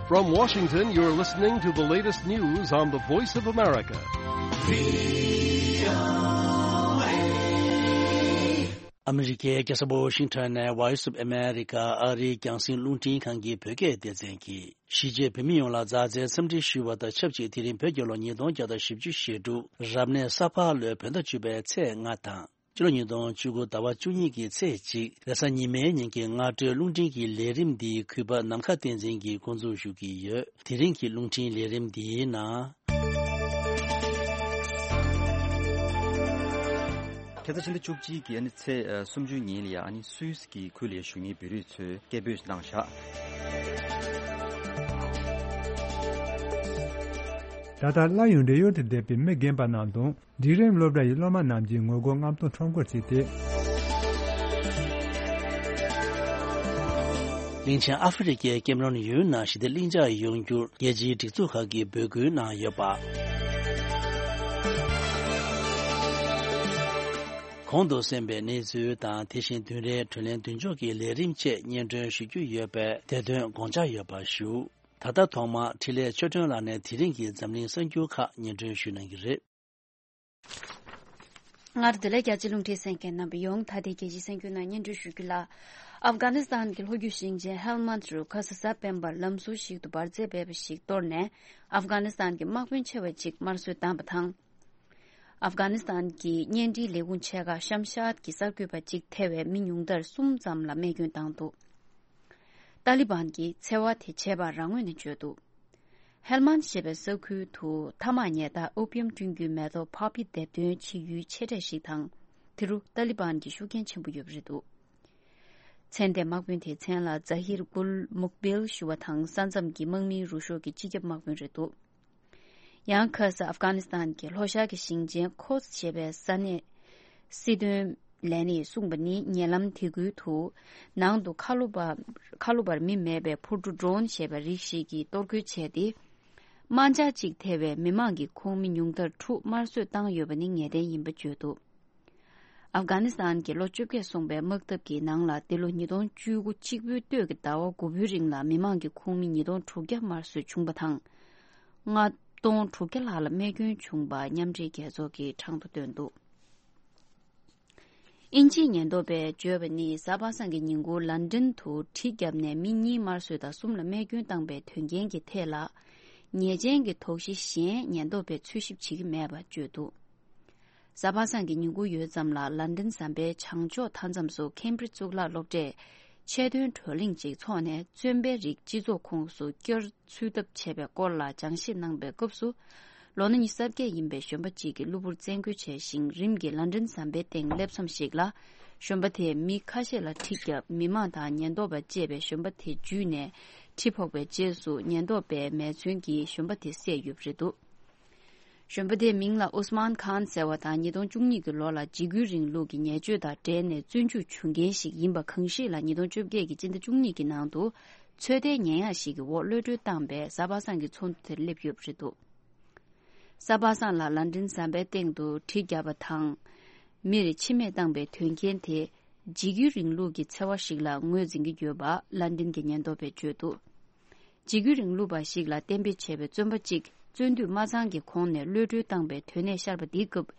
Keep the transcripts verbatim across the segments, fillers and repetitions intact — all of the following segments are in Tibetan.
From Washington, you're listening to the latest news on the Voice of America. ཨ་མི་རི་ཀའི་རྒྱལ་ས་ཝ་ཤིང་ཊོན་ནས་Voice of America ཨ་རིའི་རྒྱང་སྲིང་རླུང་འཕྲིན་ཁང་གི་བོད་སྐད་སྡེ་ཚན་གྱིས། གཞིས་བྱེས་བོད་མི་ཡོངས་ལ་མཛའ་བརྩེའི་འཚམས་འདྲི་ཞུ་བ་དང་ཆབས་ཅིག་དེ་རིང་བོད་རྒྱལ་ལོ་ཉིས་སྟོང་བརྒྱ་དང་བཞི་བཅུ་ཞེ་དྲུག་རབ་གནས་ས་ཕག་ལོའི་བོད་ཟླ་བཅུ་པའི་ཚེས་ལྔ་དང་། སྤྱི་ལོ་ཉིས་སྟོང་བཅུ་དགུ་ཟླ་བ་བཅུ་གཉིས་ཀྱི་ཚེས་གཅིག་རེས་གཟའ་ཉི་མའི་ཉིན་གྱི་སྔ་དྲོའི་རླུང་འཕྲིན་གྱི་ལས་རིམ་འདི་གུས་པ་ནམ་མཁའ་བསྟན་འཛིན་གྱིས་འགོ་འཛུགས་ཞུ་གི་ཡོད། དེ་རིང་གི་རླུང་འཕྲིན་ལས་རིམ་འདིའི་ནང་། ཁ་སང་ཕྱི་ཟླ་བཅུ་གཅིག་གི་ཨ་ནི་ཚེས་ཨ་སུམ་ཅུ་ཉིན་ལ་ཡ་ཨ་ནི་སུད་སི་གི་ཁུལ་ལ་ཡ་བཞུགས་མཁན་བོད་རིགས་ཚོས་སྐད་འབོད་གནང་བཞག་ད་ལྟ་སླར་ཡང་བགྲེས་ཡོལ་དུ་བསྡད་པའི་མི་རྒན་པ་རྣམས་དང་། འབྲིང་རིམ་སློབ་གྲྭ་ཡི་སློབ་མ་རྣམས་ཀྱིས་ངོ་རྒོལ་རྔམ་སྟོན་ཁྲོམ་སྐོར་བྱས་ཏེ། གླིང་ཆེན་ཨ་ཧྥེ་རི་ཀའི་ཀེམ་རོན་ཡུལ་ནང་ཞི་བདེ་གླིང་ཆགས་ཡོང་རྒྱུར་རྒྱལ་སྤྱིའི་སྒྲིག་འཛུགས་ཁག་གིས་འབོད་སྐུལ་གནང་ཡོད་པ། གོང་དུ་གསན་པའི་གནས་ཚུལ་དང་དེ་བཞིན་བདུན་རེའི་དྲོད་ལེན་མདུན་ལྕོག་གི་ལས་རིམ་བཅས་སྙན་སྒྲོན་ཞུ་རྒྱུ་ཡོད་པས་དེ་དོན་དགོངས་འཇགས་ཡོད་པ་ཞུ། ད་ལྟ་ཐོག་མར་འཕྲིན་ལས་ཆོས་སྒྲོན་ལགས་ནས་དེ་རིང་གི་འཛམ་གླིང་གསར་འགྱུར་ཁག་སྙན་སྒྲོན་ཞུ་གནང་གི་རེད། སྔར་བདེ་ལེགས་རྒྱ་ཆེ་རླུང་འཕྲིན་གསན་མཁན་རྣམ་པ་ཡོངས་ད་ལྟའི་རྒྱལ་སྤྱིའི་གསར་འགྱུར་ནང་སྙན་སྒྲོན་ཞུ་རྒྱུ་ལ། ཨབ་གྷ་ནི་སི་ཐན་གྱི་ལྷོ་རྒྱུད་ཞིང་ཆེན་ཧེལ་མན་རུ་ཁ་ས་གཟའ་སྤེན་པར་ལམ་ཟུར་ཞིག་ཏུ་འབར་རྫས་སྦས་པ་ཞིག་གཏོར་ནས། ཨབ་གྷ་ནི་སི་ཐན་གྱི་དམག་དཔོན་ཆེ་བ་གཅིག་དམར་གསོད་བཏང་བ་དང་། ཨབ་གྷ་ནི་སི་ཐན་གྱི་བརྙན་འཕྲིན་ལས་ཁུངས་ཆེ་ཁག་ཤམ་ཤཱད་ཀྱི་གསར་འགོད་པ་གཅིག་ཐེ་བའི་མི་ཉུང་མཐར་གསུམ་ཙམ་ལ་རྨས་སྐྱོན་བཏང་འདུག་ཏཱ་ལི་བན་གྱིས་འཚེ་བ་དེ་བྱས་པ་རང་ངོས་ནས་བརྗོད་འདུག་ཧེལ་མན་ཞེས་པའི་ས་ཁུལ་དུ་ཐ་མག་ཉལ་ཐ་ཨོ་པི་ཡམ་བསྐྲུན་རྒྱུའི་མེ་ཏོག་པོ་པི་འདེབས་འདོན་བྱེད་ཡུལ་ཆེ་གྲས་ཤིག་དང་། དེ་རུ་ཏཱ་ལི་བན་གྱི་ཤུགས་རྐྱེན་ཆེན་པོ་ཡོད་པ་རེད་འདུག་མཚན་ལྡན་དམག་དཔོན་དེའི་མཚན་ལ་ཛ་ཧིར་གུལ་མུག་བིལ་ཞུ་བ་དང་། ས་མཚམས་ཀྱི་དམག་མིའི་རུ་ཤོག་གི་སྤྱི་ཁྱབ་དམག་དཔོན་རེད་འདུག་ཡང་ཁ་ས་ཨབ་གྷ་ནི་སི་ཐན་གྱི་ལྷོ་ཤར་གྱི་ཞིང་ཆེན་ཁོ་ཛ་ཞེས་པའི་ས་གནས་སྲིད་དོན་ལས་སྣེས་གསུངས་པ་ནི། ཉེ་ལམ་དེ་ཁུལ་དུ་ནང་དུ་ཁ་ལོ་བ་ཁ་ལོ་བར་མི་མེད་པའི་འཕུར་གྲུ་ཌྲོན་ཞེས་པ་རིགས་ཤིག་གིས་གཏོར་རྒོལ་བྱས་ཏེ། དམག་འཇགས་གཅིག་ཐེ་བའི་མི་མང་གི་ཁོངས་མི་ཉུང་མཐར་དྲུག་དམར་གསོད་བཏང་ཡོད་པ་ནི་ངེས་གཏན་ཡིན་པ་བརྗོད་འདུག་ཨབ་གྷ་ནི་སི་ཐན་གྱི་ལོ་བཅོ་བརྒྱད་སོང་པའི་དམག་འཐབ་ཀྱི་ནང་ལ། འདི་ལོ་ཉིས་སྟོང་བཅུ་དགུ་གཅིག་པོའི་སྟོད་ཀྱི་ཟླ་བ་དགུ་པའི་རིང་ལ་མི་མང་གི་ཁོངས་མི་ཉིས་སྟོང་དྲུག་བརྒྱ་དམར་གསོད་བྱུང་བ་དང་། ལྔ་སྟོང་དྲུག་བརྒྱ་ལྷག་ལ་རྨས་སྐྱོན་བྱུང་བ་མཉམ་འབྲེལ་རྒྱལ་ཚོགས་ཀྱིས་གྲངས་ཐོ་བཏོན་འདུག་དབྱིན་ཇིའི་ཉེན་རྟོག་པས་བརྗོད་པ་ནི། གཟའ་པ་སངས་ཀྱི་ཉིན་གུང་ལན་ཀྲན་དུ་གྲི་བརྒྱབ་ནས་མི་གཉིས་དམར་གསོད་དང་གསུམ་ལ་རྨས་སྐྱོན་བཏང་པའི་དོན་རྐྱེན་གྱི་ཐད་ལ། ཉེས་ཅན་གྱི་དོགས་གཞི་གཞན་ཉེན་རྟོག་པས་འཚོལ་ཞིབ་བྱེད་ཀྱི་མེད་པ་བརྗོད་འདུག་གཟའ་པ་སངས་ཀྱི་ཉིན་གུང་ཡོལ་ཙམ་ལ་ལན་ཀྲན་ཟམ་པའི་བྱང་ཕྱོགས་མཐའ་མཚམས་སུ་ཁེམ་བྷྲིཇ་གཙུག་ལག་སློབ་གྲྭས་ཆེད་དོན་བགྲོ་གླེང་ཅིག་འཚོགས་ནས། བཙོན་པའི་རིགས་སྤྱི་ཚོགས་ཁོངས་སུ་བསྐྱར་ཚུད་ཐབས་བྱས་པའི་སྐོར་ལ་སྦྱང་བཤད་གནང་པའི་སྐབས་སུ། ལོ་ན་ཉི་ཤུ་རྩ་བརྒྱད་ཡིན་པའི་གཞོན་པ་གཅིག་གི་གློ་བུར་བཙན་རྒོལ་བྱས་ཤིང་། རིམ་གྱིས་ལན་ཀྲན་ཟམ་པའི་སྟེང་སླེབས་མཚམས་ཤིག་ལ། གཞོན་པ་དེས་མི་ཁ་ཤས་ལ་གྲི་བརྒྱབ། མི་མང་དང་ཉེན་རྟོག་པ་བཅས་པས་གཞོན་པ་དེ་འཇུས་ནས་གྲི་ཕོག་པའི་རྗེས་སུ། ཉེན་རྟོག་པས་མེ་མཚོན་གྱིས་གཞོན་པ་དེ་བསད་ཡོད་པ་རེད་འདུག་གཞོན་པ་དེའི་མིང་ལ་ཨུས་མཱན་ཁཱན་ཟེར་བ་དང་། ཉིས་སྟོང་བཅུ་གཉིས་ཀྱི་ལོ་ལ་འཇིགས་སྐུལ་རིང་ལུགས་ཀྱི་ཉེས་སྤྱོད་དང་འབྲེལ་ནས་བཙོན་འཇུག་བྱུང་མཁན་ཞིག་ཡིན་པ། གང་ཞིག་ལ་ཉིས་སྟོང་བཅོ་བརྒྱད་ཀྱི་སྤྱི་ཟླ་བཅུ་གཉིས་ཀྱི་ནང་དུ་ཚོད་ལྟའི་ཉེས་ཡག་ཞིག་གི་འོག་གློད་གྲོལ་བཏང་པས། གཟའ་པ་སངས་ཀྱི་ཚོགས་འདུ་དེར་སླེབས་ཡོད་པ་རེད་འདུག་གཟའ་པ་སངས་ལ་ལན་ཀྲན་ཟམ་པའི་སྟེང་དུ་གྲི་བརྒྱབ་པ་དང་། མིར་འཆི་རྨས་བཏང་པའི་དོན་རྐྱེན་དེ། འཇིགས་སྐུལ་རིང་ལུགས་ཀྱི་འཚེ་བ་ཞིག་ལ་ངོས་འཛིན་གྱི་ཡོད་པ་ལན་ཀྲན་གྱི་ཉེན་རྟོག་པས་བརྗོད་འདུག་འཇིགས་སྐུལ་རིང་ལུགས་པ་ཞིག་ལ་གཏན་འབེབས་བྱས་པའི་བཙོན་པ་གཅིག་བཙོན་འདུས་མ་ཚང་གི་གོང་ནས་གློད་གྲོལ་བཏང་པའི་དོན་གནས་ཤར་བ་འདིའི་སྐབས།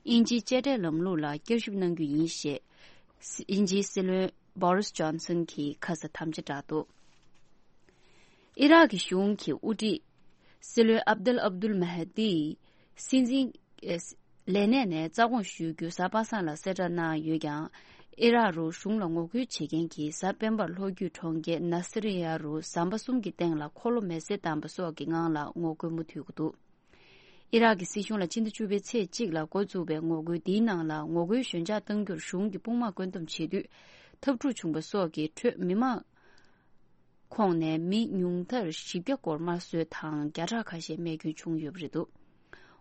དབྱིན་ཇིའི་དཔྱ་ཁྲལ་ལམ་ལུགས་ལ་བསྐྱར་ཞིབ་གནང་རྒྱུ་ཡིན་ཞེས། དབྱིན་ཇིའི་སྲིད་བློན་བོ་རིས་ཇོན་སན་གྱིས་ཁ་ས་དམ་བཅའ་བསྒྲགས་འདུག་ཨི་རག་གི་གཞུང་གི་དབུ་ཁྲིད་སྲིད་བློན་ཨབ་དལ་ཨབ་དུལ་མ་ཧ་དི་སྲིད་འཛིན། ལས་གནས་ནས་རྩ་དགོངས་ཞུ་རྒྱུ་གཟའ་པ་སངས་ལ་གསལ་བསྒྲགས་གནང་ཡོད་ཀྱང་། ཨི་རག་རུ་གཞུང་ལ་ངོ་རྒོལ་བྱེད་མཁན་གྱིས་གཟའ་སྤེན་པར་ལྷོ་རྒྱུད་གྲོང་ཁྱེར་ནཱ་སི་རི་ཡ་རུ་ཟམ་པ་གསུམ་གྱི་སྟེང་ལ་འཁོར་ལོ་མེ་བསྲེགས་བཏང་པ་སོགས་ཀྱི་ངང་ལ་ངོ་རྒོལ་མུ་མཐུད་ཀྱི་འདུག་ཨི་རག་གི་སྲིད་གཞུང་ལ་སྤྱི་ཟླ་བཅུ་པའི་ཚེས་གཅིག་ལ་འགོ་བཙུགས་པའི་ངོ་རྒོལ་འདིའི་ནང་ལ། ངོ་རྒོལ་ཞོད་འཇགས་གཏང་རྒྱུར་གཞུང་གི་དཔུང་དམག་བཀོད་འདོམས་བྱེད་དུས་འཐབ་འཁྲུག་བྱུང་པ་སོགས་ཀྱི་ཁྲོད་མི་མང་ཁོངས་ནས་མི་ཉུང་མཐར་བཞི་བརྒྱ་སྐོར་དམར་གསོད་དང་། བརྒྱ་ཕྲག་ཁ་ཤས་རྨས་སྐྱོན་བྱུང་ཡོད་པ་རེད་འདུག་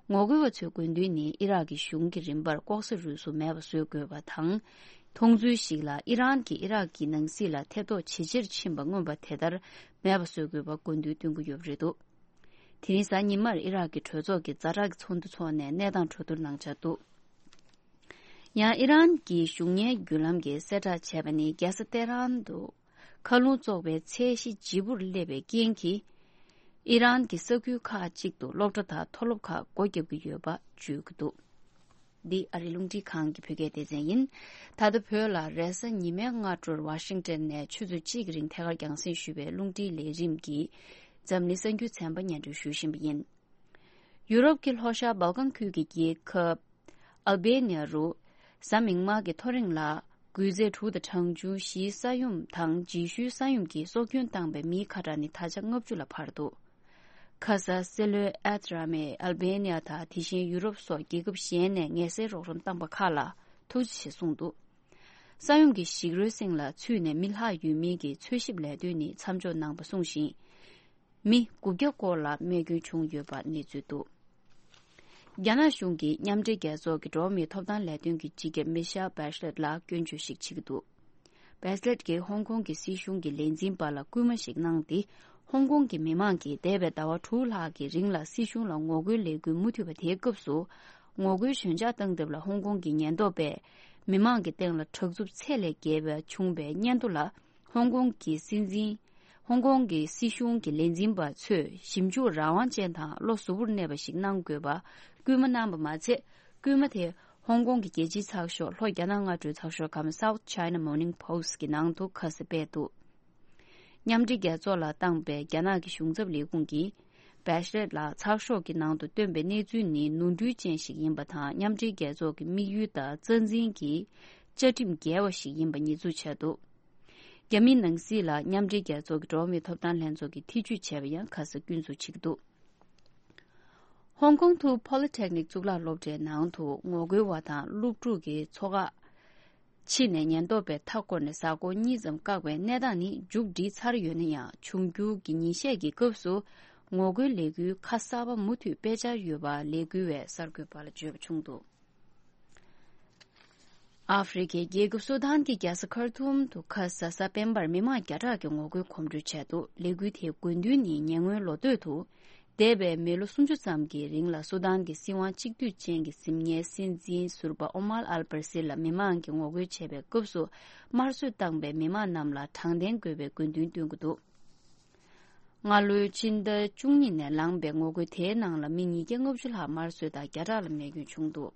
ངོ་རྒོལ་བ་ཚོའི་དགོས་འདུན་ནི། ཨི་རག་གི་གཞུང་གི་རིམ་པར་ལྐོག་ཟ་རུལ་སུངས་མེད་པ་བཟོ་དགོས་པ་དང་། མཐོང་ཚུལ་ཞིག་ལ། ཨི་རན་གྱིས་ཨི་རག་གི་ནང་སྲིད་ལ་ཐེ་གཏོགས་ཇེ་ཆེར་ཕྱིན་པ་མངོན་པ་དེ་ལྟར་མེད་པ་བཟོ་དགོས་པ་དགོས་འདུན་བཏོན་གྱི་ཡོད་པ་རེད་འདུག་དེ་རིང་གཟའ་ཉི་མར་ཨི་རག་གི་གྲོས་ཚོགས་ཀྱི་ཛ་དྲག་གི་ཚོགས་འདུ་འཚོགས་ནས་གནས་སྟངས་གྲོས་བསྡུར་གནང་འཆར་འདུག་ཡང་ཨི་རན་གྱི་གཞུང་གཉེར་བརྒྱུད་ལམ་གྱིས་གསལ་བསྒྲགས་བྱས་པ་ནི། རྒྱལ་ས་ཏེ་རན་དུ་མཁའ་རླུང་བཙོག་པའི་ཚད་གཞི་ལྗིད་པོར་སླེབས་པའི་རྐྱེན་གྱིས། ཨི་རན་གྱི་ས་ཁུལ་ཁག་ཅིག་ཏུ་སློབ་གྲྭ་དང་མཐོ་སློབ་ཁག་སྒོ་བརྒྱབ་ཀྱི་ཡོད་པ་བརྗོད་ཀྱི་འདུག་འདི་ཨ་རིའི་རླུང་འཕྲིན་ཁང་གི་བོད་སྐད་སྡེ་ཚན་ཡིན། ད་ལྟ་བོད་ལ་རེས་གཟའ་ཉི་མའི་སྔ་དྲོར་ཝ་ཤིང་ཊོན་ནས་ཆུ་ཚོད་གཅིག་གི་རིང་ཐད་ཀར་རྒྱང་སྲིང་ཞུས་པའི་རླུང་འཕྲིན་ལས་རིམ་གྱི་འཛམ་གླིང་གསར་འགྱུར་ཚན་པ་སྙན་སྒྲོན་ཞུ་བཞིན་པ་ཡིན། ཡུ་རོབ་ཀྱི་ལྷོ་ཤར་སྦལ་ཀན་ཁུལ་གྱི་རྒྱལ་ཁབ་ཨལ་བེ་ནི་ཡ་རུ་གཟའ་མིག་དམར་གྱི་ཐོ་རེངས་ལ་འགུལ་རྫས་དྲུག་དང་གྲངས་ཆུང་བཞིའི་ས་ཡོམ་དང་རྗེས་ཤུལ་ས་ཡོམ་གྱིས་སྲོག་སྐྱོན་བཏང་པའི་མིའི་ཁ་གྲངས་ནི་ད་ཆ་ལྔ་བཅུ་ལ་འཕར་འདུག་ཁ་ས་སེ་ལོའི་ཨེ་ཐི་ར་མས་ཨལ་བེ་ནི་ཡ་དང་དེ་བཞིན་ཡུ་རོབ་སོགས་རྒྱལ་ཁབ་གཞན་ནས་ངལ་སེལ་རོགས་རམ་བཏང་པ་ཁག་ལ་ཐུགས་རྗེ་ཆེ་གསུངས་འདུག་ས་ཡོམ་གྱི་ཞིག་རོའི་གསེང་ལ་ཚུད་ནས་མི་ལྷག་ཡོད་མིན་གྱི་འཚོལ་ཞིབ་ལས་དོན་ནི་མཚམས་འཇོག་གནང་པ་གསུངས་ཤིང་། མི་དགུ་བརྒྱ་སྐོར་ལ་རྨས་སྐྱོན་བྱུང་ཡོད་པ་གནས་ཚུལ་འདུག་རྒྱ་ནག་གཞུང་གིས་མཉམ་འབྲེལ་རྒྱལ་ཚོགས་ཀྱི་འགྲོ་བ་མིའི་ཐོབ་ཐང་ལས་དོན་གྱི་སྤྱི་ཁྱབ་མི་ཤེལ་བྷེ་ཤ་ལེད་ལ་སྐྱོན་བརྗོད་ཞིག་བྱེད་ཀྱི་འདུག་བྷེ་ཤ་ལེད་ཀྱིས་ཧོང་ཀོང་གི་སྲིད་གཞུང་གི་ལས་འཛིན་པ་ལ་སྐུལ་མ་ཞིག་གནང་སྟེ། ཧོང་ཀོང་གི་མི་མང་གིས་འདས་པའི་ཟླ་བ་དྲུག་ལྷག་གི་རིང་ལ་སྲིད་གཞུང་ལ་ངོ་རྒོལ་ལས་འགུལ་མུ་མཐུད་པ་དེའི་སྐབས་སུ། ངོ་རྒོལ་ཞོད་འཇགས་བཏང་ཐབས་ལ་ཧོང་ཀོང་གི་ཉེན་རྟོག་པས་མི་མང་གི་སྟེང་ལ་དྲག་རྩུབ་ཚད་ལས་བརྒལ་བ་བྱུང་བའི་སྙན་ཐོ་ལ། ཧོང་ཀོང་གི་སྲིད་འཛིན། ཧོང་ཀོང་གི་སྲིད་གཞུང་གི་ལས་འཛིན་པ་ཚོས་ཞིབ་འཇུག་རང་དབང་ཅན་དང་བློ་གཟུ་བོར་གནས་པ་ཞིག་གནང་དགོས་པ་སྐུལ་མ་གནང་པ་མ་ཚད། སྐུལ་མ་དེ་ཧོང་ཀོང་གི་རྒྱལ་སྤྱིའི་ཚགས་ཤོག་ལྷོ་རྒྱ་ནག་སྔ་དྲོའི་ཚགས་ཤོག་ཁམས་South China Morning Post གི་ནང་དུ་ཁ་གསལ་སྤེལ་འདུག་མཉམ་འབྲེལ་རྒྱལ་ཚོགས་ལ་བཏང་པའི་རྒྱ་ནག་གི་གཞུང་ཚབ་ལས་ཁུངས་ཀྱིས། བྷེ་ཤ་ལེད་ལ་ཚགས་ཤོག་གི་ནང་དུ་བཏོན་པའི་གནས་ཚུལ་ནི་ནོར་འཁྲུལ་ཅན་ཞིག་ཡིན་པ་དང་། མཉམ་འབྲེལ་རྒྱལ་ཚོགས་ཀྱི་དམིགས་ཡུལ་དང་རྩ་འཛིན་གྱི་བཅའ་ཁྲིམས་འགལ་བ་ཞིག་ཡིན་པ་ཉེས་འཛུགས་བྱས་འདུག་རྒྱ་མིའི་ནང་སྲིད་ལ་མཉམ་འབྲེལ་རྒྱལ་ཚོགས་ཀྱི་འགྲོ་བ་མིའི་ཐོབ་ཐང་ལྷན་ཚོགས་ཀྱིས་ཐེ་ཇུས་བྱས་པ་ཡང་ཁ་གསལ་སྐྱོན་འཛུགས་བྱེད་ཀྱི་འདུག་ཧོང་ཀོང་ཐུ་ཕོ་ལི་ཊེག་ནིག་གཙུག་ལག་སློབ་གྲྭའི་ནང་དུ་ངོ་རྒོལ་བ་དང་སློབ་ཕྲུག་གི་ཚོགས་ཁག་ཕྱི་ནས་ཉེན་རྟོག་པས་མཐའ་བསྐོར་ནས་གཟའ་འཁོར་གཉིས་ཙམ་བཀག་པའི་གནས་སྟངས་ནི་མཇུག་བསྒྲིལ་ཚར་ཡོད་ན་ཡང་། འབྱུང་འགྱུར་གྱི་ཉིན་ཤས་ཀྱི་སྐབས་སུ་ངོ་རྒོལ་ལས་འགུལ་ཁ་གསར་པ་མུ་མཐུད་སྤེལ་འཆར་ཡོད་པ་ལས་འགུལ་བས་གསར་འགོད་པ་ལ་བརྗོད་པ་བྱུང་འདུག་ཨ་ཧྥེ་རི་ཁའི་རྒྱལ་ཁབ་སུ་དཱན་གྱི་རྒྱལ་ས་ཁར་ཐུམ་དུ་ཁ་ས་གཟའ་སྤེན་པར་མི་མང་བརྒྱ་ཕྲག་གི་ངོ་རྒོལ་གོམ་བགྲོད་བྱས་འདུག་ལས་འགུལ་དེའི་དགོས་འདུན་ནི་ཉེ་སྔོན་ལོ་སྟོད་དུ། འདས་པའི་མི་ལོ་སུམ་ཅུ་ཙམ་གྱི་རིང་ལ་སུ་དཱན་གྱི་སྲིད་དབང་གཅིག་སྡུད་ཅན་གྱི་གཟིམ་ངའི་སྲིད་འཛིན་ཟུར་པ་ཨོ་མར་ཨལ་པར་སིར་ལ་མི་མང་གིས་ངོ་རྒོལ་བྱས་པའི་སྐབས་སུ། དམར་གསོད་བཏང་པའི་མི་མང་རྣམས་ལ་དྲང་བདེན་དགོས་པའི་དགོས་འདུན་བཏོན་གྱི་འདུག་སྔ་ལོའི་ཕྱི་ཟླ་བཅུ་གཉིས་ནས་ལངས་པའི་ངོ་རྒོལ་དེའི་ནང་ལ་མི་ཉིས་བརྒྱ་ལྔ་བཅུ་ལྷག་དམར་གསོད་དང་བརྒྱ་ཕྲག་ལ་རྨས་སྐྱོན་བྱུང་འདུག་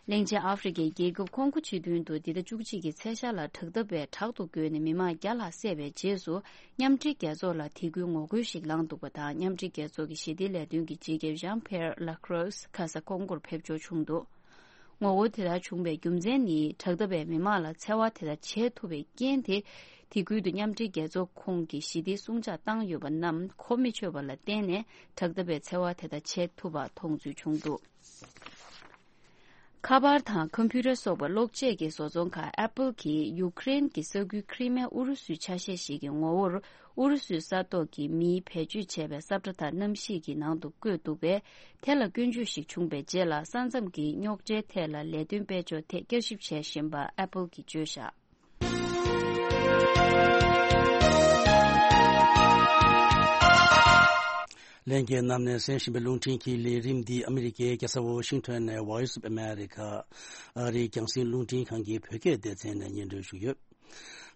གླིང་ཆེན་ཨ་ཧྥེ་རི་ཁའི་རྒྱལ་ཁབ་ཁོང་གོ་སྤྱི་མདུན་དུ་འདི་ཟླ་བཅུ་གཅིག་གི་ཚེས་ཤར་ལ་དྲག་འཐབ་པས་དྲག་ཏུ་རྒོལ་ནས་མི་མང་བརྒྱ་ལྷག་བསད་པའི་རྗེས་སུ། མཉམ་འབྲེལ་རྒྱལ་ཚོགས་ལ་དེ་ཁུལ་ངོ་རྒོལ་ཞིག་ལངས་འདུག་པ་དང་། མཉམ་འབྲེལ་རྒྱལ་ཚོགས་ཀྱི་ཞི་བདེའི་ལས་དོན་གྱི་སྤྱི་ཁྱབ་ཞང་ཕེར་ལ་ཁྲོས་ཁ་ས་ཀོང་གོར་ཕེབས་འབྱོར་བྱུང་འདུག་ངོ་རྒོལ་དེ་ལྟར་བྱུང་བའི་རྒྱུ་མཚན་ནི། དྲག་འཐབ་པས་མི་མང་ལ་འཚེ་བ་དེ་ལྟར་བྱེད་ཐུབ་པའི་རྐྱེན་དེ། དེ་ཁུལ་དུ་མཉམ་འབྲེལ་རྒྱལ་ཚོགས་ཁོངས་ཀྱི་ཞི་བདེའི་སྲུང་བྱ་བཏང་ཡོད་པ་རྣམས་གོ་མི་ཆོད་པ་ལ་བརྟེན་ནས། དྲག་འཐབ་པས་འཚེ་བ་དེ་ལྟར་བྱེད་ཐུབ་པ་མཐོང་ཚུལ་བྱུང་འདུག་ཁ་པར་དང་ཁམ་པུ་ཊར་སོགས་པ་གློག་ཆས་ཀྱི་བཟོ་ཚོང་ཁང་Apple གྱིས་ཡུཀ་རེན་གྱི་ས་ཁུལ་ཁྲི་མེ་ཨུ་རུ་སུའི་ཆ་ཤས་ཤིག་གི་ངོ་བོར་ཨུ་རུ་སུའི་ས་ཐོག་གི་མིས་བེད་སྤྱོད་བྱས་པའི་ས་ཁྲ་དག་གནམ་གཤིས་ཀྱི་ནང་དུ་བཀོད་འདུག་པས། དེ་ལ་སྐྱོན་བརྗོད་ཞིག་བྱུང་བའི་རྗེས་ལ། ས་མཚམས་ཀྱི་རྙོག་དྲའི་ཐད་ལ་ལས་དོན་སྤེལ་ཕྱོགས་ཐད་བསྐྱར་ཞིབ་བྱེད་བཞིན་པ་Apple གྱིས་བརྗོད་བཞག་ལྷན་རྒྱས་རྣམས་ནས་གསན་བཞིན་པའི་རླུང་འཕྲིན་གྱི་ལས་རིམ་འདི་ཨ་མི་རི་ཀའི་རྒྱལ་ས་ཝོ་ཤིང་ཊོན་ནས་Voice of America ཨ་རིའི་རྒྱང་སྲིང་རླུང་འཕྲིན་ཁང་གི་བོད་སྐད་སྡེ་ཚན་ནས་སྙན་སྒྲོན་ཞུས་ཡོད།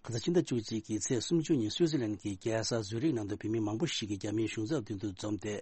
ཁ་སང་ཕྱི་ཟླ་བཅུ་གཅིག་གི་ཚེས་སུམ་ཅུ་ཉིན་སུའུ་ཙི་ལན་གྱི་རྒྱལ་ས་ཛུ་རིག་ནང་དུ་བོད་མི་མང་པོ་ཞིག་གིས་རྒྱ་མིའི་གཞུང་ཚབ་མདུན་དུ་འཛོམས་ཏེ།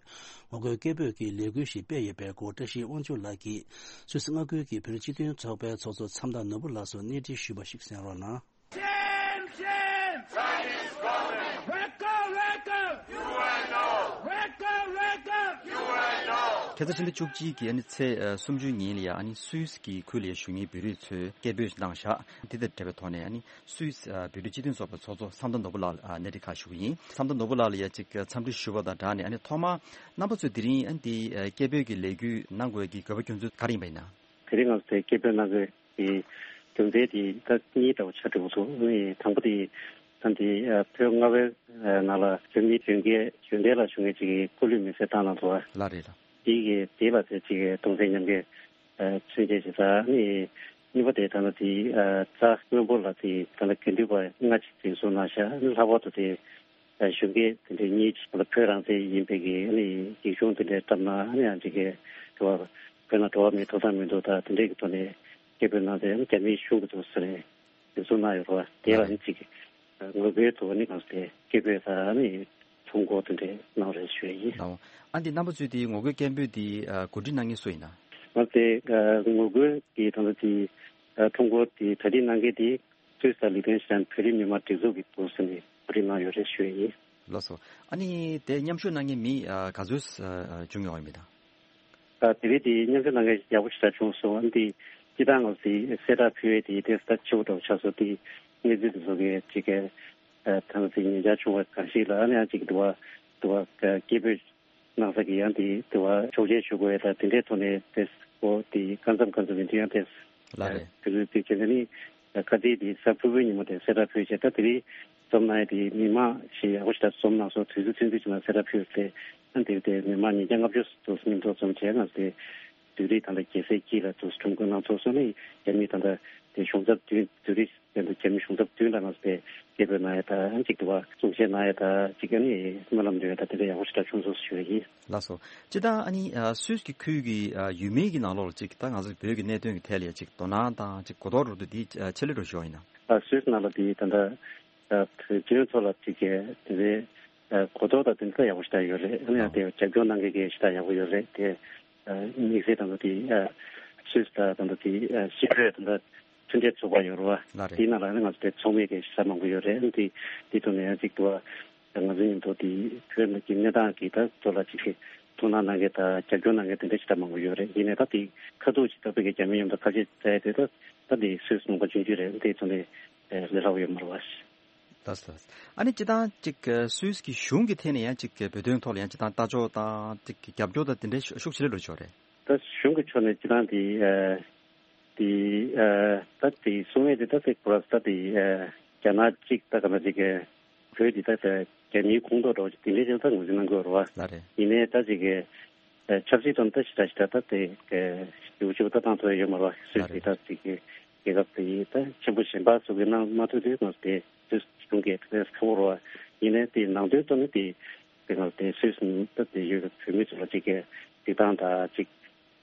ངོ་རྒོལ་སྐད་འབོད་ཀྱི་ལས་འགུལ་ཞིག་སྤེལ་ཡོད་པའི་སྐོར་བཀྲ་ཤིས་དབང་ཕྱུག་ལགས་ཀྱིས་སུད་སི་མངའ་ཁུལ་གྱི་བོད་རིགས་སྤྱི་མཐུན་ཚོགས་པའི་ཚོགས་གཙོ་མཚམས་བདག་ནོར་བུ་ལགས་སུ་གནས་འདྲི་ཞུས་པ་ཞིག་གསན་རོགས་གནང་། Shame, shame! Chinese government! Welcome, welcome! U N O! Welcome, welcome! U N O! ཁ་སང་ཕྱི་ཟླ་བཅུ་གཅིག་གི་ཨ་ནི་ཚེས་ཨ་སུམ་ཅུ་ཉིན་ལ་ཡ། ཨ་ནི་སུད་སི་གི་ཁུལ་ལ་ཡ་བཞུགས་མཁན་བོད་རིགས་ཚོས་སྐད་འབོད་གནང་བཞག་དེ་དང་འབྲེལ་བའི་ཐོག་ནས། ཨ་ནི་སུད་སི་ཨ་བོད་རིགས་སྤྱི་མཐུན་ཚོགས་པའི་ཚོགས་གཙོ་མཚམས་བདག་ནོར་བུ་ལགས་ལ་ཨ་གནས་འདྲི་ཁག་ཞུ་གི་ཡིན། མཚམས་བདག་ནོར་བུ་ལགས་ལ་ཡ་ཅིག་འཚམས་འདྲི་ཞུ་བ་དང་སྦྲགས་ནས། ཨ་ནི་ཐོག་མར་རྣམ་པ་ཚོས་དེ་རིང་ཨ་ནི་འདི་ཨ་སྐད་འབོད་ཀྱི་ལས་འགུལ་གནང་དགོས་ཀྱི་དགོས་པ་རྒྱུ་མཚན་ག་རེ་ཡིན་པ་ཡིན་ན། དེ་རིང་ང་ཚོས་སྐད་འབོད་གནང་དགོས་ཀྱི་རྒྱུ་མཚན་དེ་ད་གཉིས་འདྲ་བོ་ཆགས་འགྲོ་གི་འདུག་ཨ་ནི་དང་པོ་དེ་ད་འདི་ཨ་བོད་མངའ་དབང་ནང་ལ་བོད་མི་གཞོན་སྐྱེས་གཞོན་གྲས་ལ་བྱུང་བའི་ཅིག་སྐུ་ལུས་མེར་སྲེག་བཏང་གནང་འདུག་ལགས་རེད་ལགས། དེ་གི་དེ་ལ་དེ་ཅིག་གདུང་སེམས་མཉམ་སྐྱེད་མཚོན་བྱེད་ཅིག་དང་། ཨ་ནི་གཉིས་པ་དེ་ད་ལྟ་དེ་རྩ་སྔོན་པོ་ལ་དེ་ད་ལྟ་དགེ་འདུན་པ་ལྔ་ཅིག་འཛིན་བཟུང་གནང་བཞག་ཨ་ནི་ལྷག་པར་དུ་དེ་གཞོན་སྐྱེས་དེ་འདྲའི་གཉིས་ཅིག་ད་ལྟ་བོད་རང་བཙན་ཡིན་པའི་གི་ཨ་ནི་ཡིག་ཆུང་དེ་འདྲའི་བཀྲམ་ན། ཨ་ནི་ཡང་ཅིག་གི་འགྲོ་བ་བོད་ནང་འགྲོ་བ་མིའི་ཐོབ་ཐང་མི་འདུག་ད་དེ་འདྲའི་གི་ཐོག་ནས་སྐད་འབོད་གནང་སྟེ། ཨ་ནི་རྒྱ་མིས་ཤོར་གི་འདུག་ཟེར་ནས་འཛིན་བཟུང་གནང་ཡོད་རེད་བ། དེ་ལ་ཨ་ནི་ཅིག་ངོ་རྒོལ་དུ་ཨ་ནི་གང་ཟེར་སྐད་འབོད་དང་། ཨ་ནི་ ཐོ་འགོད་དེ་འདྲ་གནང་རེད་ཞུ་ཡ་ཡིན། ལགས། ཨ་འདི་རྣམ་པ་ཚོས་དེ་ངོ་རྒོལ་སྐད་འབོད་དེ་ཨ་གོ་སྒྲིག་གནང་མཁན་སུ་ཡིན་ན། ང་དེ་ཨ་ངོ་རྒོལ་གྱི་ད་ལྟ་དེ་ཨ་ཐོ་འགོད་དེ་གྲ་སྒྲིག་གནང་མཁན་དེ་སུད་སི་དང་ལི་ཐན་ཤན་བོད་རིགས་མི་མང་སྒྲིག་འཛུགས་ཀྱི་ཐོག་ནས་གོ་སྒྲིག་གནང་ཡོད་རེད་ཞུ་ཡ་ཡིན། ལགས་སོ། ཨ་ནི་དེ་མཉམ་ཞུགས་གནང་མཁན་མི་ཨ་ག་ཚོད་ཨ་བྱུང་ཡོད་མེད་དང་། ཨ་དེ་རིང་དེ་མཉམ་ཞུགས་གནང་མཁན་ཡག་པོ་ཞེ་དྲག་བྱུང་སོང་། ཨ་ནི་དེ་སྤྱི་བཏང་ང་ཚོ་དེ་གསལ་བསྒྲགས་ཕུལ་བའི་དེ་དེ་ད་ཆེ་བོ་འདྲ་བོ་ཆགས་སོང་། དེ་གནས་ཚུལ་དེ་ཚོ་གི་ཅིག་གི་ཨ་ད་ང་ཚོ་ཉེ་ཆར་བྱུང་བ་གང་ཞིག་ལ་ཨ་ནི་ཡང་ཅིག་དུ་བ་དུ་བ་སྐད་འབོད་གནང་ས་གི་ཡང་དེ་དུ་བ་ཆོག་མཆན་ཞུ་དགོས་ཡ་ད་དེ་འདྲའི་ཐོག་ནས་དེ་ཨོ་དེ་ཀ་མཚམས་ཀ་མཚམས་ཡིན་དུས་ཡང་དེ་ལགས་རེད། དེ་ཚོའི་དེ་བྱེད་ས་ནི་ཁ་རྩིས་དེ་གཟའ་ཕུར་བུའི་ཉིན་མོ་དེ་གསལ་བསྒྲགས་ཕུལ་བྱས། ད་དེ་རིང་འཛོམས་གནང་ཡ་དེ་མི་མང་ཞིག་ཡག་པོ་ཞེ་དྲག་འཛོམས་གནང་སོང་། དུས་ཚོད་ཐུང་ཐུང་ཞིག་ནང་གསལ་བསྒྲགས་ཕུལ་ཏེ་ཨ་དེ་དེ་མི་མང་ཉིས་བརྒྱ་ལྔ་བཅུ་དུ་མཉམ་ཚོགས་འཛོམས་བྱས། ང་ཚོ་དེ་བོད་རིགས་ད་ལྟ་རྒྱལ་སའི་དཀྱིལ་ལ་དུ་ཁྲོམ་སྐོར་གནང་ཚོགས་སོང་ནས་རྒྱ་མི་ད་ལྟ་དེ་གཞུང་ཚབ་བདུན་བོད་རིགས་དེ་ཚོ་རྒྱ་མི་གཞུང་ཚབ་བདུན་ལ་ང་ཚོ་དེ་སྐད་འབོད་གནང་ཡ་ད་ཨ་གཅིག་དུ་བ་གསུང་བཤད་གནང་ཡ་ད་གཅིག་ཨ་ནི་སྨོན་ལམ་འདོན་ཡ་ད་དེ་འདྲ་ཡག་པོ་ཞེ་དྲག་བྱུང་སོང་ཞུ་ཡ་ཡིན། ལགས་སོ། སྤྱིར་བཏང་ཨ་ནི་ཨ་སུད་སི་གི་ཁུལ་གྱི་ཨ་ཡུལ་མི་གི་ནང་ལོགས་ལ་ཅིག་ད་ང་ཚོ་བོད་ཀྱི་གནད་དོན་གྱི་ཐད་ལ་ཡ་ཅིག་དོ་སྣང་དང་ཅིག་གོ་རྟོགས་འགྲོ་འདུག་འདི་ཨ་ཆེ་ལེ་འགྲོ་ཞོག་ཡིན་ན། ཨ་སུད་སི་ནང་ལ་དེ་ད་ལྟ་ཨ་བོད་དོན་ཐོག་ལ་ཅིག་གི་དེ་འདྲའི་ཨ་གོ་རྟོགས་དང་དེ་འདྲ་ཡག་པོ་ཞེ་དྲག་ཡོད་རེད། ཨ་ནི་ཡང་དེ་རྒྱབ་སྐྱོར་གནང་མཁན་གྱི་ཞེ་དྲག་ཡག་པོ་ཡོད་རེད་དེ། ཨ་དམིགས་བསལ་ད་ལྟ་དེ་ཨ་སུད་སི་དང་ད་ལྟ་དེ་ཨ་སྤྱི་པའི་ད་ལྟ་མཐུན་འབྲེལ་ཚོགས་པ་ཡོད་རེད་བ། ལགས་རེད། དེའི་ནང་ལ་ནི་ང་ཚོ་དེ་ཚོགས་མི་གི་ཞེ་དྲག་མང་པོ་ཡོད་རེད། ཨ་ནི་དེ་དེ་ཐོག་ནས་ཡང་ཅིག་ཏུ་བ། ང་ཚོའི་མཉམ་དུ་དེ་བོད་ནང་གི་གནས་སྟངས་ཀྱི་ད་ཐོག་ལ་ཅིག་གི་ཐུགས་སྣང་གནང་མཁན་དང་རྒྱབ་སྐྱོར་གནང་མཁན་དེ་འདྲ་ཞེ་དྲག་མང་པོ་ཡོད་རེད། ཡིན་ནའི་ད་དེ་ཁ་ཐུག་ཅིག་ད་བོད་ཀྱི་རྒྱ་མི་མཉམ་དུ་ཁ་ཆད་བྱས་ཏེ་ད་ད་དེ་སུད་སི་ནང་པ་ཆུང་ཆུང་རེད། དེ་ཚོ་ནས་ལས་སླ་པོ་ཡོད་མ་རེད་བ། ལགས་སོ། ཨ་ནི་སྤྱིར་བཏང་ཅིག་སུད་སི་གི་གཞུང་གི་ཐད་ནས་ཡང་ཅིག་བོད་དོན་ཐོག་ལ་ཡང་སྤྱིར་བཏང་ལྟ་ཕྱོགས་དང་ཅིག་རྒྱབ་སྐྱོར་དང་དེ་འདྲའི་ཤུགས་ཆེ་ལེ་འགྲོ་ཆོག་རེད། ད་གཞུང་གི་ཕྱོགས་ནས་སྤྱིར་བཏང་དེ་ཨ་དེ་ཨ་ད་དེ་གསུང་ཡས་དེ་ད་དེ་ཁོ་ར་ད་དེ་ཨ་རྒྱ་ནག་གཅིག་ད་ག་ན་ཅིག་བོད་དེ་ད་ད་རྒྱ་མིའི་ཁོངས་གཏོགས་འདྲ་བོ་ཅིག་དེ་འདྲའི་ཅིག་ད་ངོས་འཛིན་གནང་དགོས་རེད་བ། ལགས་རེད། ཡིན་ནའི་ད་ཅིག་གི་ཨ་ཆབ་སྲིད་ཐོག་ནས་ད་ཞེ་དྲག་ཞེ་དྲག་ད་དེ་གི་ཞིབ་ཞིབ་ད་བཏང་ཐུབ་ཡ་ཡོད་མ་རེད་བ། སུད་སི་དེ་ད་ཅིག་གི་རྒྱལ་ཁབ་དེ་ད་ཆེན་པོ་གཞན་པ་ཚོ་གི་གནང་མ་ཐུབ་དུས་ང་ཚོ་དེ་སུད་སི་གཞུང་གི་ཁ་ཁ་པོ་རེད་བ། ཡིན་ནའི་དེ་ནང་དོན་ཐོག་ནས་དེ་དེ་ང་ཚོ་དེ་སུད་སི་ནང་ད་དེ་ཡོད་པའི་བོད་མི་ཚོ་ལ་ཅིག་གི་སྤྱིར་བཏང་ད་ཅིག་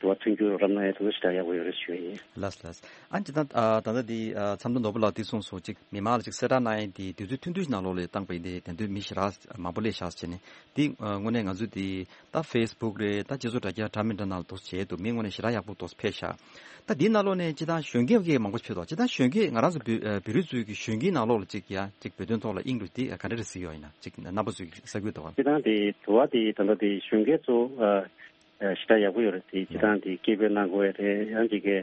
དུ་བ་མཐུན་འགྱུར་རོགས་རམ་གནང་ཡ་དེ་ཚོ་ཞེ་དྲག་ཡག་པོ་ཡོད་རེད་ཞུ་ཡ་ཡིན། ལགས་ལགས། ཨ་ནི་ད་ལྟ་ཨ་ད་ལྟ་འདི་ཨ་ཚབ་མདོ་ནོར་བུ་ལགས་འདི་གསུངས་སོང་། ཅིག་མི་མང་ལ་ཅིག་གསལ་བསྒྲགས་གནང་ཡ་འདི་དུས་ཚོད་ཐུང་ཐུང་ཞིག་ནང་ལོགས་ལ་བཏང་པ་ཡིན་ཏེ་དེ་དུས་མི་ཞེ་དྲག་མང་པོ་སླེབས་བཞག་བྱས་ནས་འདི་ཨ་དངོས་གནས་ང་ཚོ་འདི་ད་ཕེ་སི་བུག་རེད། ད་སྤྱི་ཚོགས་དྲ་རྒྱ་འདྲ་མི་འདྲ་ནང་ལ་འདུག་སེ་བྱས་འདུག་མི་དངོས་གནས་ཞེ་དྲག་ཡག་པོ་འདུག་སེ་ཕེབས་ཤག་ད་འདིའི་ནང་ལོགས་ནས་སྤྱིར་བཏང་གཞོན་སྐྱེས་ཀྱི་མང་པོ་ཕེབས་འདུག་སྤྱིར་བཏང་གཞོན་སྐྱེས་ང་རང་ཚོ་བོད་ཨ་བོད་རིགས་ཚོའི་གི་གཞོན་སྐྱེས་ནང་ལོགས་ལ་ཅིག་ཡ་ཅིག་བོད་དོན་ཐོག་ལ་དབྱིངས་འགྲོ་འདི་ག་འདྲ་རེ་གཟིགས་ཡོད་ཡིན་ན་ཅིག་རྣམ་པ་ཚོའི་གི་ས་ཁུལ་དུ་བ། སྤྱིར་བཏང་དེ་དུ་བ་དེ་ད་ལྟ་དེ་གཞོན་སྐྱེས་ཚོ་ཨ། ཞེ་དྲག་ཡག་པོ་ཡོད་རེད། དེ་སྤྱིར་བཏང་དེ་སྐད་འབོད་གནང་དགོས་ཡ་རེད། ཡང་ཅིག་གི་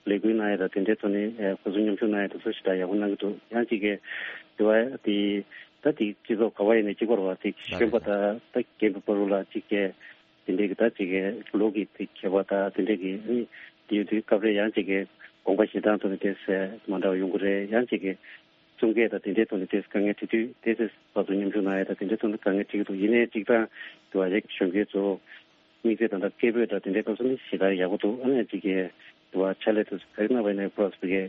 ལས་འགུལ་གནང་ཡ་དང་དེ་འདྲའི་ཐོག་ནས་ཁོ་ཚོ་མཉམ་ཞུགས་གནང་ཡ་དེ་ཚོ་ཞེ་དྲག་ཡག་པོ་གནང་གི་འདུག་ཡང་ཅིག་གི་དེ་བ་དེ་ད་དེ་སྤྱི་ཚོགས་ག་བ་ཡིན་ནའི་གཅིག་པ་རེད་བ། དེ་གཞོན་པ་དང་ད་རྒན་པའི་བར་ལ་ཅིག་གི་དེ་འདྲའི་གི་ད་ཅིག་གི་ལོ་གི་དེ་ཁྱད་པར་དང་དེ་འདྲའི་གི་ཨ་ནི་དེ་ཡོད་དུས་སྐབས་རེ་ཡང་ཅིག་གི་དགོངས་པ་བཞེས་སྟངས་ཐོག་ནས་དེ་མ་འདྲ་བ་ཡོང་གི་རེད། ཡང་ཅིག་གི་གསུང་སྐད་དང་དེ་འདྲའི་ཐོག་ནས་དེ་དཀའ་ངལ་འཕྲད་དུས་དེ་ཚོ་ཕར་ཚུར་མཉམ་ཞུགས་གནང་ཡ་དང་དེ་འདྲའི་ཐོག་ནས་དཀའ་ངལ་འཕྲད་ཀྱི་འདུག་ཡིན་ནའི་གཅིག་ད་དེ་བ་རེད། གཞོན་སྐྱེས་ཚོ། དམིགས་བསལ་ད་ལྟ་སྐད་འབོད་དང་དེ་འདྲའི་སྐབས་སུ་ནི་ཞེ་དྲག་ཡག་པོ་འདུག་ཨ་ནི་ཅིག་གི་དུ་བ་ཕྱག་ལས་དུ་ག་རེ་གནང་བ་ཡིན་ན་ཡག་པོ་རེད་ཟེར་གི་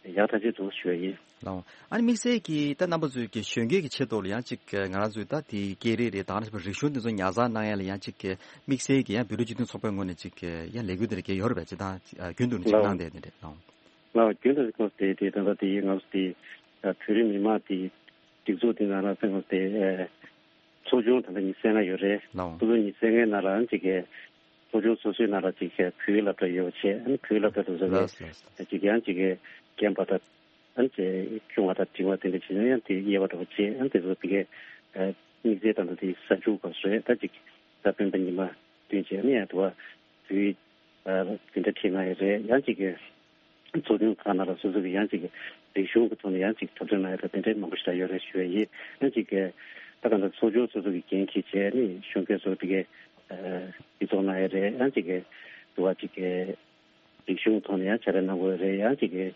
ཡག་ཐག་ཆོད་འདུག་ཞུ་བ་ཡིན། ལགས། ཨ་ནི་དམིགས་བསལ་གྱི་ད་རྣམ་པ་ཚོའི་གི་གཞོན་སྐྱེས་ཀྱི་ཆེད་དུ་ལ་ཡང་ཅིག་ང་རང་ཚོའི་ད་དེ་སྐད་རིགས་རེད། ད་ནི་རིག་གཞུང་དེ་ཚོ་ཉར་ཚགས་གནང་ཡ་ལ་ཡང་ཅིག་གི་དམིགས་བསལ་གྱི་ཡང་བོད་རིགས་སྤྱི་མཐུན་ཚོགས་པའི་ངོས་ནས་ཅིག་གི་ཡང་ལས་འགུལ་དེ་འདྲ་གི་ཡོད་རེད་པས། ཅིག་ད་རྒྱུན་དུ་ནི་ཅིག་ལགས། གནང་བསྡད་དེ་འདྲ་ལགས། ལགས། རྒྱུན་དུ་ཁོང་དེ་དེ་ད་ལྟ་དེ་ང་ཚོ་དེ་བོད་རིགས་མི་མང་དེ་སྒྲིག་འཛུགས་དེ་ནང་ལ་ཚང་མ་དེ་ཚོགས་ཆུང་ད་ལྟ་ཉི་ཤུ་རྩ་ལྔ་ཡོད་རེད། ལགས། ཚོགས་ཆུང་ཉི་ཤུ་རྩ་ལྔའི་ནང་ལ་ཅིག་གི་ཚོགས་ཆུང་སོ་སོའི་ནང་ལ་ཅིག་གི་བོད་ཡིག་སློབ་གྲྭ་ཡོད་པ་བྱས། ཨ་ནི་བོད་ཡིག་སློབ་གྲྭ་དེ་ཚོ་ལགས་ལགས། ལས་ཅིག་ཡང་ཅིག་གི་རྒན་པ་དང་ཨ་ནི་ཅིག་ཆུང་བ་དང་འབྲིང་བ་དེ་འདྲ་བྱས་ན་ཡང་དེ་དབྱེ་བ་འདྲ་བོ་བྱས། ཨ་ནི་དེ་ཚོ་དེ་གི་དམིགས་བསལ་དང་དེ་གཟའ་མཇུག་སྐབས་སུ་རེད། ད་ཅིག་གཟའ་སྤེན་པ་ཉི་མ་བདུན་བྱས་ཨ་ནི་ཡང་དེ་བ་བོད་ཡིག་དེ་འདྲ་ཁྲིད་གནང་ཡོད་རེད། ཡང་ཅིག་གི་ཚོགས་ཆུང་ཁག་ནང་ལ་སོ་སོ་གི་ཡང་ཅིག་གི་རིག་གཞུང་གི་ཐོག་ནས་ཡང་ཅིག་འཁྲབ་སྟོན་གནང་ཡ་དང་དེ་འདྲའི་མང་པོ་ཞིག་ཡོད་རེད་ཞུ་ཡ་ཡིན། ཡང་ཅིག་གི་ད་ག་འདྲ་ཚོགས་ཆུང་སོ་སོ་གི་འགན་འཁྱེར་བྱས་ནས་གཞོན་སྐྱེས་ཚོ་དེ་གའི་སྤྱི་ཚོགས་གནང་ཡ་རེད། ཡང་ཅིག་གི་དུ་བ་ཅིག་གི་རིག་གཞུང་ཐོག་ནས་ཡང་བྱ་རེ་གནང་དགོས་རེད། ཡང་ཅིག་གི་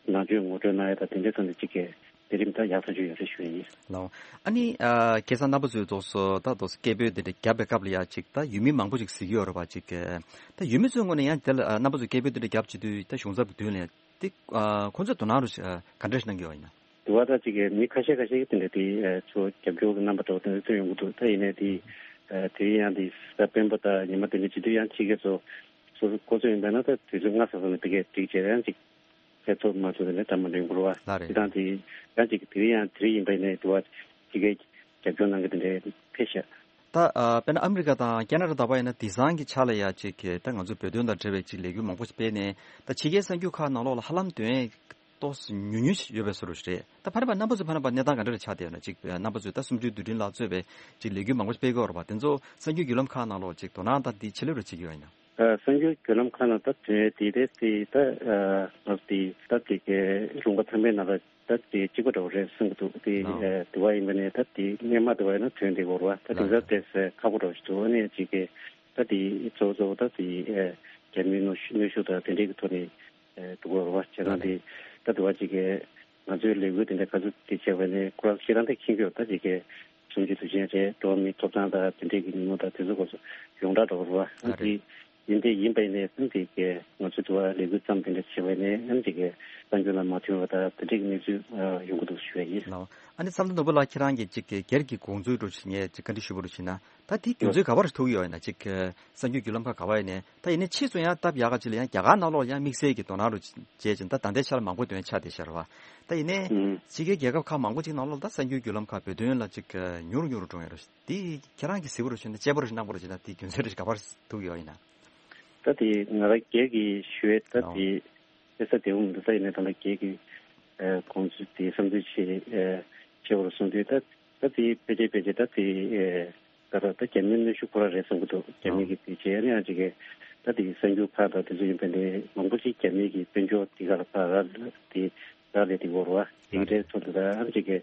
ནང་ཆོས་ངོ་སྤྲོད་གནང་ཡ་དང་དེ་འདྲའི་ཐོག་ནས་ཅིག་གི་ལས་རིམ་ད་ཡག་ཐག་ཆོད་ཡོད་རེད་ཞུ་ཡ་ཡིན། ལགས། ཨ་ནི་ཨ་ཁ་སང་རྣམ་པ་ཚོས་རྫོགས་སོ་ད་རྫོགས་སོ་སྐད་འབོད་འདི་འདྲ་བརྒྱབ་པའི་སྐབས་ལ་ཡ་ཅིག་ད་ཡུལ་མི་མང་པོ་ཅིག་གཟིགས་ཡོད་རེད་པ། ཅིག་ད་ཡུལ་མི་ཚོའི་ངོས་ནས་ཡང་དེ་ལ་ཨ་རྣམ་པ་ཚོས་སྐད་འབོད་འདི་འདྲ་བརྒྱབ་བྱེད་དུས་ད་གཞུང་ཚབ་ཀྱི་མདུན་ལ་ཡ་དེ་ཨ་ཁོང་ཚོས་དོ་སྣང་རུ་ཞིག་ཨ་ག་འདྲ་ཞིག་གནང་གི་ཡོད་ཡིན་ན། དུ་བ་ད་ཅིག་གི་མི་ཁ་ཤས་ཁ་ཤས་ཀྱིས་དེ་འདྲ་དེ་ཨ་ཚོ་རྒྱབ་སྐྱོར་གྱི་རྣམ་པ་འདྲ་བོ་དེ་འདྲ་སྟོན་ཡོང་གི་འདུག་ད་ཡིན་ནའི་དེ་ཨ་དེ་ཡང་དེ་གཟའ་སྤེན་པ་དང་ཉི་མ་དེ་འདྲ་བྱེད་དུས་ཡང་ཕྱི་རྒྱལ་ཚོ་སོ་སོ་ཁོ་ཚོ་ཡིན་པ་ན་ད་དུས་ཚོད་སྔ་ས་ས་ནས་དེ་གས་སྒྲིག་བྱས་ཡང་ཅིག་ཚེ་ཐོབ་མ་ཐུབ་ནས་འདྲ་མ་འདྲ་ཡོང་གི་རེད་བ། ལགས་རེད། དེ་དང་དེ་ཡང་ཅིག་དེ་རིང་ཡང་དེ་རིང་ཡིན་པ་ཡིན་ནའི་དུ་བ་ཅིག་གི་ རྒྱབ་སྐྱོར་གནང་གི་དེ་འདྲའི་ཕེབས་ཤག་ད་ཨ་དཔེར་ན་ཨ་མི་རི་ཀ་དང་ཁེ་ན་ཌ་ད་བར་ཡིན་ན་དེང་སང་གི་ཆ་ལ་ཡ་ཅིག་གི་ད་ང་ཚོ་བོད་དོན་དང་འབྲེལ་བའི་ཅིག་ལས་འགུལ་མང་པོ་ཞིག་སྤེལ་ནས་ད་ཕྱི་རྒྱལ་གསར་འགྱུར་ཁག་ནང་ལོགས་ལ་ཧ་ལམ་དོན་ཏོག་ཙམ་ཉུང་ཉུང་ཞིག་ཡོད་པའི་བཟོ་འདྲ་ཞིག་རེད། ད་ཕ་རེད་པ། རྣམ་པ་ཚོ་ཕ་རེད་པ་གནས་སྟངས་ག་འདྲ་རེ་ཆགས་བསྡད་ཡོད་ན། ཅིག་རྣམ་པ་ཚོས་ད་གསུམ་བཅུའི་དུས་དྲན་ལ་གཙོས་པའི་ཅིག་ལས་འགུལ་མང་པོ་ཞིག་སྤེལ་གི་ཡོད་རེད་པ། དེ་ཚོ་གསར་འགྱུར་བརྒྱུད་ལམ་ཁག་ནང་ལོགས་ཅིག་དོ་སྣང་དང་དེ་ཆེ་ལེ་རུ་བྱེད་ཀྱི་ཡོད་ཡིན་ན། ཨ་གསར་འགྱུར་བརྒྱུད་ལམ་ཁག་ནང་ད་དེ་དེ་དེ་དེ་ད་ཨ་ང་ཚོ་དེ་ད་དེ་གའི་ལུང་པ་ཚང་མའི་ནང་ལ་ད་དེ་གཅིག་པ་འདྲ་བོ་རེད་བསམ་གྱི་འདུག་དེ་ལགས། ཨ་དེ་བ་ཡིན་པ་ནས་ད་དེ་སྔས་མ་དེ་བ་ཡིན་ན་དོན་དེ་གོ་ར་བ། ད་དེང་སང་དེ་ཁག་པོ་འདྲ་བོ་ཞིག་འདུག་ཨ་ནི་ཅིག་གི་ད་དེ་གཙོ་བོ་གཙོ་བོ་ད་དེ་ཨ་རྒྱ་མིའི་གནོན་ཤུགས་གནོན་ཤུགས་དང་དེ་འདྲའི་གི་ཐོག་ནས་ཨ་འདུག་གོ་ར་བ། བྱས་ཙང་དེ་ད་དེ་བ་ཅིག་གི་ང་ཚོའི་ལས་འགུལ་དེ་འདྲ་ག་ཚོད་དེ་བྱས་པ་ནས་ཁོ་རང་ཤེས་རང་དེ་མཁྱེན་གྱི་ཡོད། ད་ཅིག་གི་གསུམ་བཅུའི་དུས་ཆེན་རེད། འགྲོ་བ་མིའི་ཐོབ་ཐང་དང་དེ་འདྲའི་གི་ཉིན་མོ་དང་དེ་ཚོ་སྐོར་སོགས་ཡོངས་གྲགས་འདྲ་བོ་རེད་བ། ཨ་རེད། དེ་ཡིན་དེ་ཡིན་པ་ཡིན་ནའི་ཨ་ནི་དེ་གའི་ང་ཚོའི་དུ་བ་ལས་འགུལ་བརྩམས་དེ་འདྲ་བྱས་པ་ཡིན་ནའི་ཨ་ནི་དེ་གའི་གསར་འགྱུར་ལ་མ་ཐོན་པ་དང་དེ་འདྲའི་གི་གནས་ཚུལ་ཨ་ཡོང་གི་འདུག་ཞུ་ཡ་ཡིན། ལགས། ཨ་ནི་བསམ་གཏན་ནོར་བུ་ལགས་ཁྱེད་རང་གིས་ཅིག་གི་སྒེར་གྱི་དགོངས་ཚུལ་འདྲ་ཞིག་ངས་ཅིག་བཀའ་འདྲི་ཞུ་བ་རུ་ཕྱིན་ན། ད་དེ་རྒྱུ་མཚན་ག་པར་ཐུག་ཡོད་ཡིན་ན། ཅིག་གི་གསར་འགྱུར་བརྒྱུད་ལམ་ཁག་ག་པར་ཡིན་ནའི་ད་ཡིན་ནའི་ཕྱིས་སུ་ཡང་སྟབས་ཡག་ག་ཅིག་ལ་ཡང་རྒྱ་གར་ནང་ལོགས་ཡང་དམིགས་བསལ་གྱི་དོ་སྣང་རུ་བྱས་ཅིང་ད་ད་ལྟའི་ཆར་མང་པོ་དོན་ཆགས་བསྡད་ཤག་རེད་བ། ད་ཡིན་ནའི་ཕྱི་རྒྱལ་རྒྱལ་ཁབ་ཁག་མང་པོ་ཅིག་ནང་ལོགས་ད་གསར་འགྱུར་བརྒྱུད་ལམ་ཁག་བོད་དོན་ལ་ཅིག་གི་ཉུང་རུ་ཉུང་རུ་འགྲོ་ཡོད་རེད། དེ་ཁྱེད་རང་གིས་གཟིགས་པ་རུ་ཕྱིན་ན་དཔྱད་པ་རུ་གནང་པ་རུ་བྱས་ན་དེ་རྒྱུ་མཚན་རེ་ག་པར་ཐུག་ཡོད་ཡིན་ན། ད་དེ་ང་རང་སྒེར་གྱི་ཞུ་ཡས་ད་ཨོ། དེ་དཔེ་ས་དེ་འུ་མི་འདུག་ད་ཡིན་ནའི་ད་ལྟ་སྒེར་གྱི་ཨ་དགོངས་ཚུལ་དེ་བསམ་ཚུལ་ཆེ་ཨ་ཆེ་བོ་རུ་གསུངས་དུས་ད་ད་དེ་ཕལ་ཆེར་ཕལ་ཆེར་ད་དེ་ཨ་ད་ད་ད་རྒྱ་མིའི་གནོན་ཤུགས་ཁོ་རང་རེད་བསམ་གྱི་འདུག་རྒྱ་མི་གི་དེ་བྱས་ཨ་ནི་ཡང་ཅིག་གི་ད་དེ་གསར་འགྱུར་ཁག་དང་དེ་ཚོ་ཡིན་པ་ནི་མང་པོ་ཅིག་རྒྱ་མི་གི་དཔལ་འབྱོར་དེ་ག་ལ་ཕར་རག་དེ་རག་ལས་དེ་བོར་བ་དེ་གི་གྲས་ཐོག་ཏུ་ད་ཨ་ནི་ཅིག་གི་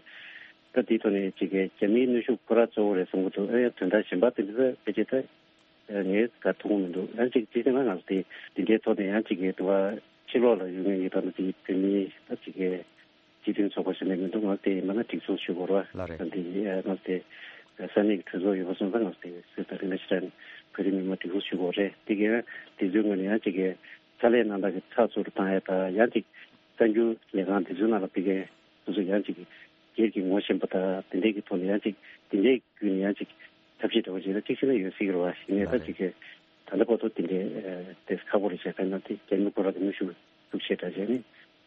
ད་དེའི་ཐོག་ནས་ཅིག་གི་རྒྱ་མིའི་གནོན་ཤུགས་ཁོ་རང་གཙོ་བོ་རེད་བསམ་གྱི་འདུག་ཨ་ཡང་དོན་དག་གཞན་པ་དེ་འདྲ་ཕལ་ཆེར་ད། ངས་ག་ཐུག་མི་འདུག་ཡང་ཅིག་ཅིག་ན་ང་ཚོ་དེ་འདི་འདྲའི་ཐོག་ནས་ཡང་ཅིག་གི་དུ་བ་ཕྱི་ལོགས་ལ་ཡོད་མཁན་གྱི་ད་ནི་དེ་བོད་མིའི་ད་ཅིག་གི་སྤྱི་མཐུན་ཚོགས་པ་ཞིག་ནས་མི་འདུག་ང་ཚོ་དེ་མ་ན་སྒྲིག་འཛུགས་ཞུ་དགོས་ར། ལ་རེད། ད་འདི་ང་ཚོ་དེ་ས་གནས་ཀྱི་གྲོས་ཚོགས་ཡོད་པ་སོང་ཙང་ང་ཚོ་དེ་སུས་ད་རིན་པོ་ཆེ་རང་བོད་རིགས་མི་མང་སྒྲིག་འཛུགས་ཞུ་དགོས་རེད། དེ་གི་དེ་ཚོའི་ངོས་ནས་ཡང་ཅིག་གི་ཕྱག་ལས་གནང་སྟངས་ཀྱི་ཚགས་ཚུད་དུ་བཏང་ཡ་ད་ཡང་ཅིག་གསར་འགྱུར་ལས་ཁང་དེ་ཚོའི་ནང་ལ་ཕ་གི་སོ་སོ་ཡང་ཅིག་སྒེར་གྱི་ངོ་ཤེས་པ་དང་དེ་འདྲའི་གི་ཐོག་ནས་ཡང་ཅིག་དེ་འདྲའི་བརྒྱུད་ནས་ཡང་ཅིག་ཐབས་ཤེས་འདྲ་བོ་ཅིག་ལ་ཅིག་བྱས་ན་ཡོད་སྲིད་ཀྱི་རེད་བ། ཡིན་ནའི་ད་ལགས་ཅིག་གི་ད་ལྟ་བར་དུ་དེ་འདྲའི་ཨ་དེ་ཁག་པོ་རེད་བྱས་ཙང་ན་དེ་རྒྱ་མི་ཁོ་རང་གི་གནོན་ཤུགས་ཤུགས་ཆེ་དྲགས་བྱས་ནས་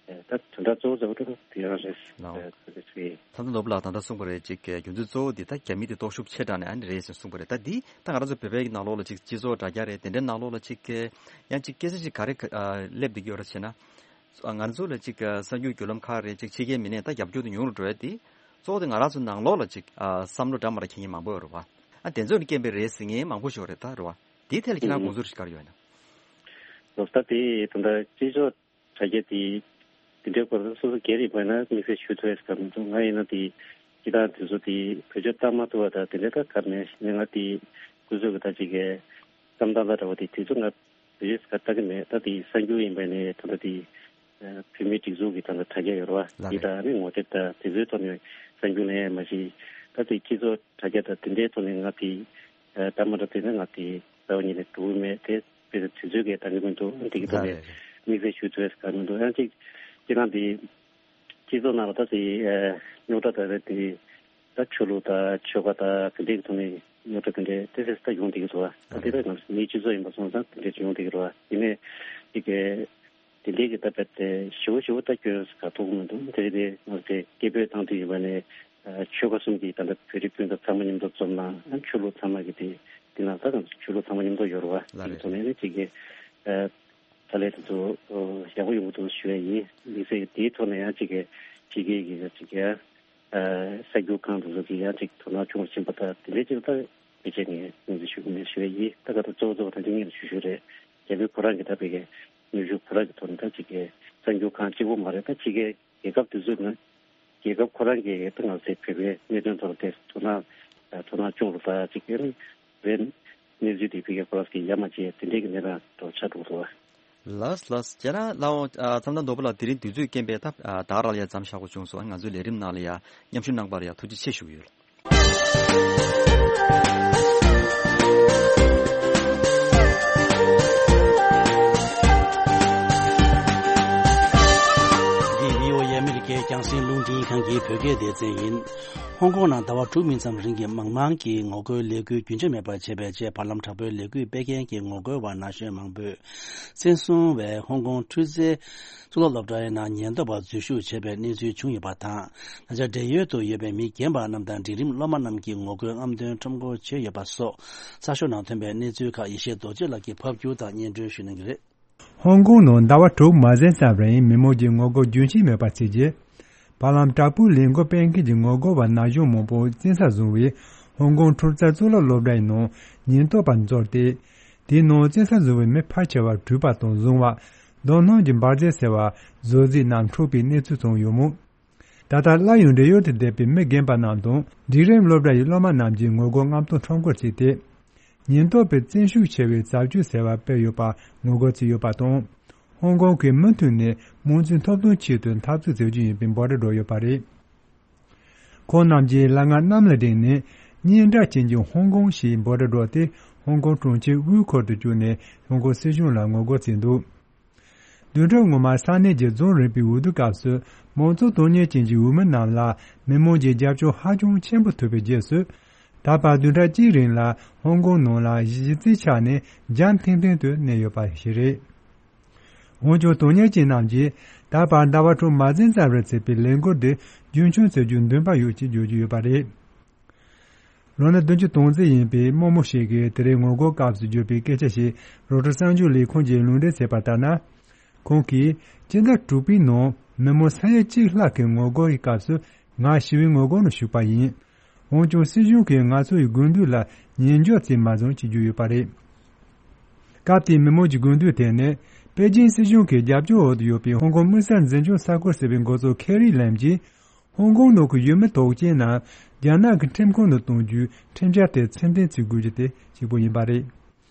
ཨ་ད་དོན་དག་གཙོ་བོ་གཙོ་བོ་དེ་ཡང་རེད། ལགས། ཨ་ད་དེ་ཚོའི་ད་ལྟ་ནོར་བུ་ལགས་ད་ལྟ་གསུངས་པ་རེད། ཅིག་གི་རྒྱུ་མཚན་གཙོ་བོ་འདི་ད་རྒྱ་མི་དེ་སྟོབས་ཤུགས་ཆེ་དྲགས་ནས་ཨ་ནི་རེད་ཟེར་གསུངས་པ་རེད། ད་འདི་ད་ང་རང་ཚོ་བོད་པའི་ནང་ལོགས་ལ་ཅིག་སྤྱི་ཚོགས་དྲ་རྒྱ་རེད། དེ་འདྲའི་ནང་ལོགས་ལ་ཅིག་གི་ཡང་ཅིག་སྐད་ཆ་ཅིག་ག་རེ་ག་ཨ་སླེབས་བསྡད་ཀྱི་ཡོད་རེད་བྱས་ན། ང་ཚོ་ལ་ཅིག་གསར་འགྱུར་བརྒྱུད་ལམ་ཁག་རེད་ཅིག་ཕྱི་རྒྱལ་མི་སྣས་ད་རྒྱབ་སྐྱོར་དུ་ཉུང་རུ་འགྲོ་ཡ་དེ་གཙོ་བོ་དེ་ང་རང་ཚོ་ནང་ལོགས་ལ་ཅིག་ཨ་བསམ་བློ་འདྲ་མ་འདྲ་འཁྱེར་མཁན་མང་པོ་ཡོད་རེད་བ། ཨ་དེ་ཚོ་ནས་རྐྱེན་པས་རེད་ཟེར་མཁན་མང་པོ་ཞིག་ཡོད་རེད་ད་རེད་བ། དེའི་ཐད་ལ་ཁྱེད་རང་དགོངས་ཚུལ་རེ་ག་རེ་ཡོད་ན། ལོ་ད་དེ་ད་ལྟ་སྤྱི་ཚོགས་དྲ་རྒྱ་དེ་དེ་འདྲའི་སྐོར་སོ་སོ་སྒེར་ཡིན་པ་ན་དམིགས་བསལ་ཞུ་ཐུབ་ཡ་ཟེར་ག་མི་འདུག་ང་ཡིན་ན་དེ་སྤྱི་བཏང་དེ་ཚོ་དེ་བེད་སྤྱོད་བཏང་མ་ཐུབ་པ་དང་དེ་འདྲ་ད་ག་མེད་ཡིན་ན་ང་དེ་སྐུ་གཟུགས་ཀྱི་ད་ཅིག་གི་བསམ་སྟངས་ལ་འདྲ་བ་དེ་དེ་ཚོ་ང་བེད་ཀ་ལྟ་གི་མེད། ད་དེ་གསར་འགྱུར་ཡིན་པ་ནས་ད་ལྟ་དེ་བོད་མིའི་སྒྲིག་འཛུགས་ཀྱི་ད་ལྟ་དྲ་རྒྱ་ཡོད་རེད་བ། ལགས་དེ་རེད། ད་ནི་ངོ་དེབ་དང་དེ་ཚོའི་ཐོག་ནས་གསར་འགྱུར་ལེན་ཡ་མ་གཞི་ད་དེ་སྤྱི་ཚོགས་དྲ་རྒྱ་དང་དེ་འདྲའི་ཐོག་ནས་ང་དེ་ད་མ་འདྲ་དེ་ནི་ང་དེ་རྩ་བ་ཉིད་ནས་འགྲོ་གི་མེད། དེ་དཔེ་དེ་དུས་ཚོད་ཀྱིས་ད་གི་མི་འདུག་དེ་གི་ཐོག་ནས་ལགས་རེད། དམིགས་བསལ་ཞུ་ཐུབ་ཡ་ག་མི་འདུག་ཡང་གཅིག་སྤྱི་བཏང་དེ་སྤྱི་ཚོགས་ནང་ལ་ད་དེ་རྙོག་དྲ་ད་རེད་དེ། ད་ཆོས་ལུགས་དང་ཆོལ་ཁ་དང་དེ་འདྲའི་ཐོག་ནས་རྙོག་དྲ་དེ་འདྲའི་ཏོག་ཙམ་ད་ཡོང་བསྡད་ཀྱི་འདུག་བ། ད་དེ་ལ་ང་ཚོ་མིའི་སྤྱི་ཚོགས་ཡིན་པ་སོང་ཙང་དེ་འདྲའི་ཡོང་བསྡད་ཀྱི་རེད་བ། ཡིན་ནའི་དེ་གའི་དེ་འདྲའི་གི་ད་རྦད་དེ་ཞེ་པོ་ཞེ་པོ་ད་སྐྱོན་ག་ཐུག་མི་འདུག་དེ་རེད་དེ་ང་ཚོ་དེ་སྐད་འབོད་བཏང་དུས་ཡིན་པ་ནས་ཆོལ་ཁ་གསུམ་གྱི་ད་ལྟ་བོད་རིགས་སྤུན་ཟླ་ཚང་མ་མཉམ་དུ་འཛོམས་ན་ཆོས་ལུགས་ཚང་མ་གི་དེ་དེ་ན་ད་ང་ཚོ་ཆོས་ལུགས་ཚང་མ་མཉམ་དུ་ཡོད་རེད་བ། ལགས་རེད། དེ་གི་ཐོག་ནས་ནི་གཅིག་གི་ད་ལས་དེ་ཚོ་ཡག་པོ་ཡོང་གི་འདུག་ཞུ་ཡ་ཡིན། དམིགས་བསལ་དེའི་ཐོག་ནས་ཡང་གཅིག་གི་ཕྱི་རྒྱལ་གྱི་གཅིག་གི་གསར་འགྱུར་ཁང་དེ་ཚོ་གིས་ཡང་ཅིག་དོ་སྣང་ཆུང་བ་ཕྱིན་པ་དང་དེ་འདྲའི་ཅིག་ད་ཕལ་ཆེར་ངས་ངོས་འཛིན་ཞུ་གི་མེད་ཞུ་ཡ་ཡིན། ད་ག་ད་གཙོ་བོ་གཙོ་བོ་ད་ཅིག་ངས་ཞུ་ཞུ་རེད། རྒྱ་བོད་ཁོ་རང་གི་ད་བོད་ཀྱི་ནུས་ཤུགས་ཁོ་རང་གི་ཐོག་ནས་ད་ཅིག་གི་གསར་འགྱུར་ཁང་གཅིག་པོ་མ་རེད། ད་ཕྱི་རྒྱལ་རྒྱལ་ཁབ་དེ་ཚོའི་ནང་རྒྱལ་ཁབ་ཁོ་རང་གི་ད་ང་ཚོའི་བོད་པའི་གནད་དོན་ཐོག་ལ་དེ་དོ་སྣང་དོ་སྣང་ཆུང་རུ་ད་ཅིག་གི་བོད་གནས་ཚུལ་དེ་ཕྱི་རྒྱལ་ཁོ་རང་གི་ཡ་མ་བྱས་དེ་འདྲའི་གི་གནས་སྟངས་ཐོག་ཆགས་འགྲོ་གི་འདུག་བ། ལགས་ལགས། ཁྱེད་རང་ལའོ་ཨ་མཚམས་དང་རྡོ་པོ་ལགས་དེ་རིང་དུས་ཚོད་རྐྱེན་པས་ད་ཨ་ད་ག་རང་ལ་ཡ་མཚམས་བཞག་དགོས་བྱུང་སོང་། ང་ཚོའི་ལས་རིམ་ནང་ལ་ཡ་མཉམ་ཞུགས་གནང་པར་ཡ་ཐུགས་རྗེ་ཆེ་ཞུ་གི་ཡོད། འདི་བྷི་ཨོ་ཨེ་ཨ་མི་རི་ཀའི་རྒྱང་སྲིང་རླུང་འཕྲིན་ཁང་། གི་བོད་སྐད་སྡེ་ཚན་ཡིན། ཧོང་ཀོང་ནང་ཟླ་བ་དྲུག་མིན་ཙམ་རིང་གི་མང་མང་གི་ངོ་རྒོལ་ལས་འགུལ་རྒྱུན་ཆད་མེད་པར་བྱས་པའི་རྗེས། བར་ལམ་དྲག་པོའི་ལས་འགུལ་སྤེལ་མཁན་གྱི་ངོ་རྒོལ་བ་ན་གཞོན་མང་པོས། བཙན་བཟུང་བས་ཧོང་ཀོང་འཕྲུལ་རྩལ་གཙུག་ལག་སློབ་གྲྭའི་ནང་ཉེན་རྟོག་པ་འཛུལ་ཞུགས་བྱས་པའི་གནས་ཚུལ་བྱུང་ཡོད་པ་དང་། ད་ཆ་བགྲེས་ཡོལ་དུ་ཡོད་པའི་མི་རྒན་པ་རྣམས་དང་འབྲིང་རིམ་སློབ་མ་རྣམས་ཀྱི་ངོ་རྒོལ་རྔམ་སྟོན་ཁྲོམ་སྐོར་བྱས་ཡོད་པ་སོགས། གསར་ཤོག་ནང་ཐོན་པའི་གནས་ཚུལ་ཁག་ཡེ་ཤེས་རྡོ་རྗེ་ལགས་ཀྱིས་ཕབ་སྒྱུར་དང་སྙན་སྒྲོན་ཞུ་གནང་གི་རེད། ཧོང་ཀོང་ནང་ཟླ་བ་དྲུག་མ་ཟིན་ཙམ་རིང་མི་མང་གི་ངོ་རྒོལ་རྒྱུན་ཆད་མེད་པར་བྱས་རྗེས། བར་ལམ་དྲག་པོའི་ལས་འགུལ་སྤེལ་མཁན་གྱི་ངོ་རྒོལ་བ་ན་གཞོན་མང་པོ་བཙན་ས་བཟུང་བས། ཧོང་ཀོང་འཕྲུལ་རྩལ་གཙུག་ལག་སློབ་གྲྭའི་ནང་ཉེན་རྟོག་པ་འཛུལ་ཏེ། དེའི་ནང་བཙན་ས་བཟུང་བའི་མི་ཕལ་ཆེ་བ་འཁྲུད་པ་དང་བཟུང་བ། མདུན་ནང་གི་འབར་རྫས་ཟེར་བ་བཟོ་རྫས་རྣམས་འཁྲུགས་པའི་གནས་ཚུལ་ཙམ་ཡོད་མོད། ད་ལྟ་སླར་ཡང་བགྲེས་ཡོལ་དུ་བསྡད་པའི་མི་རྒན་པ་རྣམས་དང་འབྲིང་རིམ་སློབ་གྲྭ་ཡི་སློབ་མ་རྣམས་ཀྱིས་ངོ་རྒོལ་རྔམ་སྟོན་ཁྲོམ་སྐོར་བྱས་ཏེ། ཉེན་རྟོག་པས་བཙན་ཤུགས་ཆེ་བའི་བྱ་སྤྱོད་ཟེར་བ་སྤེལ་ཡོད་པར་ངོ་རྒོལ་བྱས་ཡོད་པ་དང་། ཧོང་ཀོང་གིས་མུ་མཐུད་ནས་དམངས་གཙོའི་ཐོབ་ཐང་ཆེད་དུ་འཐབ་རྩོད་བྱེད་རྒྱུ་ཡིན་པའི་འབོད་སྒྲ་བསྒྲགས་ཡོད་པ་རེད། ཁོང་རྣམས་ཀྱིས་ལ་ང་གནམ་ལ་བསྒྲེངས་ནས། སྙན་གྲགས་ཅན་གྱི་ཧོང་ཀོང་ཞེས་འབོད་སྒྲ་བསྒྲགས་ཏེ། ཧོང་ཀོང་གྲོང་ཁྱེར་དབུས་ཁུལ་དུ་བསྐྱོད་ནས་ཧོང་ཀོང་སྲིད་གཞུང་ལ་ངོ་རྒོལ་བྱས་འདུག་བདུན་ཕྲག་སྔོན་མ་ས་གནས་ཀྱི་རྫོང་རིམ་པའི་འོས་བསྡུ་སྐབས་སུ། མང་གཙོ་དོན་གཉེར་ཅན་གྱི་འོས་མི་རྣམས་ལ་མི་མང་གི་རྒྱབ་སྐྱོར་ཧ་ཅང་ཆེན་པོ་ཐོབ་པའི་རྗེས་སུ། ད་བར་བདུན་ཕྲག་གཅིག་རིང་ལ་ཧོང་ཀོང་ནང་ལ་གཞི་རྩའི་ཆ་ནས་འཇམ་ཐིང་ཐིང་དུ་གནས་ཡོད་པ་ཞིག་རེད། འོན་ཀྱང་དོན་གཉེར་ཅན་རྣམས་ཀྱིས་ད་བར་ཟླ་བ་དྲུག་མ་ཟིན་ཙམ་རིང་བྱས་པའི་ལས་འགུལ་འདི་རྒྱུན་འཁྱོངས་བྱ་རྒྱུ་འདུན་པ་ཡོད་ཅེས་བརྗོད་ཀྱི་ཡོད་པ་རེད། ལོ་ན་བདུན་ཅུ་དོན་གཅིག་ཡིན་པའི་རྨོ་མོ་ཞིག་གིས་དེ་རིང་ངོ་རྒོལ་སྐབས་སུ་བརྗོད་པའི་སྐད་ཆ་ཞིག་རོའི་ཊར་གསར་འགྱུར་ལས་ཁུངས་ཀྱིས་ལུང་འདྲེན་བྱས་པ་ལྟར་ན། ཁོང་གིས་སྤྱི་ཟླ་དྲུག་པའི་ནང་མི་མང་ས་ཡ་གཅིག་ལྷག་གི་ངོ་རྒོལ་གྱི་སྐབས་སུ་ང་ཞི་བའི་ངོ་རྒོལ་ནང་ཞུགས་པ་ཡིན། འོན་ཀྱང་སྲིད་གཞུང་གིས་ང་ཚོ་ཡི་དགོས་འདུན་ལ་ཉན་འཇོག་བྱས་མ་བྱུང་ཅེས་བརྗོད་ཡོད་པ་རེད། སྐབས་དེའི་མི་མང་གི་དགོས་འདུན་དེ་ནི། པེ་ཅིན་སྲིད་གཞུང་གི་རྒྱབ་སྐྱོར་འོག་ཏུ་ཡོད་པའི་ཧོང་ཀོང་དམིགས་བསལ་འཛིན་སྐྱོང་ས་ཁུལ་ཟེར་བའི་འགོ་གཙོ་ཁེ་རི་ལེམ་གྱིས། ཧོང་ཀོང་ནང་གི་ཡུལ་མི་དོགས་ཅན་རྣམས་རྒྱ་ནག་གི་ཁྲིམས་ཁང་དུ་གཏོང་རྒྱུའི་ཁྲིམས་འཆར་དེ་ཕྱིར་འཐེན་བྱེད་དགོས་རྒྱུ་དེ་གཅིག་པུ་ཡིན་པ་རེད།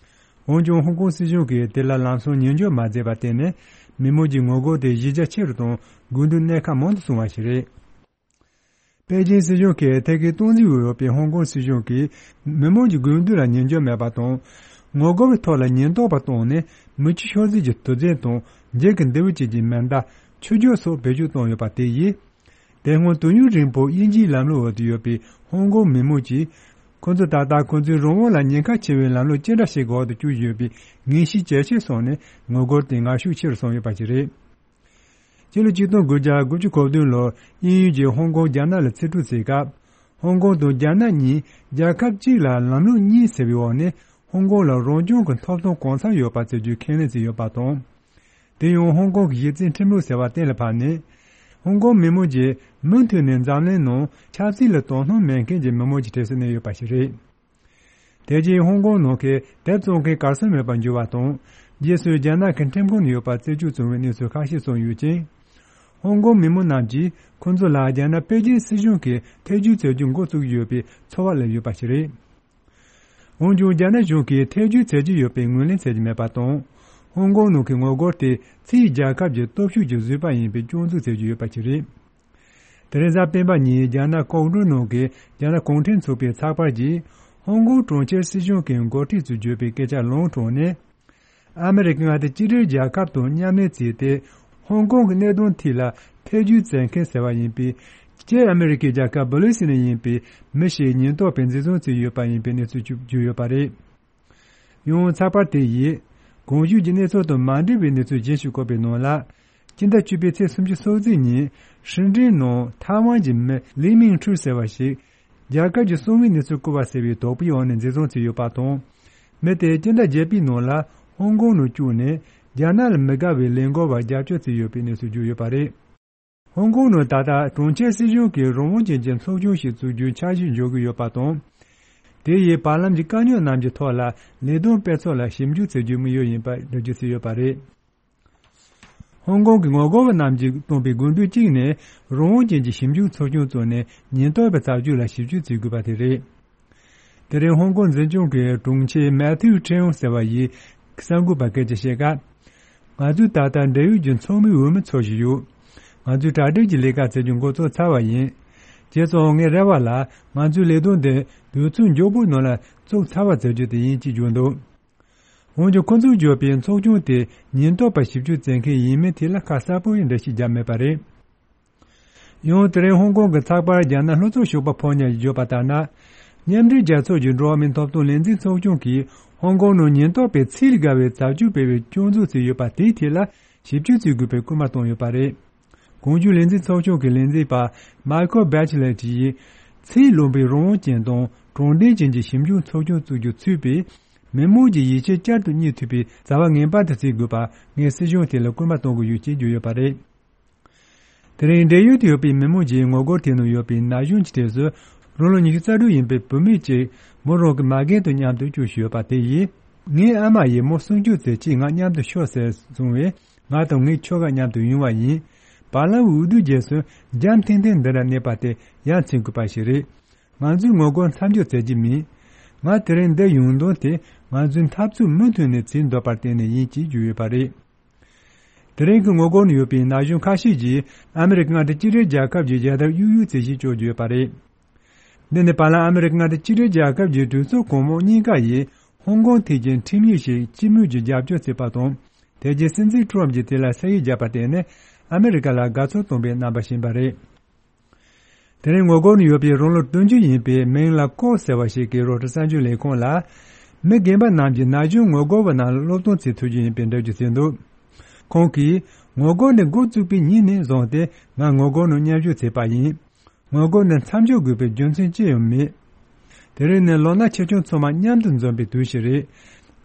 འོན་ཀྱང་ཧོང་ཀོང་སྲིད་གཞུང་གིས་དེ་ལ་ལམ་སང་ཉན་འཇོག་མ་མཛད་པར་བརྟེན་ནས། མི་མང་གི་ངོ་རྒོལ་དེ་གཞི་རྒྱ་ཆེ་རུ་དང་དགོས་འདུན་གནད་འགག་མང་དུ་སོང་བ་ཞིག་རེད། པེ་ཅིན་སྲིད་གཞུང་གིས་ཐད་ཀའི་སྟངས་འཛིན་འོག་ཡོད་པའི་ཧོང་ཀོང་སྲིད་གཞུང་གིས་མི་མང་གི་དགོས་འདུན་ལ་ཉན་འཇོག་མེད་པ་དང་། ངོ་རྒོལ་བའི་ཐོག་ལ་ཉེན་རྟོག་པ་བཏང་ནས་མི་ཆོས་ཤོག་ཟིག་གི་དུས་ཚོད་དང་འགྱིག་གི་འདེའུ་བཅས་ཀྱི་མེ་མདའ། ཆུ་རྒྱུག་སོགས་བེད་སྤྱོད་བཏང་ཡོད་པ་དེ་ཡིས། དེ་སྔོན་དུས་ཡུན་རིང་པོ་དབྱིན་ཇིའི་ལམ་ལུགས་འོག་ཏུ་ཡོད་པའི་ཧོང་ཀོང་མི་མང་གིས། ཁོ་ཚོ་ད་ལྟ་ཁོ་ཚོའི་རང་དབང་ལ་ཉེན་ཁ་ཆེ་བའི་ལམ་ལུགས་ཅི་འདྲ་ཞིག་འོག་ཏུ་བསྐྱོད་ཡོད་པའི་ངེས་ཤེས་ཇེ་ཆེར་སོང་ནས་ངོ་རྒོལ་དེ་ངར་ཤུགས་ཆེ་རུ་སོང་ཡོད་པ་ཞིག་རེད། སྤྱི་ལོ་ཆིག་སྟོང་དགུ་བརྒྱ་དགུ་བཅུ་གོ་བདུན་ལོར་དབྱིན་ཡུལ་གྱིས་ཧོང་ཀོང་རྒྱ་ནག་ལ་ཕྱིར་སྤྲོད་བྱས་སྐབས། ཧོང་ཀོང་དང་རྒྱ་ནག་གཉིས་རྒྱལ་ཁབ་གཅིག་ལ་ལམ་ལུགས་གཉིས་ཟེར་བའི་འོག་ནས་ཧོང་ཀོང་ལ་རང་སྐྱོང་གི་ཐོབ་ཐང་གང་འཚམ་ཡོད་པ་བྱེད་རྒྱུའི་ཁས་ལེན་བྱས་ཡོད་པ་དང་། དེ་ཡང་ཧོང་ཀོང་གི་གཞི་རྩའི་ཁྲིམས་ལུགས་ཟེར་བ་གཏན་ལ་ཕབ་ནས། ཧོང་ཀོང་མི་མང་གིས་མུ་མཐུད་ནས་འཛམ་གླིང་ནང་ཆབ་སྲིད་ལ་དོ་སྣང་མེད་མཁན་གྱི་མི་མང་གི་གྲས་སུ་གནས་ཡོད་པ་ཞིག་རེད། དེ་རྗེས་ཧོང་ཀོང་ནང་གི་དེབ་བཙོང་མཁན་གར་སོང་མེད་པར་འགྱུར་བ་དང་། རྗེས་སུ་རྒྱ་ནག་གི་ཁྲིམས་ཁང་ནང་ཡོད་པར་རྩད་གཅོད་བྱུང་བའི་གནས་ཚུལ་ཁ་ཤས་གསུངས་ཡོད་ཅིང་། ཧོང་ཀོང་མི་མང་རྣམས་ཀྱིས་ཁོ་ཚོ་ལ་རྒྱ་ནག་པེ་ཅིན་སྲིད་གཞུང་གིས་ཐེ་ཇུས་བྱ་རྒྱུ་འགོ་བཙུགས་ཡོད་པའི་ཚོར་བ་སླེབས་ཡོད་པ་ཞིག་རེད། འོན་ཀྱང་རྒྱ་ནག་གཞུང་གིས་ཐེ་ཇུས་བྱེད་ཀྱི་ཡོད་པའི་ངོས་ལེན་བྱེད་ཀྱི་མེད་པ་དང་། ཧོང་ཀོང་ནང་གི་ངོ་རྒོལ་དེ་ཕྱིའི་རྒྱལ་ཁབ་ཀྱི་སྟོབས་ཤུགས་ཀྱི་བཟོས་པ་ཡིན་པའི་སྐྱོན་འཛུགས་བྱེད་ཀྱི་ཡོད་པ་ཞིག་རེད། དེ་རིང་གཟའ་སྤེན་པ་ཉིན་རྒྱ་ནག་ཀོང་ཀྲོའུ་ནང་གི་རྒྱ་ནག་གུང་ཁྲན་ཚོགས་པའི་ཚགས་པར་གྱིས། ཧོང་ཀོང་གྲོང་ཁྱེར་སྲིད་གཞུང་གི་འགོ་ཁྲིད་ཚོས་བརྗོད་པའི་སྐད་ཆ་ལུང་དྲངས་ནས། ཨ་མི་རི་ཀ་མངའ་སྡེ་གཅིག་སྒྲིལ་རྒྱལ་ཁབ་དང་མཉམ་ལས་བྱས་ཏེ། ཧོང་ཀོང་གི་གནད་དོན་ཐད་ལ་ཐེ་ཇུས་བྱེད་མཁན་ཟེར་བ་ཡིན་པའི། སྐྱེས་ཨ་མི་རི་ཀའི་རྒྱལ་ཁབ་བྷི་ལི་སི་ནས་ཡིན་པའི་མི་ཞིག་ཉེན་རྟོག་པས་འཛིན་བཟུང་བྱས་ཡོད་པ་ཡིན་པའི་གནས་ཚུལ་བརྗོད་ཡོད་པ་རེད། ཡང་ཚགས་པར་དེ་ཡིས། གོང་ཞུས་ཀྱི་གནས་ཚུལ་དང་མ་འབྲེལ་བའི་གནས་ཚུལ་གཞན་ཞིག་བཀོད་པའི་ནང་ལ། སྤྱི་ཟླ་བཅུ་པའི་ཚེས་སུམ་ཅུ་སོ་གཅིག་ཉིན། ཧྲིན་ཀྲིན་ནང་ཐའེ་ཝན་གྱི་མི་ལི་མིང་ཁྲུའུ་ཟེར་བ་ཞིག་རྒྱལ་ཁབ་ཀྱི་གསང་བའི་གནས་ཚུལ་བཀོད་པ་ཟེར་བའི་དོགས་པའི་འོག་ནས་འཛིན་བཟུང་བྱས་ཡོད་པ་དང་། མི་དེ་སྤྱི་ཟླ་བརྒྱད་པའི་ནང་ལ་ཧོང་ཀོང་ནང་བཅུག་ནས་རྒྱ་ནག་ལ་མི་དགའ་བའི་ལས་འགུལ་བར་རྒྱབ་སྐྱོར་བྱས་ཡོད་པའི་གནས་ཚུལ་བརྗོད་ཡོད་པ་རེད། ཧོང་ཀོང་ནང་ད་ལྟ་གྲོང་ཁྱེར་སྲིད་གཞུང་གིས་རང་དབང་ཅན་གྱི་ཚོགས་ཆུང་ཞིག་བཙུགས་རྒྱུའི་འཆར་གཞི་འཇོག་གི་ཡོད་པ་དང་། དེ་ཡིས་བར་ལམ་གྱི་དཀའ་རྙོག་རྣམས་ཀྱི་ཐོག་ལ་ལས་དོན་སྤེལ་ཚུལ་ལ་ཞིབ་འཇུག་བྱེད་རྒྱུའི་དམིགས་ཡུལ་ཡིན་པ་འགྲེལ་བརྗོད་བྱས་ཡོད་པ་རེད། ཧོང་ཀོང་གི་ངོ་རྒོལ་བ་རྣམས་ཀྱིས་བཏོན་པའི་དགོས་འདུན་གཅིག་ནི། རང་དབང་ཅན་གྱི་ཞིབ་འཇུག་ཚོགས་ཆུང་བཙུགས་ནས་ཉེན་རྟོག་པའི་བྱ་སྤྱོད་ལ་ཞིབ་དཔྱོད་བྱེད་དགོས་པ་དེ་རེད། དེ་རིང་ཧོང་ཀོང་འཛིན་སྐྱོང་གི་དྲུང་ཆེ་མེ་ཐིའུ་ཁྲེའུ་ཟེར་བ་ཡིས་གསར་འགོད་པར་སྐད་ཆ་བཤད་སྐབས། ང་ཚོས་ད་ལྟ་འབྲེལ་ཡོད་ཀྱི་ཚོགས་མིའི་འོས་མི་འཚོལ་བཞིན་ཡོད། ང་ཚོས་གྲ་སྒྲིག་གི་ལས་ཀ་བྱེད་རྒྱུ་འགོ་བཙུགས་ཚར་བ་ཡིན། བྱས་ཙང་ངའི་རེ་བ་ལ་ང་ཚོའི་ལས་དོན་འདི་དུས་ཚོད་མགྱོགས་པོའི་ནང་ལ་བཙུགས་ཚར་བ་བྱ་རྒྱུ་དེ་ཡིན་ཅེས་བརྗོད་འདུག་འོན་ཀྱང་ཁོ་ཚོས་བརྗོད་པའི་ཚོགས་ཆུང་དེ་ཉེན་རྟོག་པ་ཞིབ་དཔྱོད་བྱེད་མཁན་ཡིན་མིན་ཐད་ལ་ཁ་གསལ་པོ་ཡང་འགྲེལ་བཤད་བརྒྱབ་མེད་པ་རེད། ཡང་དེ་རིང་ཧོང་ཀོང་གི་ཚགས་པར་རྒྱ་ནག་ལྷོ་ཕྱོགས་ཞོགས་པ་ཕོ་ཉ་ཡིས་བརྗོད་པ་ལྟར་ན། མཉམ་འབྲེལ་རྒྱལ་ཚོགས་ཀྱི་འགྲོ་བ་མིའི་ཐོབ་ཐང་ལས་འཛིན་ཚོགས་ཆུང་གིས་ཧོང་ཀོང་ནང་ཉེན་རྟོག་པས་ཚད་ལས་བརྒལ་བའི་བྱ་སྤྱོད་སྤེལ་བའི་སྐྱོན་འཛུགས་བྱས་ཡོད་པ་དེའི་ཐད་ལ་ཞིབ་དཔྱོད་བྱེད་དགོས་པའི་སྐུལ་མ་བཏང་ཡོད་པ་རེད། གོང་བརྗོད་ལས་འཛིན་ཚོགས་ཆུང་གི་ལས་འཛིན་པ་མཱི་ཁལ་བྷེ་ཆི་ལེ་ཊི་ཡིས་ཚད་ལོན་པའི་རང་དབང་ཅན་དང་དྲང་བདེན་ཅན་གྱི་ཞིབ་འཇུག་ཚོགས་ཆུང་བཙུགས་རྒྱུ་ཚུད་པས། མི་མང་གི་ཡིད་ཆེས་བསྐྱར་དུ་རྙེད་ཐུབ་པའི་བྱ་བ་ངེས་པར་དུ་བྱེད་དགོས་པ་ངས་སྲིད་གཞུང་དེ་ལ་སྐུལ་མ་གཏོང་གི་ཡོད་ཅེས་བརྗོད་ཡོད་པ་རེད། དེ་རིང་འབྲེལ་ཡོད་དུ་ཡོད་པའི་མི་མང་གྱིས་ངོ་རྒོལ་དེ་ནང་ཡོད་པའི་ན་གཞོན་གྱི་གྲས་སུ་རང་ལོ་ཉི་ཤུ་རྩ་དྲུག་ཡིན་པའི་བུད་མེད་ཅིག་མོ་རང་གི་མ་རྒན་དང་མཉམ་དུ་བསྐྱོད་བཞག་ཡོད་པ་དེ་ཡིས། ངའི་ཨ་མ་ཡིས་མོ་སྲུང་སྐྱོབ་མཛད་ཆེད་ང་མཉམ་དུ་ཤོག་ཟེར་གསུངས་བས། ང་དང་ངའི་ཁྱོ་ག་མཉམ་དུ་ཡོང་བ་ཡིན། བར་ལམ་འོས་བསྡུ་རྗེས་སུ་འཇམ་ཐིང་ཐིང་འདི་འདྲ་གནས་པ་དེ་ཡ་མཚན་དགོས་པ་ཞིག་རེད། ང་ཚོས་ངོ་རྒོལ་མཚམས་འཇོག་མཛད་ཀྱི་མིན། ང་དེ་རིང་འདིར་ཡོང་དོན་དེ་ང་ཚོའི་འཐབ་རྩོད་མུ་མཐུད་ནས་བྱེད་འདོད་པར་བརྟེན་ནས་ཡིན་ཅེས་བརྗོད་ཡོད་པ་རེད། དེ་རིང་གི་ངོ་རྒོལ་ནང་ཡོད་པའི་ན་གཞོན་ཁ་ཤས་ཀྱིས་ཨ་མི་རི་ཀ་མངའ་སྡེ་གཅིག་སྒྲིལ་རྒྱལ་ཁབ་ཀྱི་རྒྱལ་དར་གཡུག་གཡུག་བྱེད་བཞིན་བསྐྱོད་ཡོད་པ་རེད། འདི་ནི་བར་ལམ་ཨ་མི་རི་ཀ་མངའ་སྡེ་གཅིག་སྒྲིལ་རྒྱལ་ཁབ་ཀྱི་གྲོས་ཚོགས་གོང་མ་གཉིས་ཀ་ཡིས་ཧོང་ཀོང་ཐད་ཀྱི་ཁྲིམས་ཡིག་ཞིག་སྤྱི་མོས་ཀྱིས་རྒྱབ་སྐྱོར་བྱས་པ་དང་། དེ་རྗེས་སྲིད་འཛིན་ཀྲོམ་གྱིས་དེ་ལ་ས་ཡིག་བརྒྱབ་པར་བརྟེན་ནས་ཨ་མི་རི་ཀ་ལ་དགའ་ཚོར་བཏང་བའི་རྣམ་པ་བྱིན་པ་རེད། དེ་རིང་ངོ་རྒོལ་ནང་ཡོད་པའི་རང་ལོ་བདུན་ཅུ་ཡིན་པའི་མིང་ལ་ཀོ་ཟེར་བ་ཞིག་གིས་རོའི་ཊར་གསར་འགྱུར་ལས་ཁང་ལ། མི་རྒན་པ་རྣམས་ཀྱིས་ན་གཞོན་ངོ་རྒོལ་བ་རྣམས་ལ་སློབ་སྟོན་བྱེད་ཐུབ་རྒྱུ་ཡིན་པའི་འགྲེལ་བརྗོད་བྱས་འདུག་ཁོང་གིས། ངོ་རྒོལ་འདི་འགོ་བཙུགས་པའི་ཉིན་ནས་བཟུང་སྟེ་ང་ངོ་རྒོལ་ནང་མཉམ་ཞུགས་བྱས་པ་ཡིན། ངོ་རྒོལ་འདི་མཚམས་འཇོག་དགོས་པའི་རྒྱུ་མཚན་ཅི་ཡང་མེད། དེ་རིང་ནི་ལོ་ན་ཆེ་ཆུང་ཚང་མ་མཉམ་དུ་འཛོམས་པའི་དུས་ཤིག་རེད།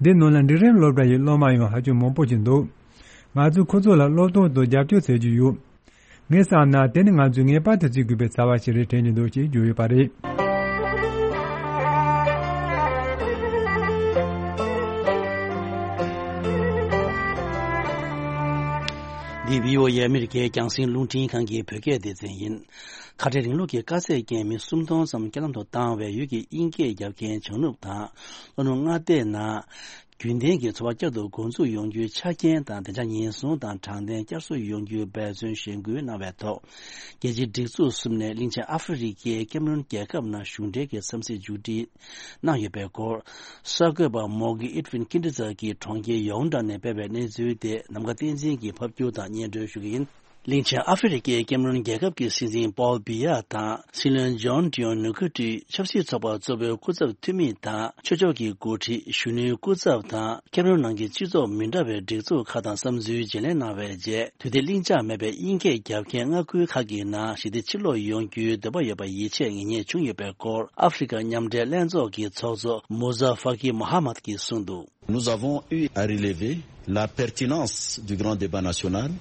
འདི་ནང་ལ་འབྲིང་རིམ་སློབ་གྲྭ་ཡི་སློབ་མ་ཡང་ཧ་ཅང་མང་པོ་ཞིག་འདུག་ང་ཚོས་ཁོ་ཚོ་ལ་སློབ་སྟོན་དང་རྒྱབ་སྐྱོར་བྱེད་ཀྱི་ཡོད། ངས་བསམ་ན་དེ་ནི་ང་ཚོས་ངེས་པར་དུ་བྱེད་དགོས་པའི་བྱ་བ་ཞིག་རེད་དྲན་གྱི་འདུག་ཅེས་བརྗོད་ཡོད་པ་རེད། འདི་བྷི་ཨོ་ཨེ་ཨ་མི་རི་ཀའི་རྒྱང་སྲིང་རླུང་འཕྲིན་ཁང་གི་བོད་སྐད་སྡེ་ཚན་ཡིན། ཁ་བྲལ་རིང་ལུགས་ཀྱི་དཀའ་ཚེགས་རྐྱེན་མི་སུམ་སྟོང་ཙམ་རྐྱེན་ལམ་དུ་བཏང་བའི་ཡུལ་གྱི་དབྱིན་སྐད་རྒྱབ་མཁན་བྱང་ནུབ་དང་ལྷོ་ནུབ་མངའ་སྡེ་ནང་། རྒྱུན་ལྡན་གྱི་འཚོ་བ་བསྐྱར་དུ་འགོ་འཛུགས་ཡོང་རྒྱུའི་ཆ་རྐྱེན་དང་བདེ་འཇགས་ཉེན་སྲུང་དང་དྲང་བདེན་བསྐྱར་གསོ་ཡོང་རྒྱུའི་འབད་བརྩོན་གཞེན་སྐུལ་གནང་བའི་ཐོག་རྒྱལ་སྤྱིའི་སྒྲིག་འཛུགས་གསུམ་ནས་གླིང་ཆེན་ཨ་ཧྥེ་རི་ཁའི་ཀེམ་རོན་རྒྱལ་ཁབ་ནང་གཞུང་འབྲེལ་གྱི་འཚམས་གཟིགས་མཇུག་སྒྲིལ་གནང་ཡོད་པའི་སྐོར། གསར་འགོད་པ་མོ་གི་ཨིད་ཝིན་ཀིན་ཏི་ཛར་གྱིས་གྲོང་ཁྱེར་ཡའོ་ཏྲ་ནས་སྤེལ་བའི་གནས་ཚུལ་དེ་ནམ་མཁའ་བསྟན་འཛིན་གྱིས་ཕབ་སྒྱུར་དང་སྙན་སྒྲོན་ཞུ་གི་ཡིན། གླིང་ཆེན་ཨ་ཧྥེ་རི་ཁའི་ཀེམ་རོན་རྒྱལ་ཁབ་ཀྱི་སྲིད་འཛིན་པོལ་བི་ཡ་དང་སྲིད་བློན་ཇོན་ཏིའོ་ནུ་ཁུ་ཏི། ཆབ་སྲིད་ཚོགས་པ་གཙོ་བོའི་སྐུ་ཚབ་འཐུས་མི་དང་ཆོས་ཕྱོགས་ཀྱི་འགོ་ཁྲིད། གཞོན་ནུའི་སྐུ་ཚབ་དང་ཀེམ་རོན་ནང་གི་སྤྱི་ཚོགས་མི་འདྲ་བའི་སྒྲིག་འཛུགས་ཁག་དང་བསམ་ཚུལ་བརྗེ་ལེན་གནང་བའི་རྗེས། དུས་བདེ་གླེང་བྱ་མེད་པའི་དབྱིན་སྐད་རྒྱབ་མཁན་མངའ་ཁུལ་ཁག་གི་ནང་ཞི་བདེ་ཕྱིར་ལོག་ཡོང་རྒྱུའི་འདོད་པ་ཡོད་པ་ཡིད་ཆེས་ངེས་རྙེད་བྱུང་ཡོད་པའི་སྐོར། ཨ་ཧྥེ་རི་ཁ་མཉམ་འབྲེལ་ལྷན་ཚོགས་ཀྱི་ཚོགས་གཙོ་མུ་ཛ་ཧྥ་ཀི་མོ་ཧ་མད་ཀྱིས་གསུངས་འདུག། Nous avons eu à relever la pertinence du grand débat national,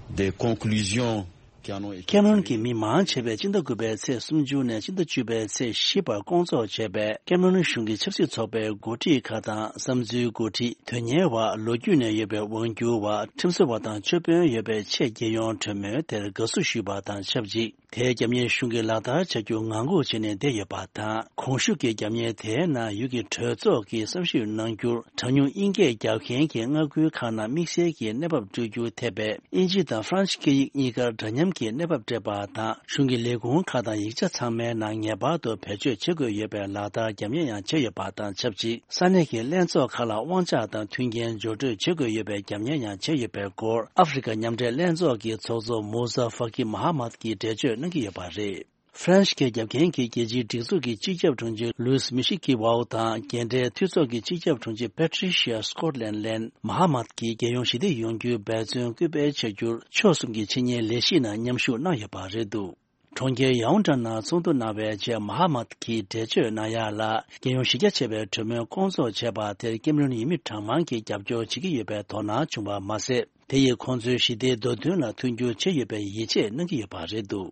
des conclusions qui en ont été ཁེམ་རོན་གྱི་མི་མང་ཆེ་བས་སྤྱི་ཟླ་དགུ་པའི་ཚེས་སུམ་ཅུ་ནས་སྤྱི་ཟླ་བཅུ་པའི་ཚེས་བཞི་བར་བསྐོང་ཚོགས་བྱས་པའི་ཀེམ་རོན་གཞུང་གི་ཆབ་སྲིད་ཚོགས་པའི་འགོ་ཁྲིད་ཁག་དང་བསམ་ཚུལ་འགོ་ཁྲིད། དོན་གཉེར་བ། ལོ་རྒྱུས་ནས་ཡོད་པའི་དབང་སྒྱུར་བ། ཁྲིམས་བཟོ་བ་དང་ཆོས་དཔོན་ཡོད་པའི་ཆེད་རྒྱལ་ཡོངས་གྲོས་མོལ་དེར་དགའ་བསུ་ཞུས་པ་དང་ཆབས་ཅིག་དེའི་རྒྱབ་གཉེར་གཞུང་གིས་ལག་བསྟར་བྱ་རྒྱུ་ངང་སྒུག་བྱས་ནས་བསྡད་ཡོད་པ་དང་། གོང་ཞུས་ཀྱི་རྒྱབ་གཉེར་དེའི་ནང་ཡུལ་གྱི་གྲོས་ཚོགས་ཀྱིས་བསམ་ཞིབ་གནང་རྒྱུར། གྲངས་ཉུང་དབྱིན་སྐད་རྒྱབ་མཁན་གྱི་མངའ་ཁུལ་ཁག་ནང་དམིགས་བསལ་གྱི་གནས་བབ་སྤྲོད་རྒྱུ་ཐེ་བའི་དབྱིན་ཇི་དང་ཧྥ་རན་ཤི་སྐད་ཡིག་གཉིས་ཀར་འདྲ་མཉམ་གྱི་གནས་བབ་སྤྲད་པ་དང་། གཞུང་གི་ལས་ཁུངས་ཁག་དང་ཡིག་ཆ་ཚང་མའི་ནང་ངེས་པར་དུ་བེད་སྤྱོད་བྱེད་དགོས་ཡོད་པའི་ལག་བསྟར་རྒྱབ་གཉེར་ཡང་བྱས་ཡོད་པ་དང་ཆབས་ཅིག་ས་གནས་ཀྱི་ལྷན་ཚོགས་ཁག་ལ་དབང་ཆ་དང་མཐུན་རྐྱེན་སྦྱོར་སྤྲོད་བྱེད་དགོས་ཡོད་པའི་རྒྱབ་གཉེར་ཡང་བྱས་ཡོད་པའི་སྐོར། ཨ་ཧྥེ་རི་ཁ་མཉམ་འབྲེལ་ལྷན་ཚོགས་ཀྱི་ཚོགས་གཙོ་མུ་ཟ་ཧྥ་ཀི་མ་ཧ་མད་ཀྱིས་འགྲེལ་བརྗོད་གནང་གི་ཡོད་པ་རེད། ཧྥ་རན་ཤི་སྐད་རྒྱབ་མཁན་གྱི་རྒྱལ་སྤྱིའི་སྒྲིག་འཛུགས་ཀྱི་སྤྱི་ཁྱབ་དྲུང་ཆེ་ལུས་མི་ཤི་ཀི་ཝའོ་དང་རྒྱལ་འབྲེལ་འཐུས་ཚོགས་ཀྱི་སྤྱི་ཁྱབ་དྲུང་ཆེ་པེ་ཊི་རི་ཤི་ཡ་སི་ཀོཊ་ལན་ལན་མ་ཧ་མད་ཀྱིས་རྒྱལ་ཡོངས་ཞི་བདེ་ཡོང་རྒྱུའི་འབད་བརྩོན་སྐུལ་སྤེལ་བྱ་རྒྱུར་ཕྱོགས་གསུམ་གྱི་ཆེད་གཉེར་ལས་གཞི་ནང་མཉམ་ཞུགས་གནང་ཡོད་པ་རེད་འདུག། གྲོང་ཁྱེར་ཡའོ་ཏྲ་ནང་ཚོགས་འདུ་གནང་བའི་རྗེས་མ་ཧ་མད་ཀྱིས་འགྲེལ་བརྗོད་གནང་ཡག་ལ། རྒྱལ་ཡོངས་གཞི་རྒྱ་ཆེ་བའི་གྲོས་མོལ་བསྐོང་ཚོགས་བྱས་པ་དེར་ཀེམ་རོན་ཡུལ་མི་གྲངས་མང་གིས་རྒྱབ་སྐྱོར་བྱེད་ཀྱི་ཡོད་པའི་དོ་སྣང་བྱུང་བ་མ་ཟད། དེ་ཡིས་ཁོང་ཚོའི་ཞི་བདེའི་འདོད་འདུན་ལ་མཐུན་འགྱུར་བྱེད་ཡོད་པའི་ཡིད་ཆེས་གནང་གི་ཡོད་པ་རེད་འདུག།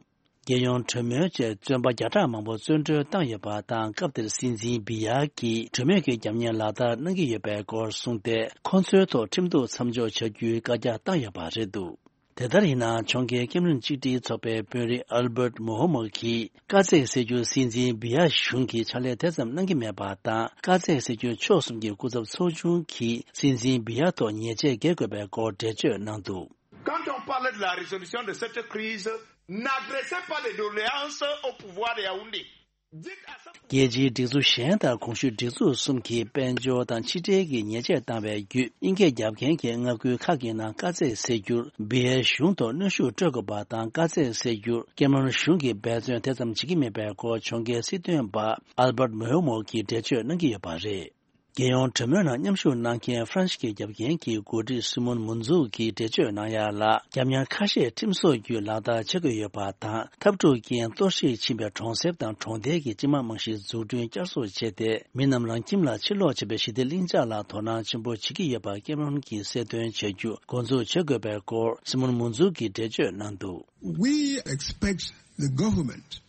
རྒྱལ་ཡོངས་གྲོས་མོལ་བཅས་བཙོན་པ་བརྒྱ་ཕྲག་མང་པོ་བཙོན་གྲོལ་བཏང་ཡོད་པ་དང་། སྐབས་དེར་སྲིད་འཛིན་བི་ཡ་གིས་གྲོས་མོལ་གྱི་རྒྱབ་གཉེར་ལག་བསྟར་གནང་གི་ཡོད་པའི་སྐོར་གསུངས་ཏེ། ཁོང་ཚོའི་ཐོག་ཁྲིམས་གཏུག་མཚམས་འཇོག་བྱ་རྒྱུའི་བཀའ་རྒྱ་བཏང་ཡོད་པ་རེད་འདུག། དེ་ལྟར་ཡིན་ན་ཕྱོགས་འགལ་ཀེམ་རོན་གཅིག་སྒྲིལ་ཚོགས་པའི་དཔོན་རིགས་ཨལ་བྷར་མོ་ཧོ་མོ་གིས། དཀའ་ཚེགས་སེལ་རྒྱུར་སྲིད་འཛིན་བི་ཡ་གཞུང་གིས་ཕྱག་ལས་དེ་ཙམ་གནང་གི་མེད་པ་དང་། དཀའ་ཚེགས་སེལ་རྒྱུར་ཕྱོགས་གསུམ་གྱི་སྐུ་ཚབ་ཚོགས་ཆུང་གིས་སྲིད་འཛིན་བི་ཡ་ཐོག་ཉེས་ཆད་འགེལ་དགོས་པའི་སྐོར་འགྲེལ་བརྗོད་གནང་འདུག། Quand on parle de la résolution de cette crise, n'adressez pas les doléances au pouvoir de Yaoundé. རྒྱལ་སྤྱིའི་སྒྲིག་འཛུགས་གཞན་དང་གོང་ཞུས་སྒྲིག་འཛུགས་གསུམ་གྱིས་དཔལ་འབྱོར་དང་ཕྱི་འབྲེལ་གྱི་ཉེས་ཆད་བཏང་བའི་བརྒྱུད། དབྱིན་སྐད་རྒྱབ་མཁན་གྱི་མངའ་ཁུལ་ཁག་གི་ནང་དཀའ་ཚེགས་སེལ་རྒྱུར་སྦི་ཨེ་གཞུང་ཐོག་གནོན་ཤུགས་སྤྲོད་དགོས་པ་དང་། དཀའ་ཚེགས་སེལ་རྒྱུར་ཀེ་མ་རོན་གཞུང་གིས་འབད་བརྩོན་དེ་ཙམ་བྱེད་ཀྱི་མེད་པའི་སྐོར་གྱོང་གུན་སྲིད་དོན་པ་ཨལ་བར་མོ་མོ་གིས་འགྲེལ་བརྗོད་གནང་གི་ཡོད་པ་རེད། རྒྱལ་ཡོངས་གྲོས་མོལ་ནང་མཉམ་ཞུགས་གནང་མཁན་ཧྥ་རན་སི་སྐད་རྒྱབ་མཁན་གྱི་འགོ་ཁྲིད་སི་མོན་མུན་ཛུག་གིས་འགྲེལ་བརྗོད་གནང་ཡ་ལ། རྒྱབ་གཉེར་ཁ་ཤས་ཁྲིམས་སོགས་བརྒྱུད་ལག་བསྟར་བྱེད་དགོས་ཡོད་པ་དང་། འཐབ་འཁྲུག་རྐྱེན་གཏོར་བཤིག་ཕྱིན་པའི་གྲོང་གསེབ་དང་གྲོང་རྡལ་གྱི་སྤྱི་དམངས་རྨང་གཞིའི་འཛུགས་སྐྲུན་བསྐྱར་གསོ་བྱས་ཏེ། མི་རྣམས་རང་ཁྱིམ་ལ་ཕྱིར་ལོག་བྱེད་པའི་ཞི་བདེ་ལྷིང་འཇགས་ལ་དོ་སྣང་ཆེན་པོ་བྱེད་ཀྱི་ཡོད་པ་ཀེ་མ་རོན་གྱིས་གསལ་སྟོན་བྱ་རྒྱུ་འགོ་འཛུགས་བྱེད་དགོས་པའི་སྐོར་སི་མོན་མུན་ཛུག་གིས་འགྲེལ་བརྗོད་གནང་འདུག། We expect the government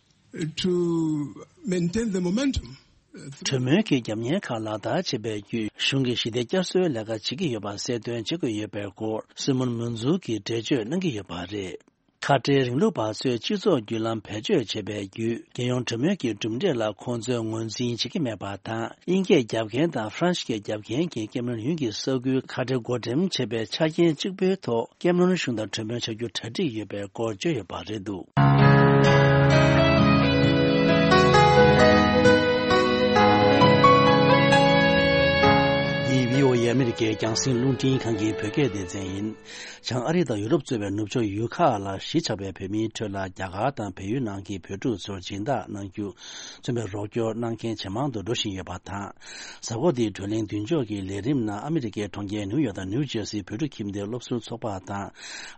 to maintain the momentum. གྲོས་མོལ་གྱི་རྒྱབ་གཉེར་ཁག་ལག་བསྟར་བྱེད་པའི་བརྒྱུད། གཞུང་གིས་ཞི་བདེ་བསྐྱར་གསོའི་ལས་ཀ་བྱེད་ཀྱི་ཡོད་པ་གསལ་སྟོན་བྱེད་དགོས་ཡོད་པའི་སྐོར་སི་མོན་མུན་ཛུག་གིས་འགྲེལ་བརྗོད་གནང་གི་ཡོད་པ་རེད། ཁ་བྲལ་རིང་ལུགས་པ་ཚོས་སྤྱི་ཚོགས་བརྒྱུད་ལམ་བེད་སྤྱོད་བྱས་པའི་བརྒྱུད། རྒྱལ་ཡོངས་གྲོས་མོལ་གྱི་གྲུབ་འབྲས་ལ་ཁོང་ཚོས་ངོས་འཛིན་བྱེད་ཀྱི་མེད་པ་དང་། དབྱིན་སྐད་རྒྱབ་མཁན་དང་ཧྥ་རན་སི་སྐད་རྒྱབ་མཁན་གྱིས་ཀེ་མ་རོན་ཡུལ་གྱི་ས་ཁུལ་ཁ་བྲལ་བགོ་འགྲེམས་བྱས་པའི་ཆ་རྐྱེན་གཅིག་པུའི་ཐོག་ཀེ་མ་རོན་གཞུང་དང་གྲོས་མོལ་བྱ་རྒྱུ་གྲ་སྒྲིག་ཡོད་པའི་སྐོར་བརྗོད་ཡོད་པ་རེད་འདུག། འདི་བྷི་ཨོ་ཨེ་ཨ་མི་རི་ཀའི་རྒྱང་སྲིང་རླུང་འཕྲིན་ཁང་གི་བོད་སྐད་སྡེ་ཚན་ཡིན། བྱང་ཨ་རི་དང་ཡུ་རོབ་གཙོས་པའི་ནུབ་ཕྱོགས་ཡུལ་ཁག་ལ་གཞིས་ཆགས་པའི་བོད་མིའི་ཁྲོད་ལ་རྒྱ་གར་དང་བལ་ཡུལ་ནང་གི་བོད་ཕྲུག་ཚོར་སྦྱིན་བདག་གནང་རྒྱུ། མཚོན་པའི་རོགས་སྐྱོར་གནང་མཁན་ཇེ་མང་དུ་འགྲོ་བཞིན་ཡོད་པ་དང་། གཟའ་འཁོར་འདིའི་བགྲོ་གླེང་མདུན་ལྕོག་གི་ལས་རིམ་ནང་ཨ་མི་རི་ཀའི་གྲོང་ཁྱེར་ནིའུ་ཡོག་དང་ནིའུ་ཇེར་སིའི་བོད་ཕྲུག་ཁྱིམ་སྡེའི་སློབ་ཟུར་ཚོགས་པ་དང་།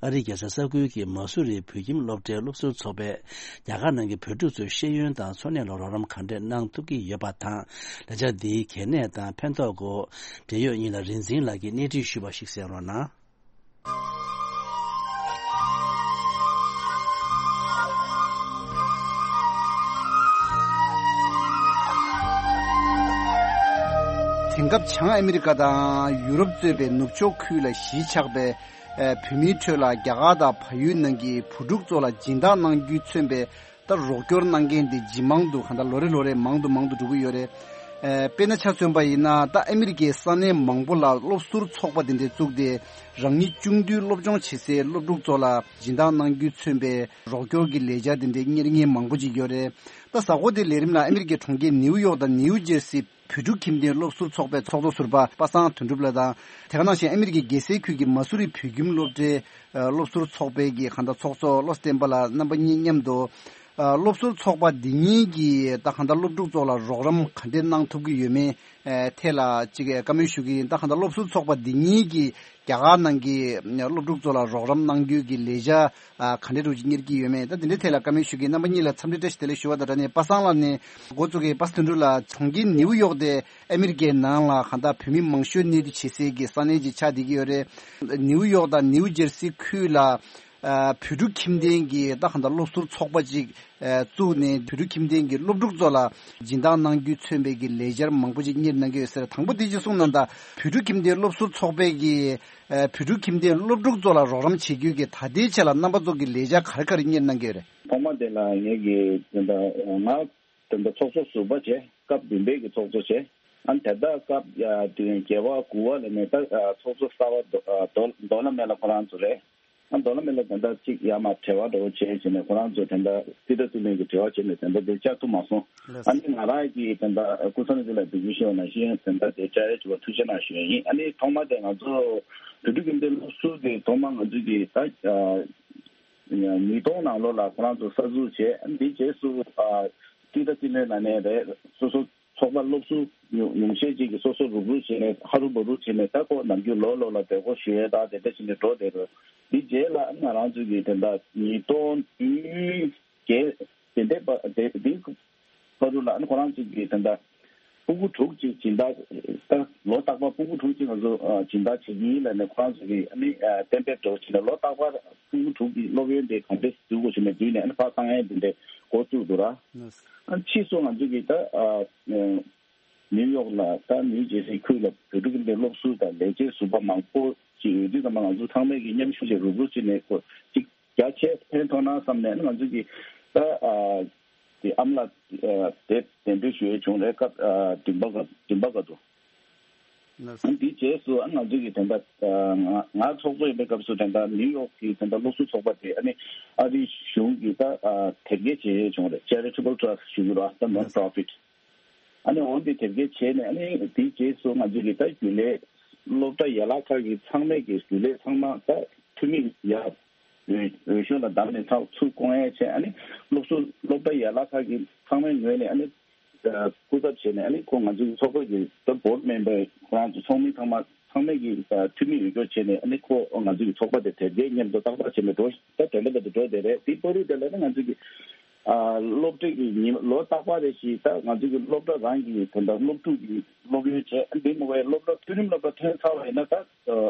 ཨ་རིའི་རྒྱལ་ས་ས་ཁུལ་གྱི་མ་སུ་རིའི་བོད་ཁྱིམ་སློབ་གྲྭའི་སློབ་ཟུར་ཚོགས་པས། རྒྱ་གར་ནང་གི་བོད་ཕྲུག་ཚོའི་ཤེས་ཡོན་དང་འཚོ་གནས་ལ་རོགས་རམ་ག་འདྲས་གནང་ཐུབ་ཀྱི་ཡོད་པ་དང་། ལས་འཆར་འདིའི་གལ་གནད་དང་ཕན་ཐོགས་སྐོར། འབྲེལ་ཡོད་གཉིས་ལ་རིག་འཛིན་ལགས་ཀྱིས་གནས་འདྲི་ཞུས་པ་ཞིག་གསན་རོགས་གནང་། དེང་སྐབས་བྱང་ཨ་མི་རི་ཀ་དང་ཡུ་རོབ་གཙོས་པའི་ནུབ་ཕྱོགས་ཁུལ་ལ་གཞིས་ཆགས་པའི་ཨ་བོད་མིའི་ཁྲོད་ལ་རྒྱ་གར་དང་བལ་ཡུལ་ནང་གི་བུ་ཕྲུག་ཚོ་ལ་སྦྱིན་བདག་གནང་རྒྱུས་མཚོན་པའི་ད་རོགས་སྐྱོར་གནང་མཁན་དེ་ཇི་མང་དུ་གང་ལྟར་ལོ་རེ་ལོ་རེ་མང་དུ་མང་དུ་འགྲོ་གི་ཡོད་རེད། ཨ་དཔེར་ན་ཆ་མཚོན་པ་ཡིན་ན་ད་ཨ་མི་རི་ཀའི་ས་གནས་མང་པོ་ལ་སློབ་ཟུར་ཚོགས་པ་དེ་འདྲས་བཙུགས་ཏེ་རང་ཉིད་ཆུང་དུས་སློབ་སྦྱོང་བྱེད་སའི་སློབ་ཕྲུག་ཚོ་ལ་སྦྱིན་བདག་གནང་རྒྱུས་མཚོན་པའི་རོགས་སྐྱོར་གྱི་ལས་འཆར་དེ་འདྲས་གཉེར་མཁན་མང་པོ་ཅིག་ཡོད་རེད། ད་གཟའ་འཁོར་དེའི་ལས་རིམ་ལ་ཨ་མི་རི་ཀའི་གྲོང་ཁྱེར་ནིའུ་ཡོག་དང་ནིའུ་ཇེར་སི་བོད་ཕྲུག་ཁྱིམ་སྡེའི་སློབ་ཟུར་ཚོགས་པའི་ཚོགས་གཙོ་ཟུར་པ་པ་སངས་དོན་གྲུབ་ལགས་དང་། དེ་ག་ནང་བཞིན་ཨ་མི་རི་ཀའི་རྒྱལ་སའི་ཁུལ་གྱི་མ་སུ་རི་བོད་ཁྱིམ་སློབ་གྲྭའི་སློབ་ཟུར་ཚོགས་པའི་གི་གང་ལྟར་ཚོགས་གཙོ་བློ་བསྟན་པ་ལགས་རྣམ་པ་གཉིས་མཉམ་དུ། སློབ་ཟུར་ཚོགས་པ་འདི་གཉིས་ཀྱིས་ད་གང་ལྟར་སློབ་ཕྲུག་ཚོ་ལ་རོགས་རམ་ག་འདྲས་གནང་ཐུབ་ཀྱི་ཡོད་མེད་ཐད་ལ་ཅིག་བཀའ་མོལ་ཞུ་གི་ཡིན། ད་གང་ལྟར་སློབ་ཟུར་ཚོགས་པ་འདི་གཉིས་ཀྱིས་རྒྱ་གར་ནང་གི་སློབ་ཕྲུག་ཚོ་ལ་རོགས་རམ་གནང་རྒྱུའི་གི་ལས་འཆར་ག་འདྲས་རུ་གཉེར་གྱི་ཡོད་མེད། ད་འདི་འདྲའི་ཐད་ལ་བཀའ་མོལ་ཞུ་གི་ཡིན། རྣམ་པ་གཉིས་ལ་འཚམས་འདྲི་བཀྲ་ཤིས་བདེ་ལེགས་ཞུ་བ་དང་སྦྲགས་ནས་པ་སངས་ལགས་ནས་འགོ་བཙུགས་ཀྱི་པ་སངས་དོན་གྲུབ་ལགས་གྲོང་ཁྱེར་ནིའུ་ཡོག་དེ་ཨ་མི་རི་ཀའི་ནང་ལ་གང་ལྟར་བོད་མི་མང་ཤོས་གནས་སྡོད་བྱེད་སའི་གི་ས་གནས་ཅིག་ཆགས་བསྡད་ཀྱི་ཡོད་རེད། ནིའུ་ཡོག་དང་ནིའུ་ཇེར་སི་ཁུལ་ལ་ཨ་བོད་ཕྲུག་ཁྱིམ་སྡེའི་གི་ད་གང་ལྟར་སློབ་ཟུར་ཚོགས་པ་ཅིག་ཨ་བཙུགས་ནས་བོད་ཕྲུག་ཁྱིམ་སྡེའི་གི་སློབ་ཕྲུག་ཚོ་ལ་སྦྱིན་བདག་གནང་རྒྱུས་མཚོན་པའི་གི་ལས་འཆར་མང་པོ་ཅིག་གཉེར་གནང་གི་ཡོད་ཟེར། དང་པོ་དེ་ཅིག་གསུངས་གནང་དང་། བོད་ཕྲུག་ཁྱིམ་སྡེའི་སློབ་ཟུར་ཚོགས་པའི་གི་ཨ་བོད་ཕྲུག་ཁྱིམ་སྡེའི་སློབ་ཕྲུག་ཚོ་ལ་རོགས་རམ་བྱེད་རྒྱུའི་གི་ད་ལྟའི་ཆ་ལ་རྣམ་པ་ཚོ་གི་ལས་འཆར་ག་རེ་ག་རེ་གཉེར་གནང་གི་ཡོད་རེད། ཐོག་མ་དེ་ལ་ངེད་ཀྱི་དེ་འདྲ་ང་དེ་འདྲ་ཚོགས་གཙོ་ཟུར་པ་བྱས། སྐབས་བདུན་པའི་གི་ཚོགས་གཙོ་བྱས། ཨ་ནི་དེ་ལྟར་སྐབས་ཡ་དེ་བརྒྱད་པ་དགུ་པ་ལ་ནས་ད་ཚོགས་གཙོ་གསར་པ་རྡོ་རྡོ་རྡོ་ལ་མེ་ལ་ཁོ་རང་ཚོ་རེད། ཨ་རྡོ་ལ་མེ་ལ་དེ་འདྲ་གཅིག་ཡ་མ་བྲེལ་བ་འདྲ་བོ་བྱས་བྱས་ནས་ཁོ་རང་ཚོ་དེ་འདྲ་སྲིད་ད་ཚུལ་ལུགས་ཀྱི་བྲེལ་བ་བྱས་ནས་དེ་འདྲ་དེ་བཅར་ཐུབ་མ་སོང་། ལགས། ཨ་ནི་ང་རང་གིས་དེ་འདྲ་སྐུ་ཚབ་ནས་དེ་ལ་འབུལ་རྒྱུ་ཞུས་པ་ནང་བཞིན་དེ་འདྲ་དེ་བཅར་ཡ་བྱུང་བ་ཐུགས་རྗེ་གནང་ཞུ་ཡ་ཡིན། ཨ་ནི་ཐོག་མ་དེ་ང་ཚོ་བོད་ཕྲུག་ཁྱིམ་སྡེ་སློབ་ཟུར་དེ་ཐོག་མ་ང་ཚོ་གི་ད་ཉིས་སྟོང་ནང་ལོགས་ལ་ཁོ་རང་ཚོ་གསར་འཛུགས་བྱས། ཨ་ནི་དེའི་རྗེས་སུ་ཨ་སྤྱི་ཟླ་སྤྱི་ལོའི་ནང་ནས་རེད། སོ་སོ་ཚོགས་པ་སློབ་ཟུར་ཉུང་ཉུང་ཤས་ཅིག་གིས་སོ་སོ་རུབ་རུབ་བྱས་ནས་ཧ་རུ་བ་རུ་བྱས་ནས་ད་ཁོ་ནམ་རྒྱུན་ལོ་ལོ་ལ་བསྡད་སྒོ་ཞུ་ཡས་ད་དེ་འདྲ་བྱས་ནས་འགྲོ་བསྡད་རེད། དེའི་རྗེས་ལ་ང་རང་ཚོ་གིས་དེ་འདྲ་ཉིས་སྟོང་བདུན་བརྒྱད་དེ་འདྲའི་བར་དེ་དེའི་བར་དུ་ལ་ཨ་ནི་ཁོ་རང་ཚོ་གིས་དེ་འདྲ་ཕྲུ་གུ་དྲུག་ཅིག་སྦྱིན་བདག་ད་ལོ་རྟག་པར་ཕྲུ་གུ་དྲུག་ཅིག་ང་ཚོ་སྦྱིན་བདག་བྱེད་ཀྱི་ཡིན་ལབ་ནས་ཁོ་རང་ཚོ་གིས་ཨ་ནི་གཏན་འབེབས་འདྲ་བོ་བྱས་ནས་ལོ་རྟག་པར་ཕྲུ་གུ་དྲུག་གི་སློབ་ཡོན་དེ་གང་འདྲས་འཛུགས་དགོས་བྱས་ནས་བསྡུས་ནས་ཨ་ནི་ཕར་བཏང་ཡས་དེ་འདྲས་འགོ་བཙུགས་འདུག་ར། ཨ་ནི་ཕྱིས་སུ་ང་ཚོ་གིས་ད་ནིའུ་ཡོག་ལ་ད་ནིའུ་ཇེར་སི་ཁུལ་ལ་བོད་ཕྲུག་གི་སློབ་ཟུར་དང་ལས་བྱེད་ཟུར་པ་མང་པོ་ཅིག་ཡོད་དུས་ཙམ་པ་ང་ཚོ་ཚང་མས་ཀྱི་མཉམ་ཞུགས་བྱས་རུབ་རུབ་བྱས་ནས་ཁོ་ཅིག་རྒྱ་ཆེ་ཕན་ཐོགས་ན་བསམ་ནས་ང་ཚོ་གིས་ད་ཨ་དེ་ཨ་མ་ལགས་དེ་གདན་འདྲེན་ཞུ་ཡས་བྱུང་རེད། སྐབས་ཨ་བདུན་པ་ག་བདུན་པ་ག་དུ། ལགས་སོ། འདིའི་རྗེས་སུ་ཨ་ང་ཚོའི་གི་དེ་འདྲ་ང་ང་ཚོགས་གཙོ་ཡིན་པའི་སྐབས་སུ་དེ་འདྲ་ནིའུ་ཡོག་གི་དེ་འདྲ་སློབ་ཟུར་ཚོགས་པ་དེ་ཨ་ནི་ཨ་རིའི་གཞུང་གི་ད་དེབ་སྐྱེལ་བྱས་བྱུང་རེད། Charitable Trust ཞུ་གི་རེད། ད་non profit། ཨ་ནི་འོ་འདི་དེབ་སྐྱེལ་བྱས་ནས་ཨ་ནི་དེའི་རྗེས་སུ་ང་ཚོའི་གི་ད་རྒྱུན་ལས་སློབ་གྲྭ་ཡན་ལག་ཁག་གི་ཚང་མས་གི་རྒྱུན་ལས་ཚང་མ་ད་འཐུས་མི་ཡར་འོས་འོས་ཤོག་ལ་བདམས་ནས་ཚགས་ཚུར་བསྐོ་མཁན་བྱས། ཨ་ནི་སློབ་ཟུར་སློབ་གྲྭ་ཡན་ལག་ཁག་གི་ཚང་མའི་ངོས་ནས་ཨ་ནི་སྐུ་ཚབ་བྱས་ནས་ཨ་ནི་ཁོ་ང་ཚོའི་ཚོགས་པ་གི་ད་བྷོར་ཌི་མེམ་བར་ཁོ་རང་ཚོ་ཚོགས་མི་ཚང་མ་ཚང་མས་ཀྱི་འཐུས་མི་འོས་སྐྱོར་བྱས་ནས་ཨ་ནི་ཁོ་ང་ཚོའི་ཚོགས་པ་དེ་དེབ་སྐྱེལ་མཉམ་དུ་རྟག་པར་བྱས་ནས་འགྲོ་ད་དེ་འདྲ་འདྲ་དུ་འགྲོ་བསྡད་རེད། དེའི་བར་དུ་དེ་ལ་ནི་ང་ཚོའི་གི་ཨ་སློབ་གྲྭའི་གི་ཉིན་ལོ་རྟག་པར་རེ་ཞིག་ད་ང་ཚོའི་གི་སློབ་གྲྭ་རང་གི་དོན་དག་སློབ་ཕྲུག་གི་སློབ་ཡོན་བྱས། ཨ་འདི་མ་བའི་སློབ་གྲྭ་མཐོ་རིམ་སློབ་གྲྭ་ཐོན་ཚར་བ་ཡིན་ན་ད་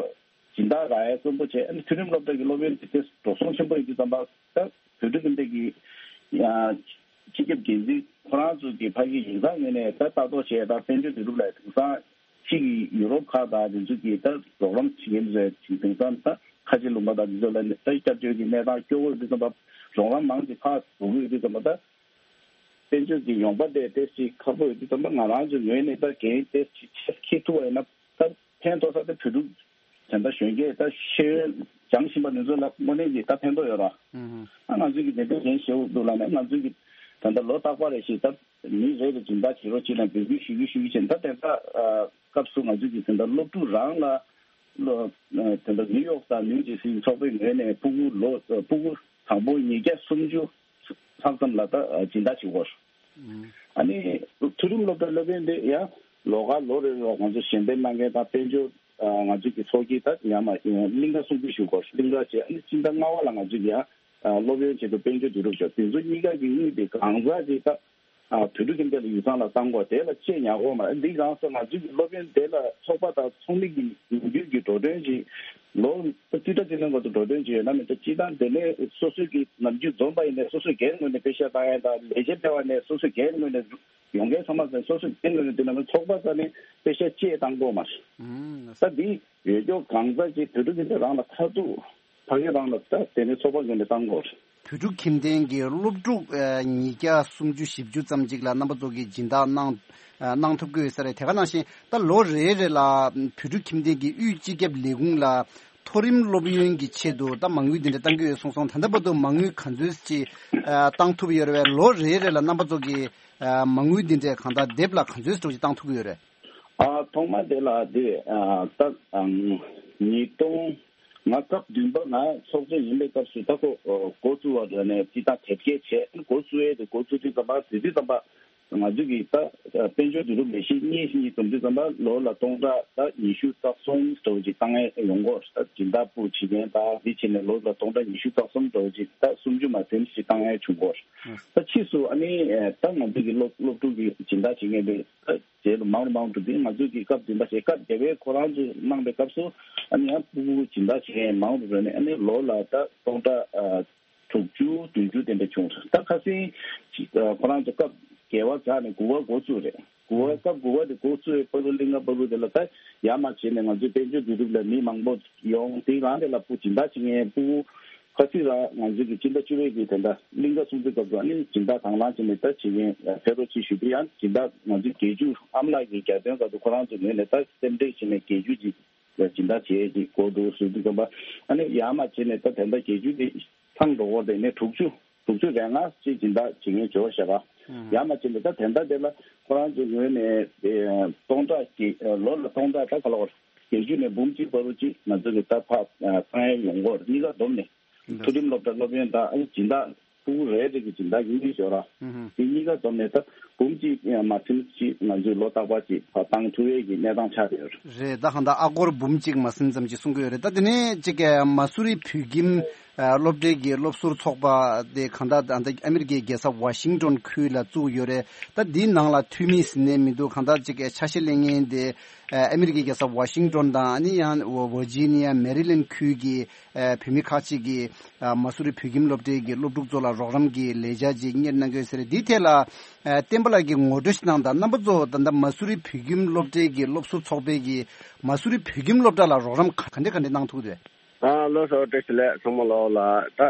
སྦྱིན་བདག་རག་ཡ་བཙན་པོ་བྱས། ཨ་ནི་མཐོ་རིམ་སློབ་གྲྭ་གི་སློབ་ཡོན་དེ་འགྲོ་སོང་ཆེན་པོ་ཡོད་དུས་ཙམ་པ་ད་བོད་ཕྲུག་ཁྱིམ་སྡེ་གི་ཡ་སྤྱི་ཁྱབ་འགན་འཛིན་ཁོ་རང་ཚོ་གི་ཕ་གི་ཡིག་ཚང་ངོས་ནས་ད་ལྟ་རྟོག་བྱས། ད་དཔལ་འབྱོར་དུས་རབས་ལ་དེང་སང་ཕྱི་གི་ཡུ་རོབ་ཁག་དང་དེ་ཚོ་གི་ད་རོགས་རམ་བྱེད་མཁན་ཚོས་དེང་སང་ད་ཁ་ཆེ་ལུང་པ་དང་དེ་ཚོ་ལ་ད་སྐྱབས་བཅོལ་གྱི་གནས་སྟངས་སྐྱོ་བོ་ཡོད་དུས་ཙམ་པ་རོགས་རམ་མང་ཆེ་ཕར་འགྲོ་གི་ཡོད་དུས་ཙམ་པ་ད་དཔལ་འབྱོར་གྱི་ཡོང་འབབ་དེ་ཏོག་ཙམ་ཁག་པོ་ཡོད་དུས་ཙམ་པ་ང་རང་ཚོའི་ངོས་ནས་ད་འགན་ཏོག་ཙམ་ཆེ་འཁྱེར་ཐུབ་པ་ཡིན་ན་ད་ཕན་ཐོགས་ས་དེ་བོད་ཕྲུག་དེ་འདྲ་གཞོན་སྐྱེས་ད་ཤེས་ཡོན་སྦྱང་བཞིན་པ་འདི་ཚོ་ལ་དངོས་གནས་ཀྱི་ད་ཕན་ཐོགས་ཡོད་ར། ཨ་ང་ཚོའི་གི་དེ་འདྲ་གཞན་ཞེ་པོ་འདུག་ལབ་ནས་ང་ཚོའི་གི་ད་ལྟ་ལོ་རྟག་པར་རེ་ཞིག་ད་མི་རེ་རེ་སྦྱིན་བདག་བྱེད་རོགས་བྱེད་ལ་འབོད་སྐུལ་ཞུ་རྒྱུ་ཞུ་རྒྱུ་བྱས། ད་དེ་ད་སྐབས་སུ་ང་ཚོའི་གི་དེ་འདྲ་སློབ་ཕྲུག་རང་ལ་ལོ་དེ་འདྲ་ནིའུ་ཡོག་དང་ནིའུ་ཇེ་སི་ཚོགས་པའི་ངོས་ནས་ཕྲུ་གུ་ལོ་ཕྲུ་གུ་དང་པོ་ཉིས་བརྒྱ་སུམ་ཅུ་ལྷག་ཙམ་ལ་ད་སྦྱིན་བདག་བྱེད་དགོས། ཨ་ནི་མཐོ་རིམ་སློབ་གྲྭ་སློབ་ཡོན་དེ་ཡང་ལོ་ག་ལོ་རེ་ལ་ང་ཚོ་གཞན་ཕན་གནང་མཁན་དང་དཔལ་འབྱོར་ང་ཚོ་གི་ཚོགས་ཀྱི་ད་ཡང་མ་གླིང་ག་སྲུང་སྐྱོབ་ཞུ་དགོས། གླིང་ག་བྱས་ཨ་ནི་སྤྱི་ཟླ་ལྔ་པ་ལ་ང་ཚོ་གི་ཡང་སློབ་ཡོན་ཆེད་དུ་དཔལ་འབྱོར་བསྡུ་རུབ་བྱས། དེ་ཚོ་གཉིས་ཀ་གི་དངུལ་དེ་གང་ཟག་གི་ད་ཨ་བོད་ཕྲུག་ཁྱིམ་སྡེ་ལ་ཡུལ་ཚང་ལ་བཏང་དགོས། དེ་ལ་ཆེད་ཉར་དགོས་མ་རེད། འདི་རང་སོ་ང་ཚོའི་གི་སློབ་ཡོན་དེ་ལ་ཚོགས་པ་དང་ཚོགས་མི་གི་ནམ་རྒྱུན་གྱི་འགྲོ་གྲོན་གྱི་ལོ་རྩིས་ཁྲ་ཅིག་ལེན་དགོས་འདུག་འགྲོ་གྲོན་ཅིག་ཡོད་ན་མི་འདུག་སྤྱི་བཏང་དེ་ནས་སོ་སོའི་གི་ནམ་རྒྱུན་འཛོམས་པ་ཡིན་ནས་སོ་སོའི་སྒེར་ངོས་ནས་པེ་ཤ་བཏང་ཡ་དང་ལས་བྱེད་ཕེབས་པ་ནས་སོ་སོའི་སྒེར་ངོས་ནས་ཡོང་མཁན་ཚང་མ་ཟེར་སོ་སོའི་སྒེར་ངོས་ནས་དེ་ནས་ཚོགས་པ་ས་ནས་པེ་ཤ་བཅས་བཏང་དགོས་མ་རེད། ད་འདི་ཡོད་སྐྱོ་གང་ཟག་ཅིག་བོད་ཕྲུག་གི་རང་ལ་མཐར་ཐུག་ཕ་གི་རང་ལ་ད་དེ་ནས་ཚོགས་པ་ངོས་ནས་བཏང་དགོས་རེད། བོད་ཕྲུག་ཁྱིམ་སྡེ་གི་སློབ་ཕྲུག་ཉིས་བརྒྱ་སུམ་ཅུ་བཞི་བཅུ་ཙམ་ཅིག་ལ་རྣམ་པ་ཚོ་གིས་སྦྱིན་བདག་གནང་གནང་ཐུབ་ཀྱི་ཡོད་ས་རེད། དེ་ག་ནང་བཞིན་ད་ལོ་རེ་རེ་ལ་བོད་ཕྲུག་ཁྱིམ་སྡེ་གི་དབུས་སྤྱི་ཁྱབ་ལས་ཁུངས་ལ་མཐོ་རིམ་སློབ་ཡོན་གྱི་ཆེད་དུ་ད་མ་དངུལ་འདི་འདྲ་གཏང་གི་ཡོད་གསུངས་སོང་། ད་ལྟ་བར་དུ་མ་དངུལ་ག་ཚོད་ཅིག་གཏང་ཐུབ་ཡོད་རེད་པས། ལོ་རེ་རེ་ལ་རྣམ་པ་ཚོ་གིས་མ་དངུལ་འདི་འདྲ་གང་ལྟར་དེབ་ལ་ག་ཚོད་ཅིག་གཏང་ཐུབ་ཀྱི་ཡོད་རེད། ཨ་ཐོག་མ་དེ་ལ་དེ་ཨ་ད་ཨམ་ཉིས་སྟོང་། ང་སྐབས་བདུན་པ་ང་ཚོགས་གཙོ་ཡིན་པའི་སྐབས་སུ་ད་ཁོ་འགོ་བཙུགས་པ་ནས་ཅི་ད་དེབ་སྐྱེལ་བྱས་འགོ་བཙུགས་ཡས་དེ་འགོ་བཙུགས་དུས་ཙམ་པ་དེ་དུས་ཙམ་པ་ང་ཚོ་གི་ད་དཔལ་འབྱོར་བསྡུ་རུབ་ལས་གཞི་གཉིས་གཉིས་འཛོམས་དུས་ཙམ་པ་ལོ་ལ་སྟོང་ཕྲག་ད་ཉི་ཤུ་རྩ་གསུམ་འདྲ་བོ་ཅིག་བཏང་ཡས་ཡོང་གོ་ད་སྦྱིན་བདག་པུའུ་བྱེད་མཁན་ད་འདི་བྱས་ནས་ལོ་ལ་སྟོང་ཕྲག་ཉི་ཤུ་རྩ་གསུམ་འདྲ་བོ་ཅིག་ད་སུམ་ཅུ་མ་ཟིན་ཞིག་བཏང་ཡས་བྱུང་གོ་ད་ཕྱིས་སུ་ཨ་ནི་ད་ང་ཚོ་གི་སློབ་སློབ་ཕྲུག་གི་སྦྱིན་བདག་བྱེད་མཁན་དེ། རྗེས་ལ་མང་རུ་མང་རུ་འགྲོ་དུས་ང་ཚོས་ཀྱི་སྐབས་བདུན་པ་བྱས་སྐབས་བརྒྱད་པའི་ཁོ་རང་ཚོས་གནང་པའི་སྐབས་སུ་ཨ་ནི་ཡང་ཕྲུ་གུ་སྦྱིན་བདག་བྱེད་མཁན་མང་རུ་རེད་ནས་ཨ་ནི་ལོ་ལ་ད་སྟོང་ཕྲག་དྲུག་ཅུ་བདུན་ཅུ་དེ་འདྲ་བྱུང་རེད། ད་ཁ་སང་ཁོ་རང་ཚོ་སྐབས་བརྒྱད་པ་བཞག་ནས་དགུ་པ་འགོ་བཙུགས་རེད། དགུ་པ་སྐབས་དགུ་པ་དེ་འགོ་བཙུགས་པའི་བར་དུ་གླིང་ག་བར་དུ་དེ་ལ་ད་ཡར་མར་བྱས་ནས་ང་ཚོའི་དཔལ་འབྱོར་བསྡུ་རུབ་ལ་མི་མང་པོ་ཡོང་དེའི་རང་དེ་ལ་ཕྲུ་གུ་སྦྱིན་བདག་བྱེད་མཁན་ཕྲུ་གུ། ཁ་སང་རང་ང་ཚོའི་གི་སྤྱི་ཟླ་བཅུ་པའི་གི་དེ་འདྲ་གླིང་ག་སྲུང་བརྩི་སྐབས་སུ་ཨ་ནི་སྦྱིན་བདག་དང་བླངས་བྱས་ནས་ད་བྱེད་མཁན་ཕེབས་རོགས་གྱིས་ཞུ་དུས་ཡང་སྦྱིན་བདག་ང་ཚོའི་རྒྱལ་རྒྱུགས་ཨ་མ་ལགས་ཀྱི་རྒྱལ་དོན་སྐབས་སུ་ཁོ་རང་ཚོའི་ངོས་ནས་ད་སེམས་ཁྲལ་བྱས་ནས་རྒྱལ་རྒྱུགས་ཀྱི་སྦྱིན་བདག་བྱེད་ཀྱི་སྐོར་དུ་ཞུ་དུས་ཙམ་པ་ཨ་ནི་ཡར་མར་བྱས་ནས་ད་དེ་འདྲ་རྒྱལ་རྒྱུགས་དེ་ཚང་འགྲོ་བར་དེ་ནས་དྲུག་ཅུ་དྲུག་ཅུ་རེ་ལྔ་ཅིག་སྦྱིན་བདག་བྱེད་མཁན་འབྱོར་བཞག་པ་ཡར་མར་བྱས་ནས་ད་དེ་འདྲ་དེ་ལ་ཁོ་རང་ཚོའི་ངོས་ནས་སྟོང་ཕྲག་གི་ལོ་ལ་སྟོང་ཕྲག་ད་ག་ལ་བར། བརྒྱད་ཅུ་ནས་འབུམ་གཅིག་བར་དུ་ཅིག་ང་ཚོ་གི་ད་ཕར་ཨ་ཚང་ཡང་ཡོང་གི་ཡོད་རེད། གཉིས་ཀ་བསྡོམས་ནས་མཐོ་རིམ་སློབ་གྲྭ་སློབ་ཡོན་དང་ཨ་ནི་སྦྱིན་བདག་ཕྲུ་གུ་རེ་རེ་གི་སྦྱིན་བདག་གི་དངུལ་ཞོར་ར་དེ་གཉིས་ཀ་བསྡོམས་ནས་ད་འབུམ་གཅིག་ཡང་མ་ཟིན་ཅིག་ང་ཚོས་ལོ་རྟག་པར་ཅིག་ཕར་བཏང་ཐུབ་ཡས་ཀྱི་གནས་སྟངས་ཆགས་བསྡད་ཡོད་རེད། རེད། ད་གང་ལྟར་ཨ་སྒོར་འབུམ་གཅིག་མ་ཟིན་ཙམ་ཅིག་གསུང་གི་ཡོད་རེད། ད་དེ་ནས་ཅིག་གི་མ་སུ་རི་བོད་ཁྱིམ་སློབ་གྲྭའི་གི་སློབ་ཟུར་ཚོགས་པ་དེ་གང་ལྟར་ད་ལྟ་ཨ་མི་རི་ཀའི་རྒྱལ་ས་ཝ་ཤིང་ཏོན་ཁུལ་ལ་བཙུགས་ཡོད་རེད། ད་འདིའི་ནང་ལ་འཐུས་མི་ཟིན་ནས་མི་འདུག་གང་ལྟར་ཅིག་གི་ཆ་ཤས་ལེན་མཁན་དེ་ཨ་མི་རི་ཀའི་རྒྱལ་ས་ཝ་ཤིང་ཏོན་དང་ཨ་ནི་ཡང་ཝར་ཇི་ནི་ཡ་མེ་རི་ལེན་ཁུལ་གྱི་བོད་མི་ཁག་ཅིག་གིས་མ་སུ་རི་བོད་ཁྱིམ་སློབ་གྲྭའི་གི་སློབ་ཕྲུག་ཚོ་ལ་རོགས་རམ་གྱི་ལས་འཆར་ཅིག་གཉེར་གནང་གི་ཡོད་ཟེར་རེད། འདིའི་ཐད་ལ་བསྟན་པ་ལགས་ཀྱིས་ངོ་སྤྲོད་ཞིག་གནང་དང་། རྣམ་པ་ཚོ་ད་ལྟ་མ་སུ་རི་བོད་ཁྱིམ་སློབ་གྲྭའི་གི་སློབ་ཟུར་ཚོགས་པའི་གི་མ་སུ་རི་བོད་ཁྱིམ་སློབ་གྲྭ་ལ་རོགས་རམ་ག་འདྲ་ག་འདྲ་གནང་ཐུབ་འདུག་ཨ་ལགས་སོ། བཀྲ་ཤིས་བདེ་ལེགས་ཚང་མ་ལོག་ལ། ད་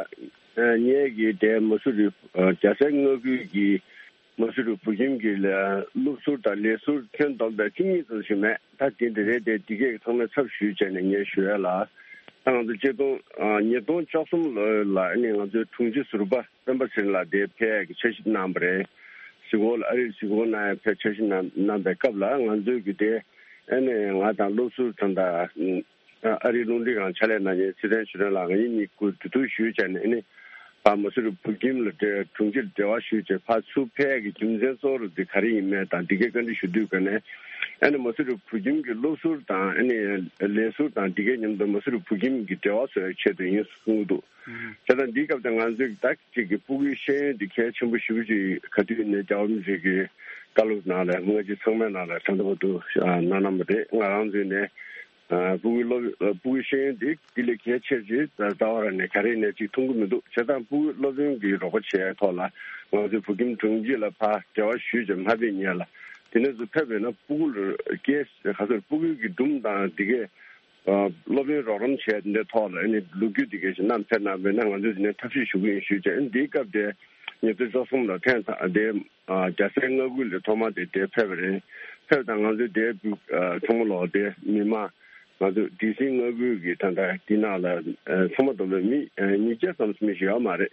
ངེད་ཀྱི་དེ་མ་སུ་རི་རྒྱལ་སའི་མངའ་ཁུལ་གྱི་ མ་སུ་རི་བོད་ཁྱིམ་གྱི་ལས་སློབ་ཟུར་དང་ལས་ཟུར་ཁྱོན་བསྡོམས་པའི་བཅུ་གཉིས་ཙམ་ཞིག་མེད། ད་དེ་འདི་རེད་དེ། འདི་གས་ཚང་མའི་ཚབ་ཞུས་བྱས་ནས་ངས་ཞུ་ཡ་ལ། ད་ང་ཚོ་ཆིག་སྟོང་ཨ་ཉིས་སྟོང་བཅུ་གསུམ་ལོ་ལ་ཨ་ནི་ང་ཚོའི་དྲུང་ཆེ་ཟུར་པ་སྤེན་པ་ཚེ་རིང་ལགས་དེ་ཕེབས་ཡས་ཀྱི་འཆར་གཞི་གནང་བ་རེད། གཟིགས་སྐོར་ལ་ཨ་རིར་གཟིགས་སྐོར་གནང་ཡས་ཕེབས་འཆར་གཞི་གནང་གནང་པའི་སྐབས་ལ། ང་ཚོའི་གི་དེ་ཨ་ནི་ང་དང་སློབ་ཟུར་དང་ད་ཨ་རིའི་རླུང་འཕྲིན་ཁང་ཕྱག་ལས་གནང་མཁན་ཚེ་བརྟན་ཆོས་སྒྲོན་ལགས། ང་གཉིས་གཉིས་ཀྱིས་གོ་བསྡུར་ཞུས་བྱས་ནས་ཨ་ནི་ཕར་མ་སུ་རི་བོད་ཁྱིམ་ལ་འབྲེལ་དྲུང་ཆེར་འབྲེལ་བ་ཞུས་བྱས་ཕར་ཚུར་ཕེབས་ཡས་ཀྱི་རྒྱུ་མཚན་གཙོ་བོ་དེ་ག་རེ་ཡིན་མིན་དང་འདི་གའི་བཀའ་འདྲི་ཞུ་དུས་ག་ནས་ཨ་ནི་མ་སུ་རི་བོད་ཁྱིམ་གྱི་སློབ་ཟུར་དང་ཨ་ནི་ལས་ཟུར་དང་འདི་གའི་མཉམ་དུ་མ་སུ་རི་བོད་ཁྱིམ་གྱི་འབྲེལ་བ་བཟོ་ཡའི་ཆེད་དུ་ཡིན་གསུངས་འདུག་བྱས་ཙང་འདིའི་སྐབས་དེ་ང་ཚོས་ད་ཅིག་གི་ཕྲུ་གུའི་ཤེས་ཡོན་འདི་གལ་ཆེན་པོ་ཞེ་པོ་ཅིག་ག་དུས་ནས་རྒྱལ་བ་རིན་པོ་ཆེ་གི་བཀའ་སློབ་ནང་ལ་སྔ་ཕྱི་ཚང་མའི་ནང་ལ་ད་ལྟ་བར་དུ་གནང་གནང་བ་རེད། ང་རང་ཚོས་ནས་ཕྲུ་གུའི་སློབ་ཕྲུ་གུའི་ཤེས་ཡོན་འདི་འདི་ལས་གལ་ཆེ་ཆེ་རྩ་བ་རང་ནས་ག་རེ་ནས་ཅིག་མཐོང་གི་མི་འདུག་བྱས་ཙང་ཕྲུ་གུའི་སློབ་ཡོན་གྱི་རོགས་པ་བྱས་ཐོག་ལ་ང་ཚོས་བོད་ཁྱིམ་དྲུང་ཆེ་ལ་ཕར་འབྲེལ་བ་ཞུས་ཀྱང་མ་ཕེབས་ཉེ་ལ། དེ་ནས་ཚུར་ཕེབས་པས་ན་ཕྲུ་གུ་ལ་སྐྱེས་ག་ཚོད་ཕྲུ་གུའི་གི་སྒྲུང་དང་འདི་གས་སློབ་ཡོན་རོགས་རམ་བྱས་འདི་ཐོག་ལ་ཨ་ནི་ལོ་རྒྱུས་འདི་གས་ཞིག་བསྣམས་ཕེབས་གནང་བས་ན་ང་ཚོས་འདི་ནས་ཐབས་ཤེས་ཞུ་གི་ཡིན་ཞུས་བྱས། ཨ་ནི་འདིའི་སྐབས་དེ་ཉིས་སྟོང་བཅུ་གསུམ་ལ་ཐེངས་དང་དེ་རྒྱལ་སའི་མངའ་ཁུལ་ལ་ཐོག་མ་དེ་དེ་ཕེབས་པ་རེད། ཕེབས་དང་ང་ཚོས་དེ་ཚང་མ་ལོག་དེ་མི་མང་ང་ཚོ་ཌི་སི་མངའ་ཁུལ་གྱི་ད་ལྟ་འདི་ནང་ལ་ཚང་མ་བསྡོམས་པའི་མི་ཉིས་བརྒྱ་ཙམ་མི་ཞིག་ཡོད་མ་རེད།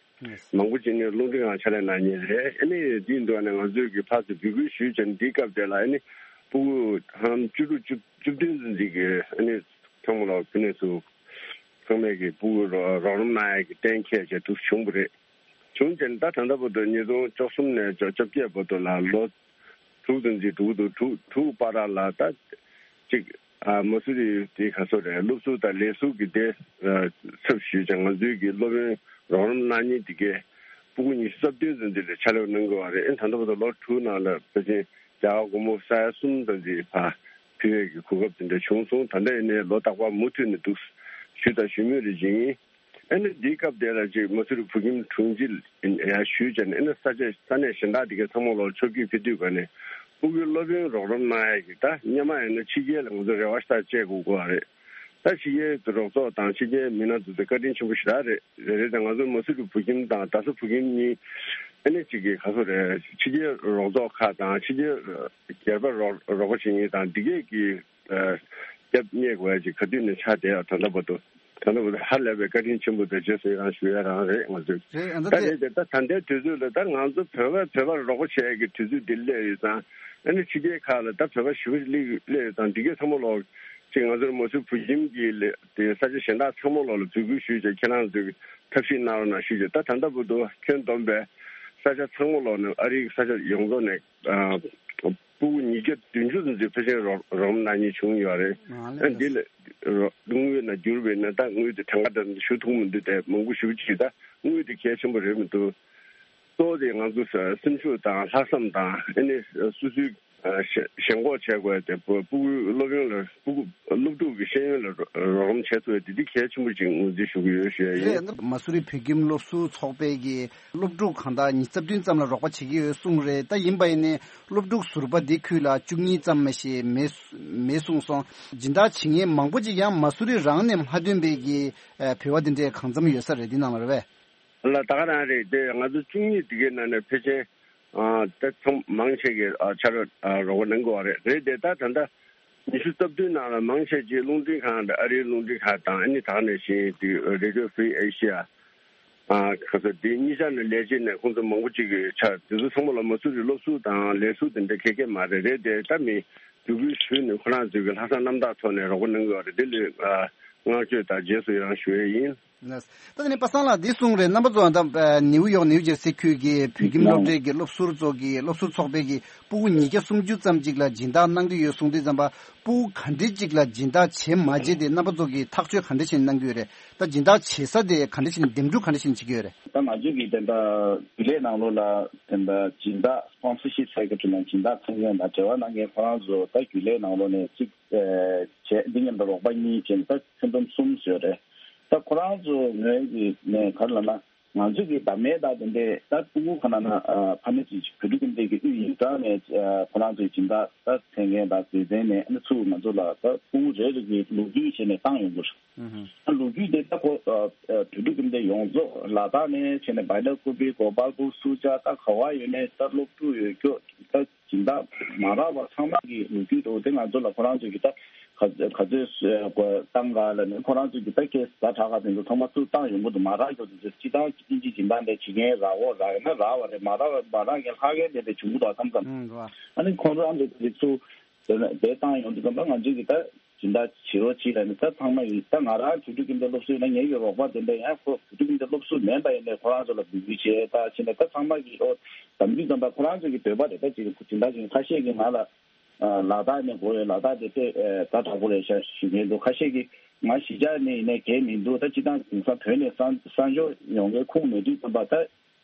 མང་པོ་ཅིག་ནི་རླུང་འཕྲིན་ཁང་ཕྱག་ལས་གནང་མཁན་རེད། ཨ་ནི་དེའི་འདུག་ཨ་ནི་ང་ཚོས་ཀྱི་ཕར་ཚུར་འབོད་སྐུལ་ཞུས་བྱས་ནས་འདིའི་སྐབས་དེ་ལ་ཨ་ནི་ཕྲུ་གུ་ཧང་བཅུ་དྲུག་བཅུ་བཅུ་བདུན་ཙམ་ཅིག་གིས་ཨ་ནི་ཚང་མ་ལ་ཕུ་ནས་སུ་ཚང་མས་ཀྱི་ཕྲུ་གུ་རོགས་རོགས་རམ་གནང་ཡས་ཀྱི་གཏན་འཁེལ་བྱས་འདུག་བྱུང་བ་རེད། བྱུང་བྱས་ནས་ད་ད་ལྟ་བར་དུ་ཉིས་སྟོང་བཅུ་གསུམ་ནས་བཅོ་བརྒྱད་བར་དུ་ལ་ལོ་དྲུག་ཙམ་ཅིག་འགྲོ་གི་འདུག་དྲུག་དྲུག་བར་ལ་ད་ཅིག་ཨ་མ་སུ་རི་དེ་ག་ཚོད་རེད། སློབ་ཟུར་དང་ལས་ཟུར་གྱི་དེ་ཚབ་ཞུས་ཀྱང་ང་ཚོའི་གི་སློབ་ཡོན་རོགས་རམ་གནང་མཁན་དེ་གས་ཕྲུ་གུ་ཉི་ཤུ་རྩ་བདུན་ཙམ་དེ་ལ་ཕྱག་ལས་གནང་དགོས་པ་རེད། ཨེ་ད་ལྟ་བར་དུ་ལོ་དྲུག་ནང་ལ་ཕལ་ཆེར་རྒྱ་གར་སྒོར་མོ་ས་ཡ་གསུམ་ཙམ་ཅིག་ཕར་ཕུལ་ཡས་ཀྱི་གོ་སྐབས་དེ་འདྲ་བྱུང་སོང་། ད་ལྟ་ཡིན་ནའི་ལོ་རྟག་པར་མུ་མཐུད་ནས་འདུག་ཞུས་དང་ཞུ་མུས་རེ་བྱེད་ཡིན། ཨ་ནི་འདིའི་སྐབས་དེ་ལ་ཅིག་མ་སུ་རི་བོད་ཁྱིམ་དྲུང་ཆེ་ཡར་ཞུས་བྱས་ནས་ཨ་ནི་ས་ཆ་ས་གནས་གཞན་དག་དེ་གའི་ཚང་མ་ལོག་ཕྱོགས་བསྐྱོད་ཕེབས་དུས་ག་ནས་ཕྲུ་གུའི་སློབ་ཡོན་རོགས་རམ་གནང་ཡས་ཀྱི་ད་སྔོན་མ་ཡིན་ན་ཕྱི་རྒྱལ་ལ་ང་ཚོ་རེ་བ་ཞེ་དྲག་བཅད་དགོས་ཀྱི་ཡོད་རེད། ད་ཕྱི་རྒྱལ་གྱི་རོགས་ཚོགས་དང་ཕྱི་རྒྱལ་མི་སྣ་ཚོ་དེ་བཀའ་དྲིན་ཆེན་པོ་ཞེ་དྲག་རེད། རེད་རེད། ད་ང་ཚོ་མ་སུ་རི་བོད་ཁྱིམ་དང་རྡ་ས་བོད་ཁྱིམ་གཉིས་ཨ་ནི་ཅིག་གི་ག་ཚོད་རེད། ཕྱི་རྒྱལ་རོགས་ཚོགས་ཁག་དང་ཕྱི་རྒྱལ་སྒེར་པ་རོགས་རོགས་པ་བྱེད་མཁན་དང་འདི་གས་ཀྱི་སྐྱབས་གནས་དགོས་ཡ་ཅིག་ག་དུས་ནས་ཆགས་བསྡད་ཡ། ད་ལྟ་བར་དུ་ད་ལྟ་བར་དུ་ཧ་ལས་པའི་བཀའ་དྲིན་ཆེན་པོ་དང་རྗེས་སུ་ཡི་རང་ཞུ་ཡ་རང་རེད། ང་ཚོས་རེད། ཨ་ད་ད་དེ་རེད་དེ་ད་ད་ལྟའི་དུས་ཚོད་ལ་ད་ང་ཚོ་བོད་པ་བོད་པར་རོགས་པ་བྱེད་ཡ་གི་དུས་ཚོད་འདི་སླེབས་ཡོད་ཙང་། ཨ་ནི་ཕྱི་རྒྱལ་ཁག་ལ་ད་བོད་པ་ཞེ་པོ་ཅིག་སླེབས་ཡོད་ཙང་འདི་གས་ཚང་མ་ལོག་ཅིག་ང་ཚོར་མ་སུ་བོད་ཁྱིམ་གྱི་ལས་དེ་ས་ཆ་གཞན་དག་ཚང་མ་ལོག་ལ་འབོད་སྐུལ་ཞུས་བྱས་ཁྱེད་རང་ཚོས་ཐབས་ཤེས་གནང་རོགས་གནང་ཞུས་བྱས། ད་ད་ལྟ་བར་དུ་ཁྱོན་བསྡོམས་པའི་ས་ཆ་ཚང་མ་ལོག་ནས་ཨ་རིའི་ས་ཆ་ཡོངས་རྫོགས་ནས་ཨ་ཕྲུ་གུ་ཉིས་བརྒྱ་བདུན་ཅུ་ཙམ་ཅིག་ཕལ་ཆེར་རོགས་རོགས་རམ་གནང་མཁན་བྱུང་ཡོད་རེད། ཨ་འདི་ལ་རོགས་དངུལ་ནང་བསྒྱུར་བས་ན་ད་དངུལ་དེ་གྲངས་ཀ་དེ་ཞུ་ཐུབ་མི་འདུག་དེ་མང་པོ་ཞེ་པོ་ཅིག་ད་དངུལ་དེ་གལ་ཆེན་པོ་རེད་མི་འདུག་གཙོ་བོ་དེ་ང་ཚོ་སེམས་ཤུགས་དང་ལྷག་བསམ་དང་ཨ་ནི་སོ་སོའི་ཞེན་ཁོག་བྱེད་དགོས་དེ་ཕྲུ་གུའི་སློབ་ཡོན་ལ་ཕྲུ་གུ་སློབ་ཕྲུག་གི་ཤེས་ཡོན་ལ་རོགས་རམ་བྱེད་ཐུབ་ཡ་དེ་དེ་གལ་ཆེན་པོ་ཅིག་ངོས་འཛིན་ཞུ་གི་ཡོད་ཞུ་ཡ་ཡིན། རེད། མ་སུ་རི་བོད་ཁྱིམ་སློབ་ཟུར་ཚོགས་པས་ཀྱི་སློབ་ཕྲུག་གང་དག་ཉི་ཤུ་རྩ་བདུན་ཙམ་ལ་རོགས་པ་བྱེད་ཀྱི་ཡོད་གསུངས་རེད། ད་ཡིན་པ་ཡིན་ནའི་སློབ་ཕྲུག་ཟུར་པ་འདི་ཁུལ་ལ་བཅུ་གཉིས་ཙམ་མ་ཞིག་མེད་མེད་གསུངས་སོང་། སྦྱིན་བདག་བྱེད་མཁན་མང་པོ་ཅིག་ཡང་མ་སུ་རི་རང་ནས་མ་ཐོན་པའི་གི་ཨ་བོད་པ་འདི་འདྲའི་གང་འཚམ་ཡོད་ས་རེད། འདི་ནང་ལ་རེད་པས། ལ་ད་ག་རང་རེད་དེ། ང་ཚོ་བཅུ་གཉིས་འདི་གའི་ནང་ནས་ཕལ་ཆེར་ཨ་ད་ཚང་མང་ཆེ་གི་ཨ་ཕྱག་རོགས་ཨ་རོགས་པ་གནང་གི་ཡོད་རེད། རེད་དེ་ད་ད་ལྟ་ཉི་ཤུ་རྩ་བདུན་ནང་ལ་མང་ཆེ་ཅིག་རླུང་འཕྲིན་ཁང་དང་ཨ་རིའི་རླུང་འཕྲིན་ཁང་དང་ཨ་ནི་ད་ག་ནང་བཞིན་དེ་Radio Free Asia ཨ་ག་ཚོད་དེ་གཉིས་ཆ་ནས་ལས་བྱེད་ནས་ཁོང་ཚོ་མང་པོ་ཅིག་གི་ཕྱག་དེ་ཚོ་ཚང་མ་ལ་མ་སུ་རི་སློབ་ཟུར་དང་ལས་ཟུར་དེ་འདྲ་ག་གེ་མ་རེད། རེད་དེ་ད་མི་བརྒྱུད་སྐུལ་ཞུས་ནས་ཁོ་རང་ཚོས་གི་ལྷག་བསམ་རྣམ་དག་ཐོག་ནས་རོགས་པ་གནང་གི་ཡོད་རེད། དེ་ལ་ཨ་བསྔགས་བརྗོད་དང་རྗེས་སུ་ཡི་རང་ཞུ་ཡས་ཡིན། ད་དེ་ནས་པ་སངས་ལགས་འདི་གསུངས་རེད། རྣམ་པ་ཚོ་ད་ནིའུ་ཡོག་ནིའུ་ཇར་སི་ཁུལ་གྱི་བོད་ཁྱིམ་སློབ་གྲྭའི་གི་སློབ་ཟུར་ཚོ་གི་སློབ་ཟུར་ཚོགས་པའི་གི་ཕྲུ་གུ་ཉིས་བརྒྱ་སུམ་ཅུ་ཙམ་ཅིག་ལ་སྦྱིན་བདག་གནང་གི་ཡོད་གསུངས་དུས་ཙམ་པ། ཕྲུ་གུ་ག་འདྲས་ཅིག་ལ་སྦྱིན་བདག་བྱེད་མ་བྱེད་དེ་རྣམ་པ་ཚོ་གིས་ཐག་གཅོད་ག་འདྲས་བྱས་ནས་གནང་གི་ཡོད་རེད། ད་སྦྱིན་བདག་བྱེད་ས་དེ་ག་འདྲས་བྱས་ནས་འདེམས་སྒྲུག་ག་འདྲས་བྱས་ནས་བྱེད་ཀྱི་ཡོད་རེད། ད་ང་ཚོ་གི་དེ་འདྲ་རྒྱུན་ལས་ནང་ལོགས་ལ་དེ་འདྲ་སྦྱིན་བདག་སི་པོན་སར་ཤིབ་ཟེར་གྱི་དྲི་ན་སྦྱིན་བདག་ཚན་ཆུང་དང་འབྲེལ་བ་གནང་མཁན་ཁོ་རང་ཚོ་ད་རྒྱུན་ལས་ནང་ལོགས་ནས་གཅིག་བྱས། འདི་མཉམ་དུ་རོགས་པ་གཉིས་བྱས་ནས་ད་ཁྱོན་བསྡོམས་གསུམ་བཟོས་རེད། ད་ཁོ་རང་ཚོ་ངོས་ཀྱི་ནས་ག་རེ་ལབ་ན། ང་ཚོས་ཀྱི་བདག་མེད་དང་དེ་འདྲའི་ད་ཕྲུ་གུ་ག་ན་ན་ཕ་མེས་ཀྱི་བོད་ཕྲུག་ཁྱིམ་སྡེ་གི་དབུས་ཡིག་ཚང་ནས་ཁོ་རང་ཚོའི་སྦྱིན་བདག་ད་མཚན་མཁན་དང་སྡེ་ཚན་ནས་ཨ་ནི་ཚུར་ང་ཚོ་ལ་ད་ཕྲུ་གུ་རེ་རེ་གི་ལོ་རྒྱུས་བྱས་ནས་བཏང་ཡོང་གི་རེད། ཨ་ལོ་རྒྱུས་དེ་ད་ཁོ་བོད་ཕྲུག་ཁྱིམ་སྡེ་ཡོངས་རྫོགས་ལ་དྭགས་ནས་བྱས་ནས་བལ་ཡུལ་ཁུལ་པའི་གོ་པལ་པུར་སུ་ཇཱ་ད་ག་བ་ཡོད་ནས་ད་སློབ་ཕྲུག་ཡོད་སྐྱོ་ད། སྦྱིན་བདག་མ་རག་པ་ཚང་མ་གི་ལོ་རྒྱུས་འདུག་དེ་ང་ཚོ་ལ་ཁོ་རང་ཚོས་ཀྱི་ད་ག་ག་ཚོད་བཏང་ག་ལ་ནི་ཁོ་རང་ཚོས་ཀྱི་ད་ཁེ་ཟ་དྲག་ག་དེ་ཚོ་ཚང་མ་ཚུར་བཏང་ཡོང་གི་འདུག་མ་རག་རྒྱུ་དེ་ཚོ་སྤྱི་བཏང་དབྱིན་ཇི་སྦྱིན་བདག་འདྲ་བྱེད་མཁན་རག་འོ་རག་ཡོད་ན་རག་པ་རེད། མ་རག་མ་རག་མཁན་ལྷག་མཁན་དེ་འདྲ་བྱུང་གི་འདུག་མཚམས་མཚམས། ཨ་ནི་ཁོང་རང་ཚོ་དེ་ཚོ་དེ་ན་དེ་བཏང་ཡོང་དུས་ཙམ་པ་ང་ཚོས་ཀྱི་ད་སྦྱིན་བདག་བྱེད་རོགས་བྱེད་ལ་ནི་ད་ཚང་མ་ཡིན། ད་ང་རང་བོད་ཕྲུག་ཁྱིམ་སྡེ་སློབ་གསོ་ཡིན་ན་ངེད་ཀྱི་རོགས་པ་དེ་འདྲ་ཡང་ཁོ་བོད་ཕྲུག་ཁྱིམ་སྡེ་སློབ་གསོ་མིན་པ་ཡིན་ནའི་ཁོ་རང་ཚོ་ལ་འབོད་སྐུལ་བྱས་ད་བྱས་ནས་ད་ཚང་མ་གི་ཨོ་དམ་ཚིག་ཙམ་པ་ཁོ་རང་ཚོ་གི་འདོད་པ་རེད། ད་ཅིག་སྦྱིན་བདག་ཅིག་ཁ་ཤས་ཀྱིས་ང་ལ་ལ་དྭགས་ནས་དགོས་ཡོད། ལ་དྭགས་དེ་དཔེ་ད་དྲག་པོ་རེད་ཤག་ཞུ་མཁན་འདུག་ཁ་ཤས་ཀྱིས་ང་གཞིས་ཆགས་ནས་ཡིན་ནའི་གལ་མི་འདུག་ད་སྤྱི་བཏང་དེང་སང་བོད་ནས་གསར་གསར་འབྱོར་ཡོང་མཁན་ཁུངས་མེད་དུས་ཙམ་པ་ད།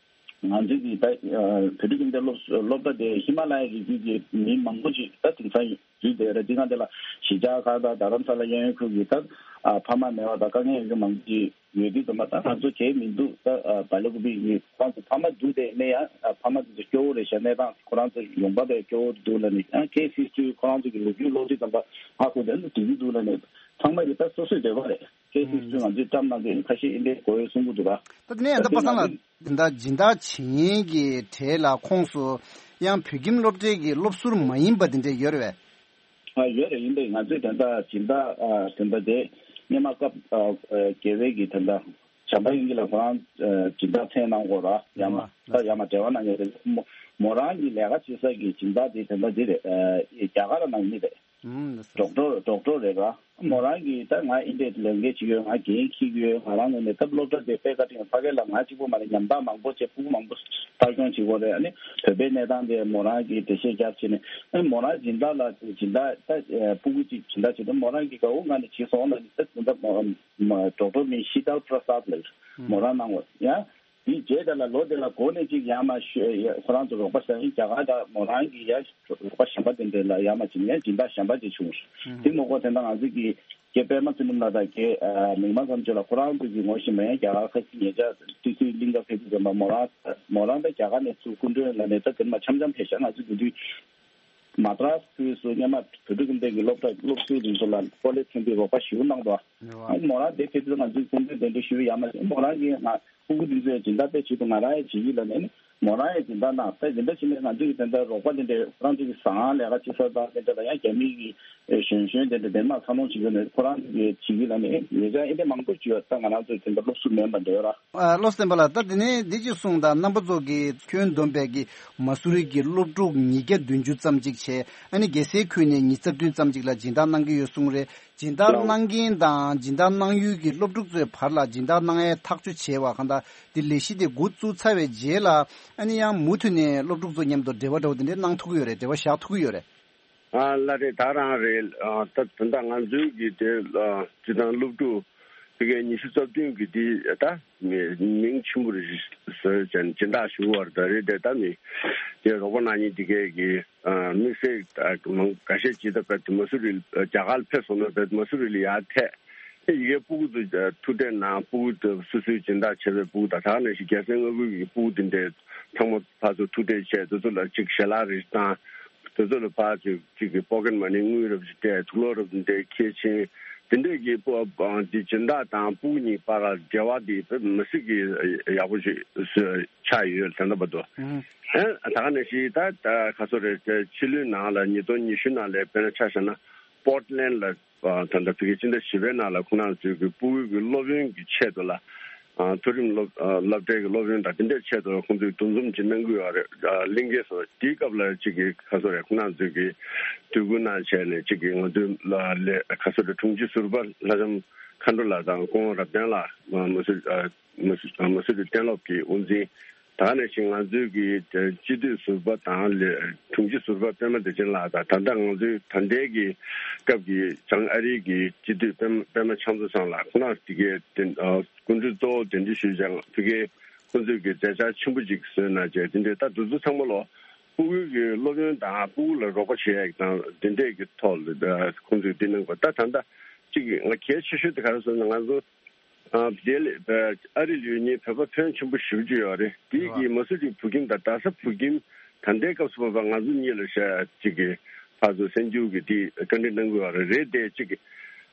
ང་ཚོའི་གི་ད་བོད་ཕྲུག་ཁྱིམ་སྡེ་སློབ་སློབ་གྲྭ་དེ་ཧི་མ་ལ་ཡའི་རི་རྒྱུད་ཀྱི་མི་མང་པོ་ཅིག་ད་དེང་སང་འཛུལ་བསྡད་རེད། དེ་སྒང་དེ་ལ་གཞིས་ཆགས་ཁག་དང་རྡ་རམ་ས་ལ་གཡས་གཡོན་ཁུལ་གྱི་ད་ཕ་མ་མེད་པ་དང་དཀའ་ངལ་ཡོད་མཁན་མང་པོ་ཅིག་ཡོད་དུས་ཙམ་པ་ད་ང་ཚོ་གལ་མི་འདུག་ད་བལ་ཡུལ་ཁུལ་པའི་ཁོ་རང་ཚོ་ཕ་མ་འདུག་དེ་ནས་ཡང་ཕ་མ་དེ་ཚོ་སྐྱོ་བོ་རེད་ཤག་གནས་སྟངས་ཁོ་རང་ཚོ་ཡོང་འབབ་དཔེ་སྐྱོ་བོ་འདུག་ལབ་ནས་ཡང་ཁེ་སིག་ཊི་ཁོ་རང་ཚོ་གི་ལོ་རྒྱུས་ཀློག་དུས་ཙམ་པ་ཧ་གོ་དེ་འདུག་དེ་འདུག་ལབ་ནས་ཚང་མ་གི་ད་སོ་སོའི་འདོད་པ་རེད། ཀེ་སི་ཚོས་ང་ཚོའི་བཀྲམ་གནང་མཁན་ཁ་ཤས་ཨིན་པའི་གོ་ཡོད་གསུང་གི་འདུག་ག་ད་དེ་ནས་ཡང་ད་པ་སངས་ལགས་དེ་འདྲ་སྦྱིན་བདག་བྱེད་མཁན་གྱི་གྲས་ལ་ཁོངས་སུ་ཡང་བོད་ཁྱིམ་སློབ་གྲྭའི་གི་སློབ་ཟུར་མ་ཡིན་པ་དེ་འདྲ་ཡོད་རེད་པས། ཨ་ཡོད་རེད། ཡིན་པས་ང་ཚོས་དེ་འདྲ་སྦྱིན་བདག་ཨ་དེ་འདྲ་དེ་སྔོན་མ་སྐབས་ཨ་ཨ་རྒྱལ་བའི་གི་དེ་འདྲ་བྱམས་པ་དབྱིངས་སྐྱིད་ལགས་ཁོ་རང་ཨ་སྦྱིན་བདག་མཚན་གནང་དགོས་ར་ཡང་མ་ད་ཡང་མ་འབྲེལ་བ་གནང་མཁན་རེད། མོ་མོ་རང་གི་ལས་ཀ་བྱེད་ས་གི་སྦྱིན་བདག་དེ་དེ་འདྲ་དེ་རེད། ཨ་རྒྱ་གར་ནང་མི་རེད། ཨུམ། ཌོག་ཊར་ཌོག་ཊར་རེད་ར། མོ་རང་གིས་ད་ང་ཨིན་ཏེ་ལས་འགན་བྱེད་ཡོད། ང་འགན་འཁྱེར་གྱི་ཡོད། ང་རང་ངོས་ནས་སྟབས་སློབ་གྲྭ་དེ་དཔེ་བཀའ་དྲིན་ཕ་གི་ལ་ང་གཅིག་པོ་མ་རེད། ཉམ་ཐག་མང་པོ་བྱས་ཕྲུ་གུ་མང་པོ་ཕར་སྐྱོང་བྱེད་དགོས་རེད། ཨ་ནི་བོད་པའི་གནས་སྟངས་དེ་མོ་རང་གིས་འགྲེལ་བཤད་རྒྱབ་བྱས་ནས་ཨ་ནི་མོ་རང་སྦྱིན་བདག་ལ་སྦྱིན་བདག་ད་ཕྲུ་གུ་གཅིག་སྦྱིན་བདག་བྱེད་དུས་མོ་རང་གིས་དགའ་བོ་ངང་ནས་བྱས་སོང་ལ་ནི་ད་སྦྱིན་བདག་མོ་ཌོག་ཊར་མིང་ཤི་ཏལ་པྲ་སཱད་ལགས་མོ་རང་གནང་བ་ཡང་། དེའི་རྗེས་དེ་ལ་ལོ་དེ་ལ་འགོ་ནས་ཅིག་ཡར་མར་ཤོད་ཡ་ཁོ་རང་ཚོ་རོགས་པ་བྱས་ཡིན། རྒྱ་གར་དང་མོ་རང་གི་ཡ་རོགས་པ་གཞན་པ་དེ་འདྲ་ལ་ཡར་མར་ཅིག་ཡང་སྦྱིན་བདག་གཞན་པ་ཅིག་བྱུང་། དེ་མ་གཏོགས་དེ་འདྲ་ང་ཚོ་གི་རྒན་པད་མ་ཚེ་རིང་ལགས་དང་རྒན་མིག་དམར་མཚམས་གཅོད་ལགས་ཁོ་རང་ཚོ་གི་ངོ་ཤེས་མ་ཡིན། རྒྱ་གར་ཁ་ཤས་ཉེ་ཆར་ཏི་སི་གླིང་ག་ཕེབས་དུས་ཙམ་པ་མོ་རང་མོ་རང་ད་རྒྱ་གར་ནས་ཚུར་སྐུ་མགྲོན་ལ་ནས་ད་དེ་མ་འཆམ་འཆམ་ཕེབས་ཤག་ང་ཚོ་དེ་དུས་མ་ཏྲ་སི་ཁུལ་སུ་སྔོན་མ་བོད་ཕྲུག་ཁྱིམ་སྡེ་གི་སློབ་གྲྭ་སློབ་ཟུར་དེ་ཚོ་ལ་ཀོ་ལེ་ཐོན་པའི་རོགས་པ་ཞུ་གནང་འདུག་ཨ་ནི་མོ་རང་དེ་ཕེབས་དུས་ང་ཚོས་སྐུ་མགྲོན་དེ་འདྲ་ཞུ་ཡ་མ་བྱུང་། མོ་རང་གིས་ང་ཕྲུ་གུ་འདི་ཚོའི་སྦྱིན་བདག་དཔེ་བྱེད་དུ་ང་རང་ཡང་བྱེད་ཀྱི་ལབ་ནས་ནི་མོ་རང་ཡང་སྦྱིན་བདག་གནང་། ད་འདི་འདྲ་བྱས་ནས་ང་ཚོས་དེ་འདྲ་རོགས་པ་དེ་འདྲ་ཁོ་རང་ཚོ་གི་ཟ་ཁང་ལས་ཀ་བྱེད་ས་དང་དེ་འདྲ་ལ་ཡང་རྒྱ་མི་གི་གཞོན་གཞོན་དེ་འདྲ་དེ་མ་འཚར་ལོངས་བྱེད་ཀྱི་ནས་ཁོ་རང་ཚོ་གི་བྱེད་ཀྱི་ལབ་ནས་ཉེ་ཆར་ཨེ་འདྲ་མང་པོ་བྱུང་ཡོད། ད་ང་རང་ཚོས་དེ་འདྲ་སློབ་ཟུར་མིན་པ་འདྲ་ཡོད་ར། ཨ་བློ་བསྟན་པ་ལགས། ད་དེ་ནས་འདི་ཅིག་གསུངས་དང་། རྣམ་པ་ཚོ་གིས་ཁྱོན་བསྡོམས་པའི་གི་མ་སུ་རི་གི་སློབ་ཕྲུག་ཉིས་བརྒྱ་བདུན་ཅུ་ཙམ་ཅིག་བྱས། ཨ་ནི་རྒྱལ་སའི་ཁུལ་ནས་ཉིས་རྩ་བདུན་ཙམ་ཅིག་ལ་སྦྱིན་བདག་གནང་གི་ཡོད་གསུངས་རེད། སྦྱིན་བདག་གནང་མཁན་དང་སྦྱིན་བདག་གནང་ཡུལ་གྱི་སློབ་ཕྲུག་ཚོའི་བར་ལ་སྦྱིན་བདག་གནང་ཡའི་ཐག་གཅོད་བྱས་པ་གང་ལྟར་འདི་ལས་གཞི་དེ་འགོ་བཙུགས་ཚར་བའི་རྗེས་ལ་ཨ་ནི་ཡང་མུ་མཐུད་ནས་སློབ་ཕྲུག་ཚོ་མཉམ་དུ་འབྲེལ་བ་འདྲ་བོ་དེ་འདྲའི་གནང་ཐུབ་ཀྱི་ཡོད་རེད། འབྲེལ་བ་བཞག་ཐུབ་ཀྱི་ཡོད་རེད། ཨ་ལགས་རེད། ད་རང་རེད། ཨ་ད་ད་ལྟ་ང་ཚོའི་གི་དེ་ཨ་སྤྱི་བཏང་སློབ་ཕྲུག་ཕ་གིའི་ཉི་ཤུ་རྩ་བདུན་གི་དེ་ད་མི་མིང་ཆེན་པོ་རེད་བཟོས་བྱས་ནས་སྦྱིན་བདག་ཞུ་བར་ད་རེད། དེ་ད་མི་དེ་རོགས་པ་གནང་མཁན་དེ་གས་གི་ཨ་དམིགས་བསལ་ད་མང་འགའ་ཤས་ཅིག་ད་ཕ་མ་སུ་རི་རྒྱ་གར་ཕེབས་སོང་ན་ཕ་མ་སུ་རི་ལ་ཡར་ཐད། ཨེ་ཡི་གེ་ཕྲུ་གུ་ཚོ་ཐུག་འཕྲད་གནང་། ཕྲུ་གུ་ཚོ་སོ་སོའི་སྦྱིན་བདག་བྱས་པའི་ཕྲུ་གུ་དང་། ད་ག་ནང་བཞིན་རྒྱལ་སའི་མངའ་ཁུལ་གྱི་ཕྲུ་གུ་དེ་འདྲའི་ཚང་མ་ཕར་ཚུར་ཐུག་འཕྲད་བྱས། དེ་ཚོ་ལ་ཅིག་ཞལ་ལག་རེ་བཏང་། དེ་ཚོ་ལ་ཕར་ཚུར་ཅིག་གི་པོ་ཀེ་ཊི་མ་ནི་དངུལ་རབ་ཅིག་སྤྲད། དུག་ལོག་རབ་འདྲའི་ཁྱེར་ཕྱིན། དེ་འདྲས་ཀྱི་ཕྲུ་གུ་འདི་སྦྱིན་བདག་དང་ཕྲུ་གུ་གཉིས་བར་ལ་འབྲེལ་བ་འདི་དཔེ་མི་སྲིད་ཀྱི་ཡག་པོ་ཞིག་ཆགས་ཡོད་ད་ལྟ་བར་དུ། ཨེ་ད་ག་ནང་བཞིན་ད་ད་ག་ཚོད་རེད། ཕྱི་ལོའི་ནང་ལ་ཉིས་སྟོང་ཉི་ཤུ་ནང་ལ་དཔེར་ན་ཆ་བཞག་ན་པོར་ཊི་ལེན་ཌི་ལ། ཨ་ད་ལྟ་ཕ་གི་སྤྱི་ཟླ་བཞི་པའི་ནང་ལ་ཁོང་རྣམ་ཚོས་ཀྱི་ཕྲུ་གུ་གི་སློབ་ཡོན་གྱི་ཆེད་དུ་ལ། ཨ་མཐོ་རིམ་སློབ་ཨ་སློབ་གྲྭའི་གི་སློབ་ཡོན་དང་དེ་འདྲའི་ཆེད་དུ་ཁོང་ཚོས་འདུ་འཛོམས་ཅིག་གནང་གི་ཡོད་རེད། ཨ་གླིང་གའི་སོ་དེའི་སྐབས་ལ་ཅིག་གི་ག་ཚོད་རེད། ཁོང་རྣམ་ཚོས་ཀྱི་དུས་འགོ་གནང་བྱས་ནས་ཅིག་གི་ང་ཚོའི་ལ་ལས་ག་ཚོད་རེད། དྲུང་ཆེ་ཟུར་པ་ལྷ་ལྕམ་མཁའ་འགྲོ་ལགས་དང་སྐུ་ངོ་རབ་བརྟན་ལགས། ཨ་མ་སུ་ཨ་མ་སུ་མ་སུ་རི་གཏན་སློབ་ཀྱི་དབུ་འཛིན། ད་ག་ནང་བཞིན་ང་ཚོའི་གི་སྤྱི་འཐུས་ཟུར་པ་དང་ལས་དྲུང་ཆེ་ཟུར་པ་པད་མ་བདེ་ཆེན་ལགས་དང་། ད་ལྟ་ང་ཚོའི་ད་ལྟའི་གི་སྐབས་ཀྱི་བྱང་ཨ་རིའི་གི་སྤྱི་འཐུས་པད་པད་མ་ཕྱག་མཛོད་ཚང་ལགས། ཁོང་རྣམ་དེ་གའི་དེ་ཨ་སྐུ་མགྲོན་གཙོ་བོ་དེ་འདྲ་ཞུས་ཀྱང་ཕ་གིའི་ཁོང་ཚོས་ཀྱི་མཛད་འཆར་ཆེན་པོ་ཅིག་བཟོས་གནང་བྱས། དེ་འདྲའི་ད་དུས་ཚོད་ཚང་མ་ལོ་ཕྲུ་གུའི་གི་སློབ་ཡོན་དང་ཕྲུ་གུ་ལ་རོགས་པ་བྱེད་ཡག་དང་དེ་འདྲའི་གི་ཐོག་ལ་ཨ་ཁོང་ཚོས་འདི་གནང་དགོས། ད་ད་ལྟ་གཅིག་ང་གལ་ཆེ་ཤོས་དེ་ག་རེ་ཟེར་ན་ང་ཚོ། ཨ་དེ་ལས་ཨ་རི་ལ་ཡོད་མཁན་བོད་པ་ཕོན་ཆེན་པོ་ཞེ་པོ་ཅིག་ཡོད་རེད། དེ་གི་མ་སུ་རི་བོད་ཁྱིམ་དང་རྡ་ས་བོད་ཁྱིམ་ད་ལྟའི་སྐབས་སུ་བབ་པ་ང་ཚོ་གཉིས་ལ་ཤ་གཅིག་གི་ཕར་ཚུར་གསར་འགྱུར་གྱི་དེ་བཀའ་འདྲི་གནང་དགོས་པ་རེད། རེད་དེ་གཅིག་གི་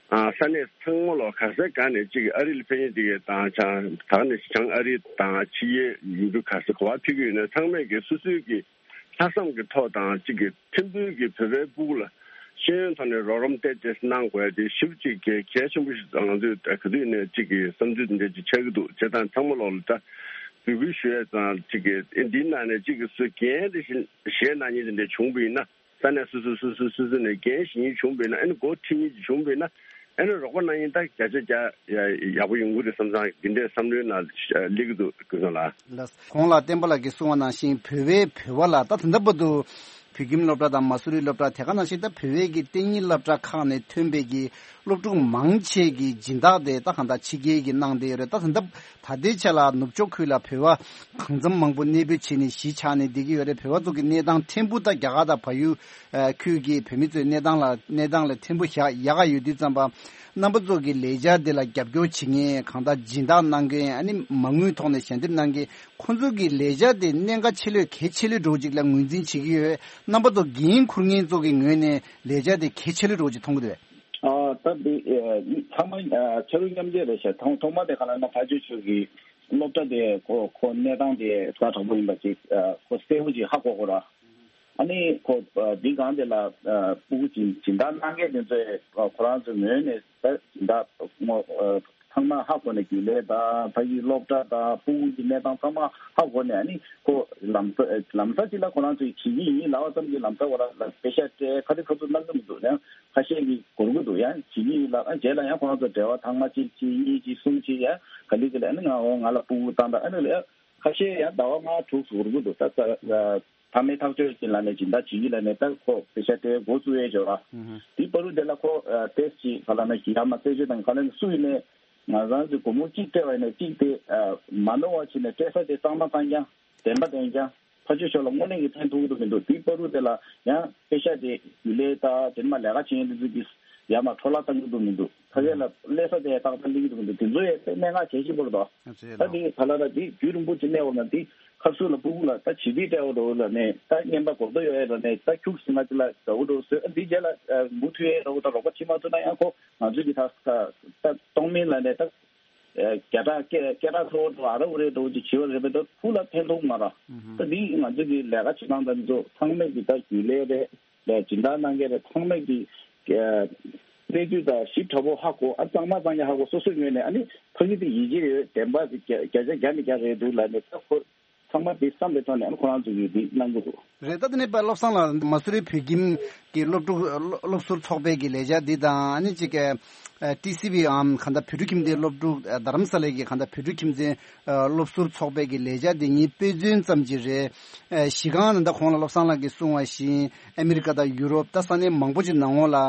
ཨ་ས་གནས་ཚང་མ་ལོ་ག་ས་ག་ནས་གཅིག་གི་ཨ་རི་ལ་ཕེབས་མཁན་དེ་གི་དང་ཆ་ད་ནས་བྱང་ཨ་རི་དང་ཕྱི་རྒྱལ་ཡུལ་གྲུ་ག་ས་ག་བ་ཕེབས་ཀྱི་ཡོད་ན་ཚང་མས་གི་སོ་སོའི་གི་ལྷག་བསམ་གྱི་ཐོག་དང་གཅིག་གི་ཕྲན་བུའི་གི་བོད་པའི་ཕྲུ་གུ་ལ་ཤེས་ཡོན་ཐོག་ནས་རོགས་རམ་ཏོག་ཙམ་གནང་དགོས་ཡ་དེ་ཞེ་པོ་ཅིག་གལ་གལ་ཆེན་པོ་ཞིག་ང་ཚོས་ག་དུས་ནས་གཅིག་གི་བསམ་ཚུལ་དེ་འདྲ་ཅིག་ཆགས་ཀྱི་འདུག་བྱས་ཙང་ཚང་མ་ལོག་ལ་ད་འབོད་སྐུལ་ཞུ་ཡ་ཙང་གཅིག་གི་ཨེ་འདིའི་ནང་ནས་གཅིག་གི་སུ་འགན་དེ་བཞེས་གནང་མཁན་དེ་འདྲ་བྱུང་བ་ཡིན་ན་ས་གནས་སོ་སོ་སོ་སོ་སོ་སོ་ནས་འགན་བཞེས་མཁན་བྱུང་བ་ཡིན་ན་ཨ་ནི་འགོ་ཁྲིད་མཁན་ཅིག་བྱུང་བ་ཡིན་ན། ཨ་ནི་རོགས་པ་གནང་ཡིན་ད་བརྒྱ་ཆ་བརྒྱ་ཡག་པོ་ཡོང་གི་རེད་བསམ་ཙང་འདི་འདྲའི་བསམ་བློའི་ནང་སླེབས་ཀྱི་འདུག་ཀུན་བཟང་ལགས། ལགས། གོང་ལ་བསྟན་པ་ལགས་ཀྱིས་གསུངས་པ་ནང་བཞིན་བོད་པའི་བོད་པ་ལ་ད་ད་ལྟ་བར་དུ་བོད་ཁྱིམ་སློབ་གྲྭ་དང་མ་སུ་རི་སློབ་གྲྭ་དེ་ག་ནང་བཞིན་ད་བོད་པའི་གི་གཏན་ཉིན་སློབ་གྲྭ་ཁག་ནས་ཐོན་པའི་གི་སློབ་ཕྲུག་མང་ཆེ་གི་སྦྱིན་བདག་དེ་ད་གང་ལྟར་ཕྱི་རྒྱལ་གྱིས་གནང་བསྡད་ཡོད་རེད། ད་ད་ལྟ་ད་ལྟའི་ཆ་ལ་ནུབ་ཕྱོགས་ཁུལ་ལ་བོད་པ་གང་འཚམ་མང་པོ་གནས་སྤོས་བྱས་ནས་གཞིས་ཆགས་ནས་བསྡད་ཀྱི་ཡོད་རེད། བོད་པ་ཚོ་གི་གནས་སྟངས་ཕྲན་བུ་ད་རྒྱ་གར་དང་བལ་ཡུལ་ཁུལ་གྱི་བོད་མི་ཚོའི་གནས་སྟངས་ལ་གནས་སྟངས་ལ་ཕྲན་བུ་ཡག་ཡག་ག་ཡོད་དུས་ཙམ་པ། རྣམ་པ་ཚོ་གི་ལས་འཆར་དེ་ལ་རྒྱབ་སྐྱོར་བྱེད་མཁན་གང་ལྟར་སྦྱིན་བདག་གནང་མཁན་ཨ་ནི་མ་དངུལ་ཐོག་ནས་ཞལ་འདེབས་གནང་མཁན་ཁོང་ཚོ་གི་ལས་འཆར་དེ་གནད་འགག་ཆེ་ལོས་གལ་ཆེ་ལོས་འགྲོ་ཅིག་ལ་ངོས་འཛིན་བྱེད་ཀྱི་ཡོད། རྣམ་པ་ཚོ་འགན་འཁུར་མཁན་ཚོ་གི་ངོས་ནས་ལས་འཆར་དེ་གལ་ཆེ་ལོས་འགྲོ་ཅིག་མཐོང་གི་འདུག་ཨ་ད་འདི་ཚང་མ་ཕྱི་རུ་མཉམ་འབྲེལ་རེད་ཤག་ཐོག་ཐོག་མ་དེ་ག་ལ་ན་ཕ་ཇོ་ཆོས་ཀྱི་སློབ་གྲྭ་དེ་ཁོ་ཁོ་གནས་སྟངས་དེ་ཛ་དྲག་པོ་ཡིན་པ་ཅིག་ཁོ་གསལ་པོ་ཅིག་ཧ་གོ་གོ་ར། ཨ་ནི་ཁོ་འདི་སྒང་དེ་ལ་ཕྲུ་གུ་སྦྱིན་སྦྱིན་བདག་གནང་མཁན་དེ་ཚོས་ཁོ་རང་ཚོའི་ངོས་ནས་ད་སྦྱིན་བདག་ངོ་ཚང་མ་ཧ་གོ་ནས་རྒྱུན་ལས་དང་ཕ་གིའི་སློབ་གྲྭ་དང་ཕྲུ་གུ་གི་གནས་སྟངས་ཚང་མ་ཧ་གོ་ནས་ཨ་ནི་ཁོ་ལམ་ལམ་སང་ཅིག་ལ་ཁོ་རང་ཚོས་བྱེད་ཀྱི་ཡིན་ལབ་པ་ཙམ་གྱིས་ལམ་སང་ཁོ་རང་ལ་པེ་ཤག་སྤྲད་ཁ་རི་ཁ་ཚུར་གནང་གི་མི་འདུག་ཡང་ཁ་ཤས་ཀྱིས་འགོར་གི་འདུག་ཡང་བྱེད་ཀྱི་ཡིན་ལབ་ཨ་རྗེས་ལ་ཡང་ཁོ་རང་ཚོ་འབྲེལ་བ་ཐེངས་མ་གཅིག་གཅིག་གཉིས་གཅིག་གསུམ་གཅིག་ཡང་ག་ལེ་ག་ལེ་ཨ་ནི་ང་འོ་ང་ལ་ཕྲུ་གུ་བཏང་ད་ཨ་ནི་ལ་ཡང་། ཁ་ཤས་ཡང་ཟླ་བ་ལྔ་དྲུག་ཟུར་གི་འདུག་ད་ད་ཕ་མའི་ཐག་གཅོད་ཀྱི་ལ་ནས་སྦྱིན་བདག་བྱེད་ཀྱི་ལ་ནས་ད་ཁོ་པེ་ཤ་སྤྲད་འགོ་བཙུགས་ཡས་བྱོས་ར། དེའི་བར་དུ་དེ་ལ་ཁོ་ཏེས་ཅི་ག་ལ་ན་ཡ་མ་རྩད་གཅོད་དང་ག་ལ་ན་སུ་ཡིན་ནས་ང་རང་ཚོའི་སྒོར་མོ་གཅིག་སྤྲད་པ་ཡིན་ན་གཅིག་དེ་མ་ནོར་བ་བྱས་ནས་སྤྲད་ས་དེ་གཙང་མ་གཙང་རྐྱང་བདེན་པ་བདེན་རྐྱང་ཕ་ཆོས་ཤོར་ལ་དངོས་གནས་ཀྱི་ཕན་ཐོགས་ཀྱི་འདུག་མི་འདུག་དེའི་བར་དུ་དེ་ལ་ཡང་པེ་ཤ་དེ་ཡུལ་ལས་ད་དེ་མ་ལས་ཀ་བྱེད་མཁན་དེ་ཚོ་གིས་ཡ་མ་འཕྲོ་བརླག་བཏང་གི་འདུག་མི་འདུག་ཕ་གི་ལ་སླེབས་ས་དེ་ཏག་ཏག་སླེབས་ཀྱི་འདུག་མི་འདུག་དེ་ཚོ་ཡང་དཔེ་གནད་འགག་གལ་ཆེན་པོ་རེད་དོ། ད་དེ་ག་ལ་ར་དེ་རྒྱུན་རིང་པོ་ཅིག་གནས་འོ་ན་དེ་ཁ་སུ་ལ་ཕྲུ་གུ་ལ་ད་བྱིས་དུས་སྤྲད་འོ་འགྲོ་ལ་ནས་ད་རྔན་པ་གོ་ཐོས་ཡོད་ཡ་ལ་ནས་ད་ཁྱུག་ཟིན་ང་ཅི་ལ་འདྲ་བོ་འགྲོ་བཟོས་ཨ་དེ་རྗེས་ལ་མུ་མཐུད་ཡ་འདྲ་བོ་ད་རོགས་པ་བྱེད་མ་ཐུབ་ན་ཡང་ཁོ་ང་ཚོ་གི་ད་ད་གཏོང་མིན་ལ་ནས་ད་བརྒྱ་ཕྲག་སྐད་སྐད་གྲགས་ཚོ་འགྲོ་ཨ་ར་འུ་རེ་འགྲོ་ཅིག་བྱེད་པ་རེད་པས་ད་ཕུ་ལ་ཕན་ཐོགས་མ་ར་ད་དེ་ང་ཚོ་གི་ལས་ཀ་བྱེད་སྟངས་ད་འདི་ཚོ་ཚང་མས་ཀྱི་ད་རྒྱུན་ལས་རེད། ལས་སྦྱིན་བདག་གནང་མཁན་རེད་ཚང་མས་ཀྱི་གནས་ཚུལ་དང་ཞིབ་ཕྲ་པོ་ཧ་གོ་ཨ་གཙང་མ་གཙང་རྐྱང་ཧ་གོ་སོ་སོའི་ངོས་ནས་ཨ་ནི་ཕ་གི་དེ་ཡིད་ཆེས་ཡོད་བདེན་པ་དེ་བརྒྱ་བརྒྱ་ཆ་བརྒྱ་ནས་བརྒྱ་རེད་འདུག་ལབ་ནས་ད་ཁོ་ཚང་མ་དེ་བསམ་པའི་ཐོག་ནས་ཨ་ནི་ཁོ་རང་ཚོ་གིས་དེ་གནང་གི་འདུག་རེད། ད་དེ་ནས་པ་བློ་བཟང་ལགས་མ་སུ་རི་བོད་ཁྱིམ་གྱི་སློབ་ཕྲུག་སློབ་སློབ་ཟུར་ཚོགས་པའི་གི་ལས་འཆར་འདི་དང་ཨ་ནི་ཅིག་ཨ་ཊི་སི་བི་འམ་གང་ལྟར་བོད་ཕྲུག་ཁྱིམ་སྡེའི་སློབ་ཕྲུག་ཨ་རྡ་རམ་ས་ལའི་གི་གང་ལྟར་བོད་ཕྲུག་ཁྱིམ་སྡེའི་ཨ་སློབ་ཟུར་ཚོགས་པའི་གི་ལས་འཆར་འདི་གཉིས་དཔེ་མཚོན་ཙམ་ཅིག་རེད། ཨ་གཞི་རྐང་ནི་ད་གོང་ལ་བློ་བཟང་ལགས་ཀྱིས་གསུངས་པ་བཞིན་ཨ་མི་རི་ཀ་དང་ཡུ་རོབ་ད་ས་གནས་མང་པོ་ཅིག་ནང་ལོགས་ལ་ཨ་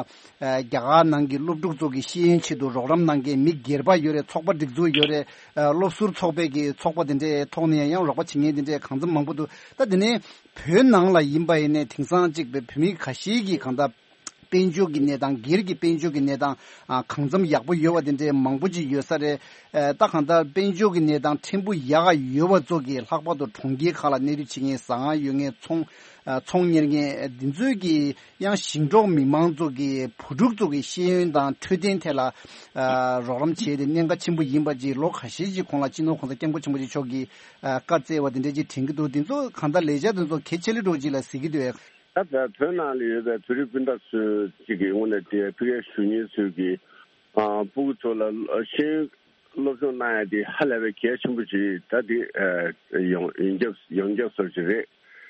རྒྱ་གར་ནང་གི་སློབ་ཕྲུག་ཚོ་གི་ཤེས་ཡོན་ཆེད་དུ་རོགས་རམ་གནང་མཁན་མི་སྒེར་པ་ཡོད་རེད། ཚོགས་པ་སྒྲིག་འཛུགས་ཡོད་རེད། ཨ་སློབ་ཟུར་ཚོགས་པའི་གི་ཚོགས་པ་དེ་འདྲའི་ཐོག་ནས་ཡང་རོགས་པ་བྱེད་མཁན་དེ་འདྲའི་གང་འཚམ་མང་པོ་འདུག་ད་དེ་ནས་བོད་ནང་ལ་ཡིན་པ་ཡིན་ནའི་དེང་སང་གཅིག་པའི་བོད་མི་ཁ་ཤས་ཀྱིས་གང་ལྟར་དཔལ་འབྱོར་གྱི་གནས་སྟངས་སྒེར་གྱི་དཔལ་འབྱོར་གྱི་གནས་སྟངས་ཨ་གང་འཚམ་ཡག་པོ་ཡོད་པ་དེ་འདྲའི་མང་པོ་ཅིག་ཡོད་ས་རེད། ཨ་ད་གང་ལྟར་དཔལ་འབྱོར་གྱི་གནས་སྟངས་ཕྲན་བུ་ཡག་ག་ཡོད་པ་ཚོ་གིས་ལྷག་པར་དུ་གྲོང་ཁྱེར་ཁག་ལ་གནས་སྡོད་བྱེད་མཁན་ཟ་ཁང་ཡོད་མཁན་ཚོང་ཨ་ཚོང་གཉེར་མཁན་འདི་ཚོས་ཀྱིས་ཡང་ཞིང་འབྲོག་མི་མང་ཚོ་གི་བུ་ཕྲུག་ཚོ་གི་ཤེས་ཡོན་དང་འཕྲོད་བསྟེན་ཐད་ལ་ཨ་རོགས་རམ་བྱས་ཏེ་གནད་འགག་ཆེན་པོ་ཡིན་པ་ཅིག་ལོ་ཁ་ཤས་ཅིག་གོང་ལ་སྤྱི་ནོར་༸གོང་ས་༸སྐྱབས་མགོན་ཆེན་པོ་མཆོག་གིས་ཨ་བཀའ་སྩལ་བ་དེ་འདྲ་ཅིག་དྲན་གྱི་འདུག་འདི་ཚོ་གང་ལྟར་ལས་འཆར་དེ་ཚོ་གལ་ཆེ་ལོས་འགྲོ་ཅིག་ལ་གཟིགས་ཀྱི་འདུག་ད་ལྟ་བོད་ནང་ལ་ཡོད་པའི་བོད་རིགས་སྤུན་ཟླ་ཚོས་ཅིག་གི་ངོས་ནས་དེ་ཕ་གིར་བཞུགས་མཁན་ཚོས་ཀྱི་ཨ་ཕྲུ་གུ་ཚོ་ལ་ཤེས་ཡོན་སློབ་སྦྱོང་གནང་ཡ་དེ་ཧ་ལས་པའི་གལ་ཆེན་པོ་ཅིག་ད་དེ་ཨ་ཡོང་ཡོངས་ཁྱབ་ཡོངས་ཁྱབ་སོར་ཅིག་རེད།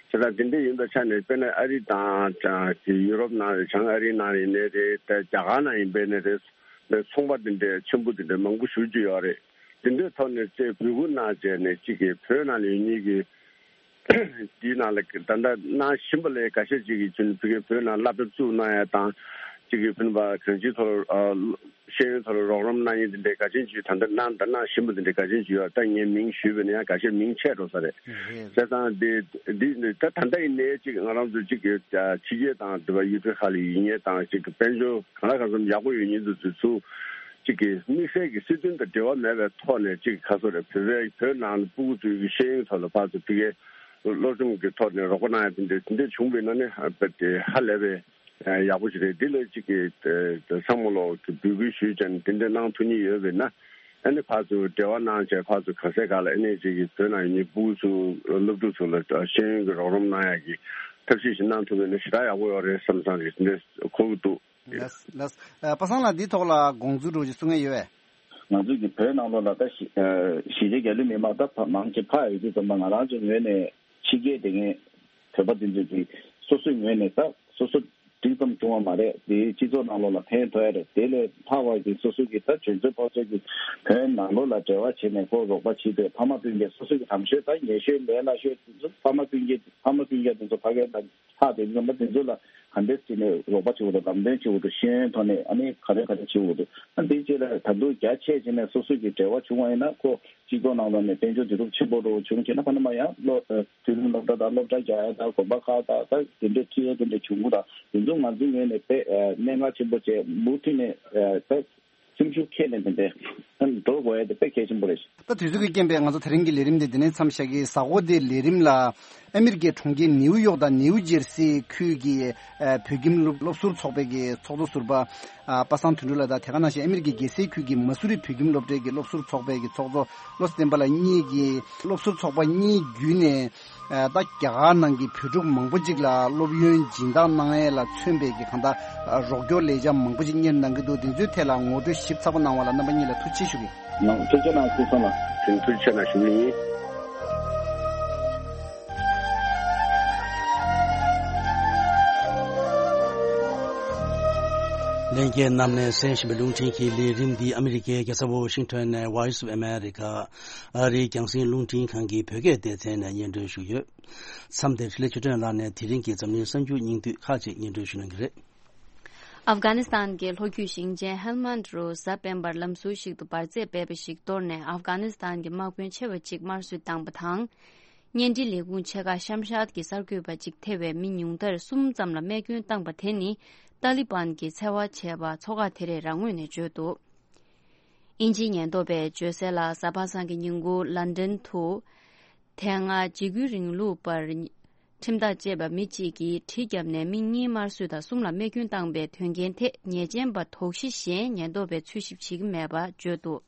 བྱས་ཙང་དེ་འདྲ་ཡིན་པའི་ཆ་ནས་དཔེར་ན་ཨ་རི་དང་ཡུ་རོབ་ནང་རེད། བྱང་ཨ་རིའི་ནང་ཡིན་ནའི་རེད། ད་རྒྱ་གར་ནང་ཡིན་པའི་ནའི་རེད། ཚོང་པ་དེ་འདྲའི་ཆེན་པོ་དེ་འདྲ་མང་པོ་ཞེ་པོ་ཅིག་ཡོད་རེད། དེ་འདྲའི་ཐོག་ནས་ཚེ་འབོད་སྐུལ་གནང་བྱས་ནས་གཅིག་གི་བོད་ནང་ལ་ཡོད་མཁན་གྱི་དེའི་ནང་ལ་ད་ལྟ་གནང་བཞིན་པ་ལས་འགའ་ཤས་ཅིག་གིས་ཕ་གིར་བོད་ནང་སློབ་གྲྭ་བཙུགས་གནང་ཡ་དང་གཅིག་གི་ཕ་གིར་གང་ཅིའི་ཐོག་ལ་ཤེས་ཡོན་ཐོག་ལ་རོགས་རམ་གནང་མཁན་དེ་འདྲའི་འགའ་ཤས་ཅིག་ད་ལྟ་གནང་ད་གནང་བཞིན་པ་དེ་འདྲའི་འགའ་ཤས་ཅིག་ཡོད། ད་ངས་མིང་ཞུས་པ་ཡིན་ན་ཡང་འགའ་ཤས་མིང་ཆད་འགྲོ་ས་རེད། བྱས་ཙང་དེ་འདི་ད་ད་ལྟ་ཡིན་ནའི་གཅིག་ང་རང་ཚོ་གཅིག་གི་ཕྱི་རྒྱལ་དང་དེ་བ་ཡུལ་གྲུ་ཁག་ལ་ཡིན་མཁན་དང་གཅིག་གི་དཔལ་འབྱོར་གང་ལ་གང་འཚམ་ཡག་པོ་ཡོད་མཁན་དེ་ཚོ་ཚུར་ གཅིག་གི་དམིགས་བསལ་གྱི་སྲིད་དོན་དང་འབྲེལ་བ་མེད་པའི་ཐོག་ནས་གཅིག་ག་སོ་རེད། བོད་པའི་བོད་ནང་ལ་སྤུ་གུ་ཚོའི་གི་ཤེས་ཡོན་ཐོག་ལ་ཕར་ཚུར་ཕ་གིའི་སློབ་སྦྱོང་གི་ཐོག་ནས་རོགས་པ་གནང་ཡ་དེ་འདྲ་དེ་འདྲ་བྱུང་བའི་ནང་ནས་རྦད་དེ་ཧ་ལས་པའི་ཡག་པོ་ཞིག་རེད། འདི་ལ་གཅིག་གི་ཚང་མ་ལོག་གི་འབོད་སྐུལ་ཞུས་ཀྱང་དེ་འདྲ་གནང་ཐུབ་ཉེན་ཡོད་པས་ན། ཨ་ནི་ཕར་ཚུར་འབྲེལ་བ་གནང་བྱས་ཕར་ཚུར་ག་ས་ག་ལ་ཨ་ནི་གཅིག་གི་བོད་ནང་ཡོད་མཁན་སྤུ་གུ་ཚོ་སློབ་ཕྲུག་ཚོ་ལ་ཤེས་ཡོན་གྱི་རོགས་རམ་གནང་ཡ་གི་ཐབས་ཤེས་ཤིག་གནང་ཐུབ་པ་ཡིན་ན་ཞེ་དྲག་ཡག་པོ་ཡོད་རེད་བསམ་བསམ་རེད། འདི་འདྲ་གོ་གི་འདུག་ལགས་ལགས། ཨ། པ་སངས་ལགས་འདིའི་ཐོག་ལ་དགོངས་ཚུལ་འདྲ་བོ་ཅིག་གསུང་མཁན་ཡོད་པས། ང་ཚོའི་གི་བོད་ནང་ལོགས་ལ་ད་གཞིས་ཨ་གཞིས་བྱེས་རྒྱ་ལུ་མི་མང་ད་ཕ་མང་ཆེ་ཕ་ཡི་དུས་ཙམ་པ་ང་རང་ཚོའི་ངོས་ནས་ཕྱི་རྒྱལ་དེ་ངས་བོད་པ་དེ་ཚོས་ཀྱི་སོ་སོའི་ངོས་ནས་ད་སོ་སོ་འགྲིག་ཙམ་བྱུང་བ་མ་རེད། དེའི་སྤྱི་ཚོགས་ནང་ལོགས་ལ་ཕན་ཐོགས་ཡ་རེད། དེ་ལས་ལྷག་པ་གི་སོ་སོ་གི་ད་གཞོན་ཚོ་ཕོ་ཚོ་གི་བོད་ནང་ལོགས་ལ་འབྲེལ་བ་བྱས་ནས་ཁོ་རོགས་པ་བྱེད་དུས་ཕ་མ་སྤུན་ཀྱག་སོ་སོ་གི་དམ་ཤོས་ད་ཉེ་ཤོས་ལས་སླ་ཤོས་དེ་ཚོ་ཕ་མ་སྤུན་ཀྱག་ཕ་མ་སྤུན་ཀྱག་དེ་ཚོ་ཕ་གིར་ད་ལྷག་དེ་ཚོ་ལ་དེ་ཚོ་ལ་ག་འདྲས་བྱས་ནས་རོགས་པ་བྱེད་དགོས་འདུག་ལམ་སྟོན་བྱེད་དགོས་འདུག་ཤེས་ཡོན་ཐོག་ནས་ཨ་ནི་ག་རེ་ག་རེ་བྱེད་དགོས་འདུག་ཨ་འདིའི་རྗེས་ལ་ད་དུང་རྒྱ་ཆེ་བྱས་ནས་སོ་སོ་གི་འབྲེལ་བ་བྱུང་བ་ཡིན་ན་ཁོ་སྤྱི་ཚོགས་ནང་ལོགས་ནས་དཔལ་འབྱོར་འདི་རུ་ཆེན་པོ་རུ་བྱུང་བྱས་ན་ཕ་ན་མ་ཡང་སློབ་དུས་རིམ་སློབ་གྲྭ་དང་སློབ་གྲྭ་རྒྱག་ཡ་དང་དགོན་པ་ཁག་དང་ད་དེ་འདྲའི་ཁྲིད་ཡ་དེ་འདྲ་བྱུང་གི་དང་དེ་ཚོ་ང་ཚོའི་ངོས་ནས་དཔེ་གནད་འགག་ཆེན་པོ་བྱས་མུ་མཐུད་ནས་ད་སེམས་ཤུགས་ཁྱེར་ནས་དེ་འདྲའི་འགྲོ་དགོས་ཡ་དེ་དཔེ་གལ་ཆེན་པོ་རེད། ད་དུས་ཚོད་ཀྱི་རྐྱེན་པས་ང་ཚོ་དེ་རིང་གི་ལས་རིམ་འདི་འདི་ནས་མཚམས་བཞག་གི། གཟའ་འཁོར་འདིའི་ལས་རིམ་ལ་ཨ་མི་རི་ཀའི་གྲོང་ཁྱེར་ནིའུ་ཡོག་དང་ནིའུ་ཇེར་སི་ཁུལ་གྱི་ཨ་བོད་ཁྱིམ་སློབ་སློབ་ཟུར་ཚོགས་པའི་གི་ཚོགས་གཙོ་ཟུར་པ་ཨ་པ་སངས་དོན་གྲུབ་ལགས་དང་དེ་ག་ནང་བཞིན་ཨ་མི་རི་ཀའི་རྒྱལ་སའི་ཁུལ་གྱི་མ་སུ་རི་བོད་ཁྱིམ་སློབ་གྲྭའི་གི་སློབ་ཟུར་ཚོགས་པའི་གི་ཚོགས་གཙོ་བློ་བཟང་བསྟན་པ་ལགས་གཉིས་ཀྱིས་སློབ་ཟུར་ཚོགས་པ་གཉིས་བརྒྱུད་ནས་ཨ་ད་རྒྱ་གར་ནང་གི་བོད་ཕྲུག་མང་པོ་ཅིག་ལ་སློབ་ཡོན་སྦྱིན་བདག་གནང་ཡས་ལ་མཚོན་པའི་གི་གང་ལྟར་རོགས་སྐྱོར་ལས་འཆར་མང་པོ་ཅིག་གཉེར་གནང་གི་འདུག་དེ་ཚོའི་ཐད་ལ་ངོ་སྤྲོད་ཞིབ་ཚགས་པོ་གནང་བ་ལ་རྣམ་པ་གཉིས་ལ་ཐུགས་རྗེ་ཆེ་ཞུ་གི་ཡིན། ཐུགས་རྗེ་གནང་སྐུ་ཚང་ལ་ཐུགས་རྗེ་གནང་ཞུ་གི་ཡིན། ལྷན་རྒྱས་རྣམས་ནས་གསན་བཞིན་པའི་རླུང་འཕྲིན་གྱི་ལས་རིམ་འདི་ཨ་མི་རི་ཀའི་རྒྱལ་ས་ཝོ་ཤིང་ཊོན་ནས་Voice of America ཨ་རིའི་རྒྱང་སྲིང་རླུང་འཕྲིན་ཁང་གི་བོད་སྐད་སྡེ་ཚན་ནས་སྙན་སྒྲོན་ཞུས་ཡོད། མཚམས་འདིར་འཕྲིན་ལས་ཆོས་སྒྲོན་ལགས་ནས་དེ་རིང་གི་འཛམ་གླིང་གསར་འགྱུར་སྙིང་བསྡུས་ཁག་ཅིག་སྙན་སྒྲོན་ཞུ་གནང་གི་རེད། ཨབ་གྷ་ནི་སི་ཐན་གྱི་ལྷོ་རྒྱུད་ཞིང་ཆེན་ཧེལ་མན་ཌི་རུ་གཟའ་སྤེན་པར་ལམ་ཟུར་ཞིག་ཏུ་འབར་རྫས་སྦས་པ་ཞིག་གཏོར་ནས་ཨབ་གྷ་ནི་སི་ཐན་གྱི་དམག་དཔོན་ཆེ་བ་གཅིག་དམར་གསོད་བཏང་པ་དང་། བརྙན་འཕྲིན་ལས་ཁུངས་ཆེ་ཁག་ཤམ་ཤཱད་ཀྱི་གསར་འགོད་པ་གཅིག་ཐེ་བའི་མི་ཉུང་མཐར་གསུམ་ཙམ་ལ་རྨས་སྐྱོན་བཏང་པ་དེ་ནི་ཏཱ་ལི་བན་གྱིས་འཚེ་བ་བྱས་པ་ཚོགས་ཁག་དེ་རེད་རང་ངོས་ནས་བརྗོད་འདུག་དབྱིན་ཇིའི་ཉེན་རྟོག་པས་བརྗོད་གསལ་ལ་གཟའ་པ་སངས་ཀྱི་ཉིན་གུང་ལན་ཌན་དུ། དེ་སྔ་འཇིགས་སྐུལ་རིང་ལུགས་པར་ཁྲིམས་ཐག་བཅད་པ་མི་གཅིག་གིས་གྲི་བརྒྱབ་ནས་མི་གཉིས་དམར་གསོད་དང་གསུམ་ལ་རྨས་སྐྱོན་བཏང་པའི་དོན་རྐྱེན་ཐད་ཉེས་ཅན་པ་དོགས་གཞི་གཞན་ཉེན་རྟོག་པས་འཚོལ་ཞིབ་བྱེད་ཀྱི་མེད་པ་བརྗོད་འདུག་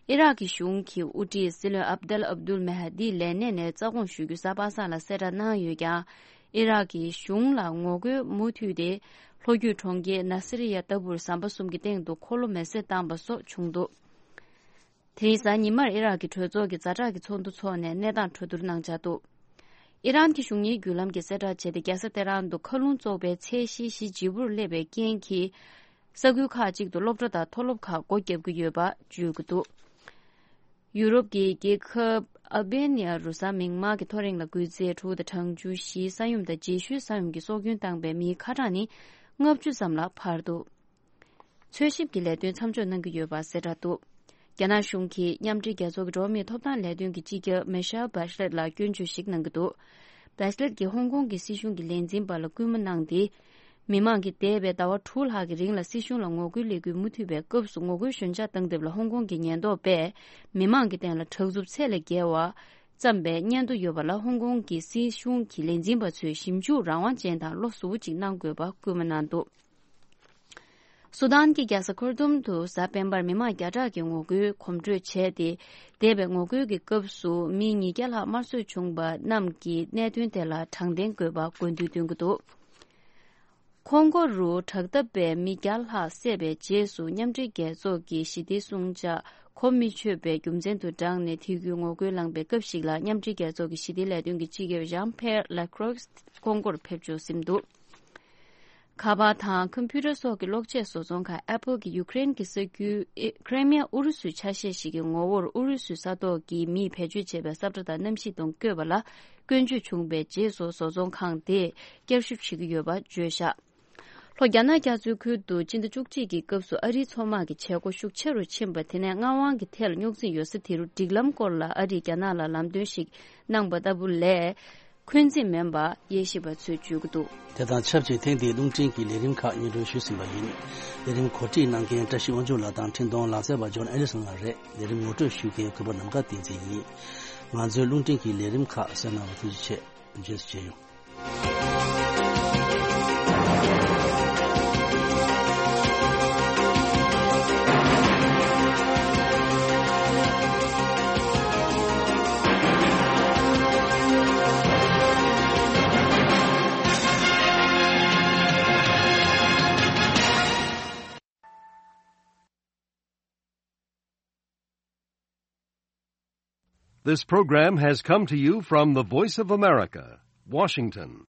ཨི་རག་གི་གཞུང་གི་དབུ་ཁྲིད་སྲིད་བློན་ཨབ་དལ་ཨབ་དུལ་མེ་ཧ་དིའི་ལས་གནས་ནས་རྩ་དགོངས་ཞུ་རྒྱུ་གཟའ་པ་སངས་ལ་གསལ་བསྒྲགས་གནང་ཡོད་ཀྱང་། ཨི་རག་གི་གཞུང་ལ་ངོ་རྒོལ་མུ་མཐུད་དེ་ལྷོ་རྒྱུད་གྲོང་ཁྱེར་ན་སི་རི་ཡ་ལྟ་བུར་ཟམ་པ་གསུམ་གྱི་སྟེང་དུ་འཁོར་ལོ་མེ་བསྲེགས་བཏང་པ་སོགས་བྱུང་འདུག་དེ་རིང་གཟའ་ཉི་མར་ཨི་རག་གི་གྲོས་ཚོགས་ཀྱི་ཛ་དྲག་གི་ཚོགས་འདུ་འཚོགས་ནས་གནས་སྟངས་གྲོས་བསྡུར་གནང་འཆར་འདུག་ཨི་རན་གྱི་གཞུང་གཉེར་བརྒྱུད་ལམ་གྱིས་གསལ་བསྒྲགས་བྱས་ཏེ། རྒྱལ་ས་ཏེ་རན་དུ་མཁའ་རླུང་བཙོག་པའི་ཚད་གཞི་གཞི་ལྗིད་པོར་སླེབས་པའི་རྐྱེན་གྱིས། ས་ཁུལ་ཁག་ཅིག་ཏུ་སློབ་གྲྭ་དང་མཐོ་སློབ་ཁག་སྒོ་བརྒྱབ་ཀྱི་ཡོད་པ་བརྗོད་ཀྱི་འདུག་ཡུ་རོབ་ཀྱི་རྒྱལ་ཁབ་ཨལ་བྷེ་ནི་ཡ་རུ་གཟའ་མིག་དམར་གྱི་ཐོ་རེངས་ལ་འགུལ་ཚད་དྲུག་དང་གྲངས་ཆུང་བཞིའི་ས་ཡོམ་དང་རྗེས་ཤུལ་ས་ཡོམ་གྱིས་སྲོག་སྐྱོན་བཏང་པའི་མིའི་ཁ་གྲངས་ནི་ལྔ་བཅུ་ཙམ་ལ་འཕར་འདུག་འཚོལ་ཞིབ་ཀྱི་ལས་དོན་མཚམས་འཇོག་གནང་གི་ཡོད་པ་གསལ་བསྒྲགས་འདུག་རྒྱ་ནག་གཞུང་གིས་མཉམ་འབྲེལ་རྒྱལ་ཚོགས་ཀྱི་འགྲོ་བ་མིའི་ཐོབ་ཐང་ལས་དོན་གྱི་སྤྱི་ཁྱབ་མེ་ཤལ་བྷ་ཤ་ལེད་ལ་སྐྱོན་བརྗོད་ཞིག་གནང་གི་འདུག་བྷ་ཤ་ལེད་ཀྱིས་ཧོང་ཀོང་གི་སྲིད་གཞུང་གི་ལས་འཛིན་པ་ལ་སྐུལ་མ་གནང་སྟེ། མི་མང་གིས་འདས་པའི་ཟླ་བ་དྲུག་ལྷག་གི་རིང་ལ་སྲིད་གཞུང་ལ་ངོ་རྒོལ་ལས་འགུལ་མུ་མཐུད་པའི་སྐབས་སུ་ངོ་རྒོལ་ཞོད་འཇགས་བཏང་ཐབས་ལ་ཧོང་ཀོང་གི་ཉེན་རྟོག་པས་མི་མང་གི་སྟེང་ལ་དྲག་རྩུབ་ཚད་ལས་བརྒལ་བ་བརྩམས་པའི་སྙན་ཐོ་ཡོད་པ་ལ་ཧོང་ཀོང་གི་སྲིད་གཞུང་གི་ལས་འཛིན་པ་ཚོས་ཞིབ་འཇུག་རང་དབང་ཅན་དང་བློ་གཟུ་བོ་ཅིག་གནང་དགོས་པ་སྐུལ་མ་གནང་འདུག་སུ་དཱན་གྱི་རྒྱལ་ས་ཁར་ཏུམ་དུ་གཟའ་སྤེན་པར་མི་མང་བརྒྱ་ཕྲག་གིས་ངོ་རྒོལ་གོམ་བགྲོད་བྱས་ཏེ། འདས་པའི་ངོ་རྒོལ་གྱི་སྐབས་སུ་མི་ཉིས་བརྒྱ་ལྷག་དམར་གསོད་བྱུང་པ་རྣམས་ཀྱི་གནད་དོན་དེ་ལ་དྲང་བདེན་དགོས་པ་དགོས་འདུན་བཏོན་གྱི་འདུག་ཁོང་ཀོ་རུ་དྲག་འཐབ་པས་མི་བརྒྱ་ལྷག་བསད་པའི་རྗེས་སུ་མཉམ་འབྲེལ་རྒྱལ་ཚོགས་ཀྱི་ཞི་བདེའི་སྲུང་བྱ་གོ་མི་ཆོད་པའི་རྒྱུ་མཚན་དུ་བགྲངས་ནས་དེ་ཁུལ་ངོ་རྒོལ་ལངས་པའི་སྐབས་ཤིག་ལ་མཉམ་འབྲེལ་རྒྱལ་ཚོགས་ཀྱི་ཞི་བདེའི་ལས་དོན་གྱི་སྤྱི་ཁྱབ་ཞང་ཕེར་ལེ་ཁྲོག་ཁོང་ཀོར་ཕེབས་འབྱོར་ཟིན་འདུག་ཁ་པར་དང་ཁམ་ཕུ་ཊར་སོགས་ཀྱི་གློག་ཆས་བཟོ་ཚོང་ཁང་ཨེ་པལ་གྱིས་ཡུ་ཀེ་རེན་གྱི་ས་ཁུལ་ཨེ་ཁྲེ་མི་ཡ་ཨུ་རུ་སུའི་ཆ་ཤས་ཤིག་གི་ངོ་བོར་ཨུ་རུ་སུའི་ས་ཐོག་གི་མིས་བེད་སྤྱོད་བྱས་པའི་ས་ཁྲ་དང་གནམ་གཤིས་དང་བཀོད་པ་ལ་སྐྱོན་བརྗོད་བྱུང་བའི་རྗེས་སུ་བཟོ་ཚོང་ཁང་དེས་བསྐྱར་ཞིབ་བྱེད་ཀྱི་ཡོད་པ་བརྗོད་བཞག་ལྷོ་རྒྱ་ནག་རྒྱ་མཚོའི་ཁུལ་དུ་སྤྱི་ཟླ་བཅུ་གཅིག་གི་སྐབས་སུ་ཨ་རིའི་མཚོ་དམག་གི་བྱེད་སྒོ་ཤུགས་ཆེ་རུ་ཕྱིན་པ་དེ་ནས་མངའ་དབང་གི་ཐད་ལ་རྙོག་འཛིང་ཡོད་ས་དེ་རུ་སྒྲིག་ལམ་སྐོར་ལ་ཨ་རིས་རྒྱ་ནག་ལ་ལམ་སྟོན་ཞིག་གནང་པ་ལྟ་བུ་ལས། འཁོན་འཛིན་མིན་པ་དབྱེ་ཞིབ་པ་ཚོས་བརྗོད་ཀྱི་འདུག། དེ་དང་ཆབས་ཅིག་ཐེངས་འདིའི་རླུང་འཕྲིན་གྱི་ལས་རིམ་ཁག་སྙན་སྒྲོན་ཞུས་ཟིན་པ་ཡིན། ལས་རིམ་གོ་སྒྲིག་གནང་མཁན་བཀྲ་ཤིས་དབང་ཕྱུག་ལགས་དང་འཕྲིན་གཏོང་ལག་རྩལ་བ་ཇོན་ཨེ་ལི་སོན་ལགས་རེད། ལས་རིམ་ངོ་སྤྲོད་ཞུ་མཁན་གུས་པ་ནམ་མཁའ་བསྟན་འཛིན་ཡིན། ང་ཚོའི་རླུང་འཕྲིན་གྱི་ལས་རིམ་ཁག་གསན་གནང་བར་ཐུགས་རྗེ་ཆེ། རྗེས་སུ་མཇལ་ཡོང་། This program has come to you from the Voice of America, Washington.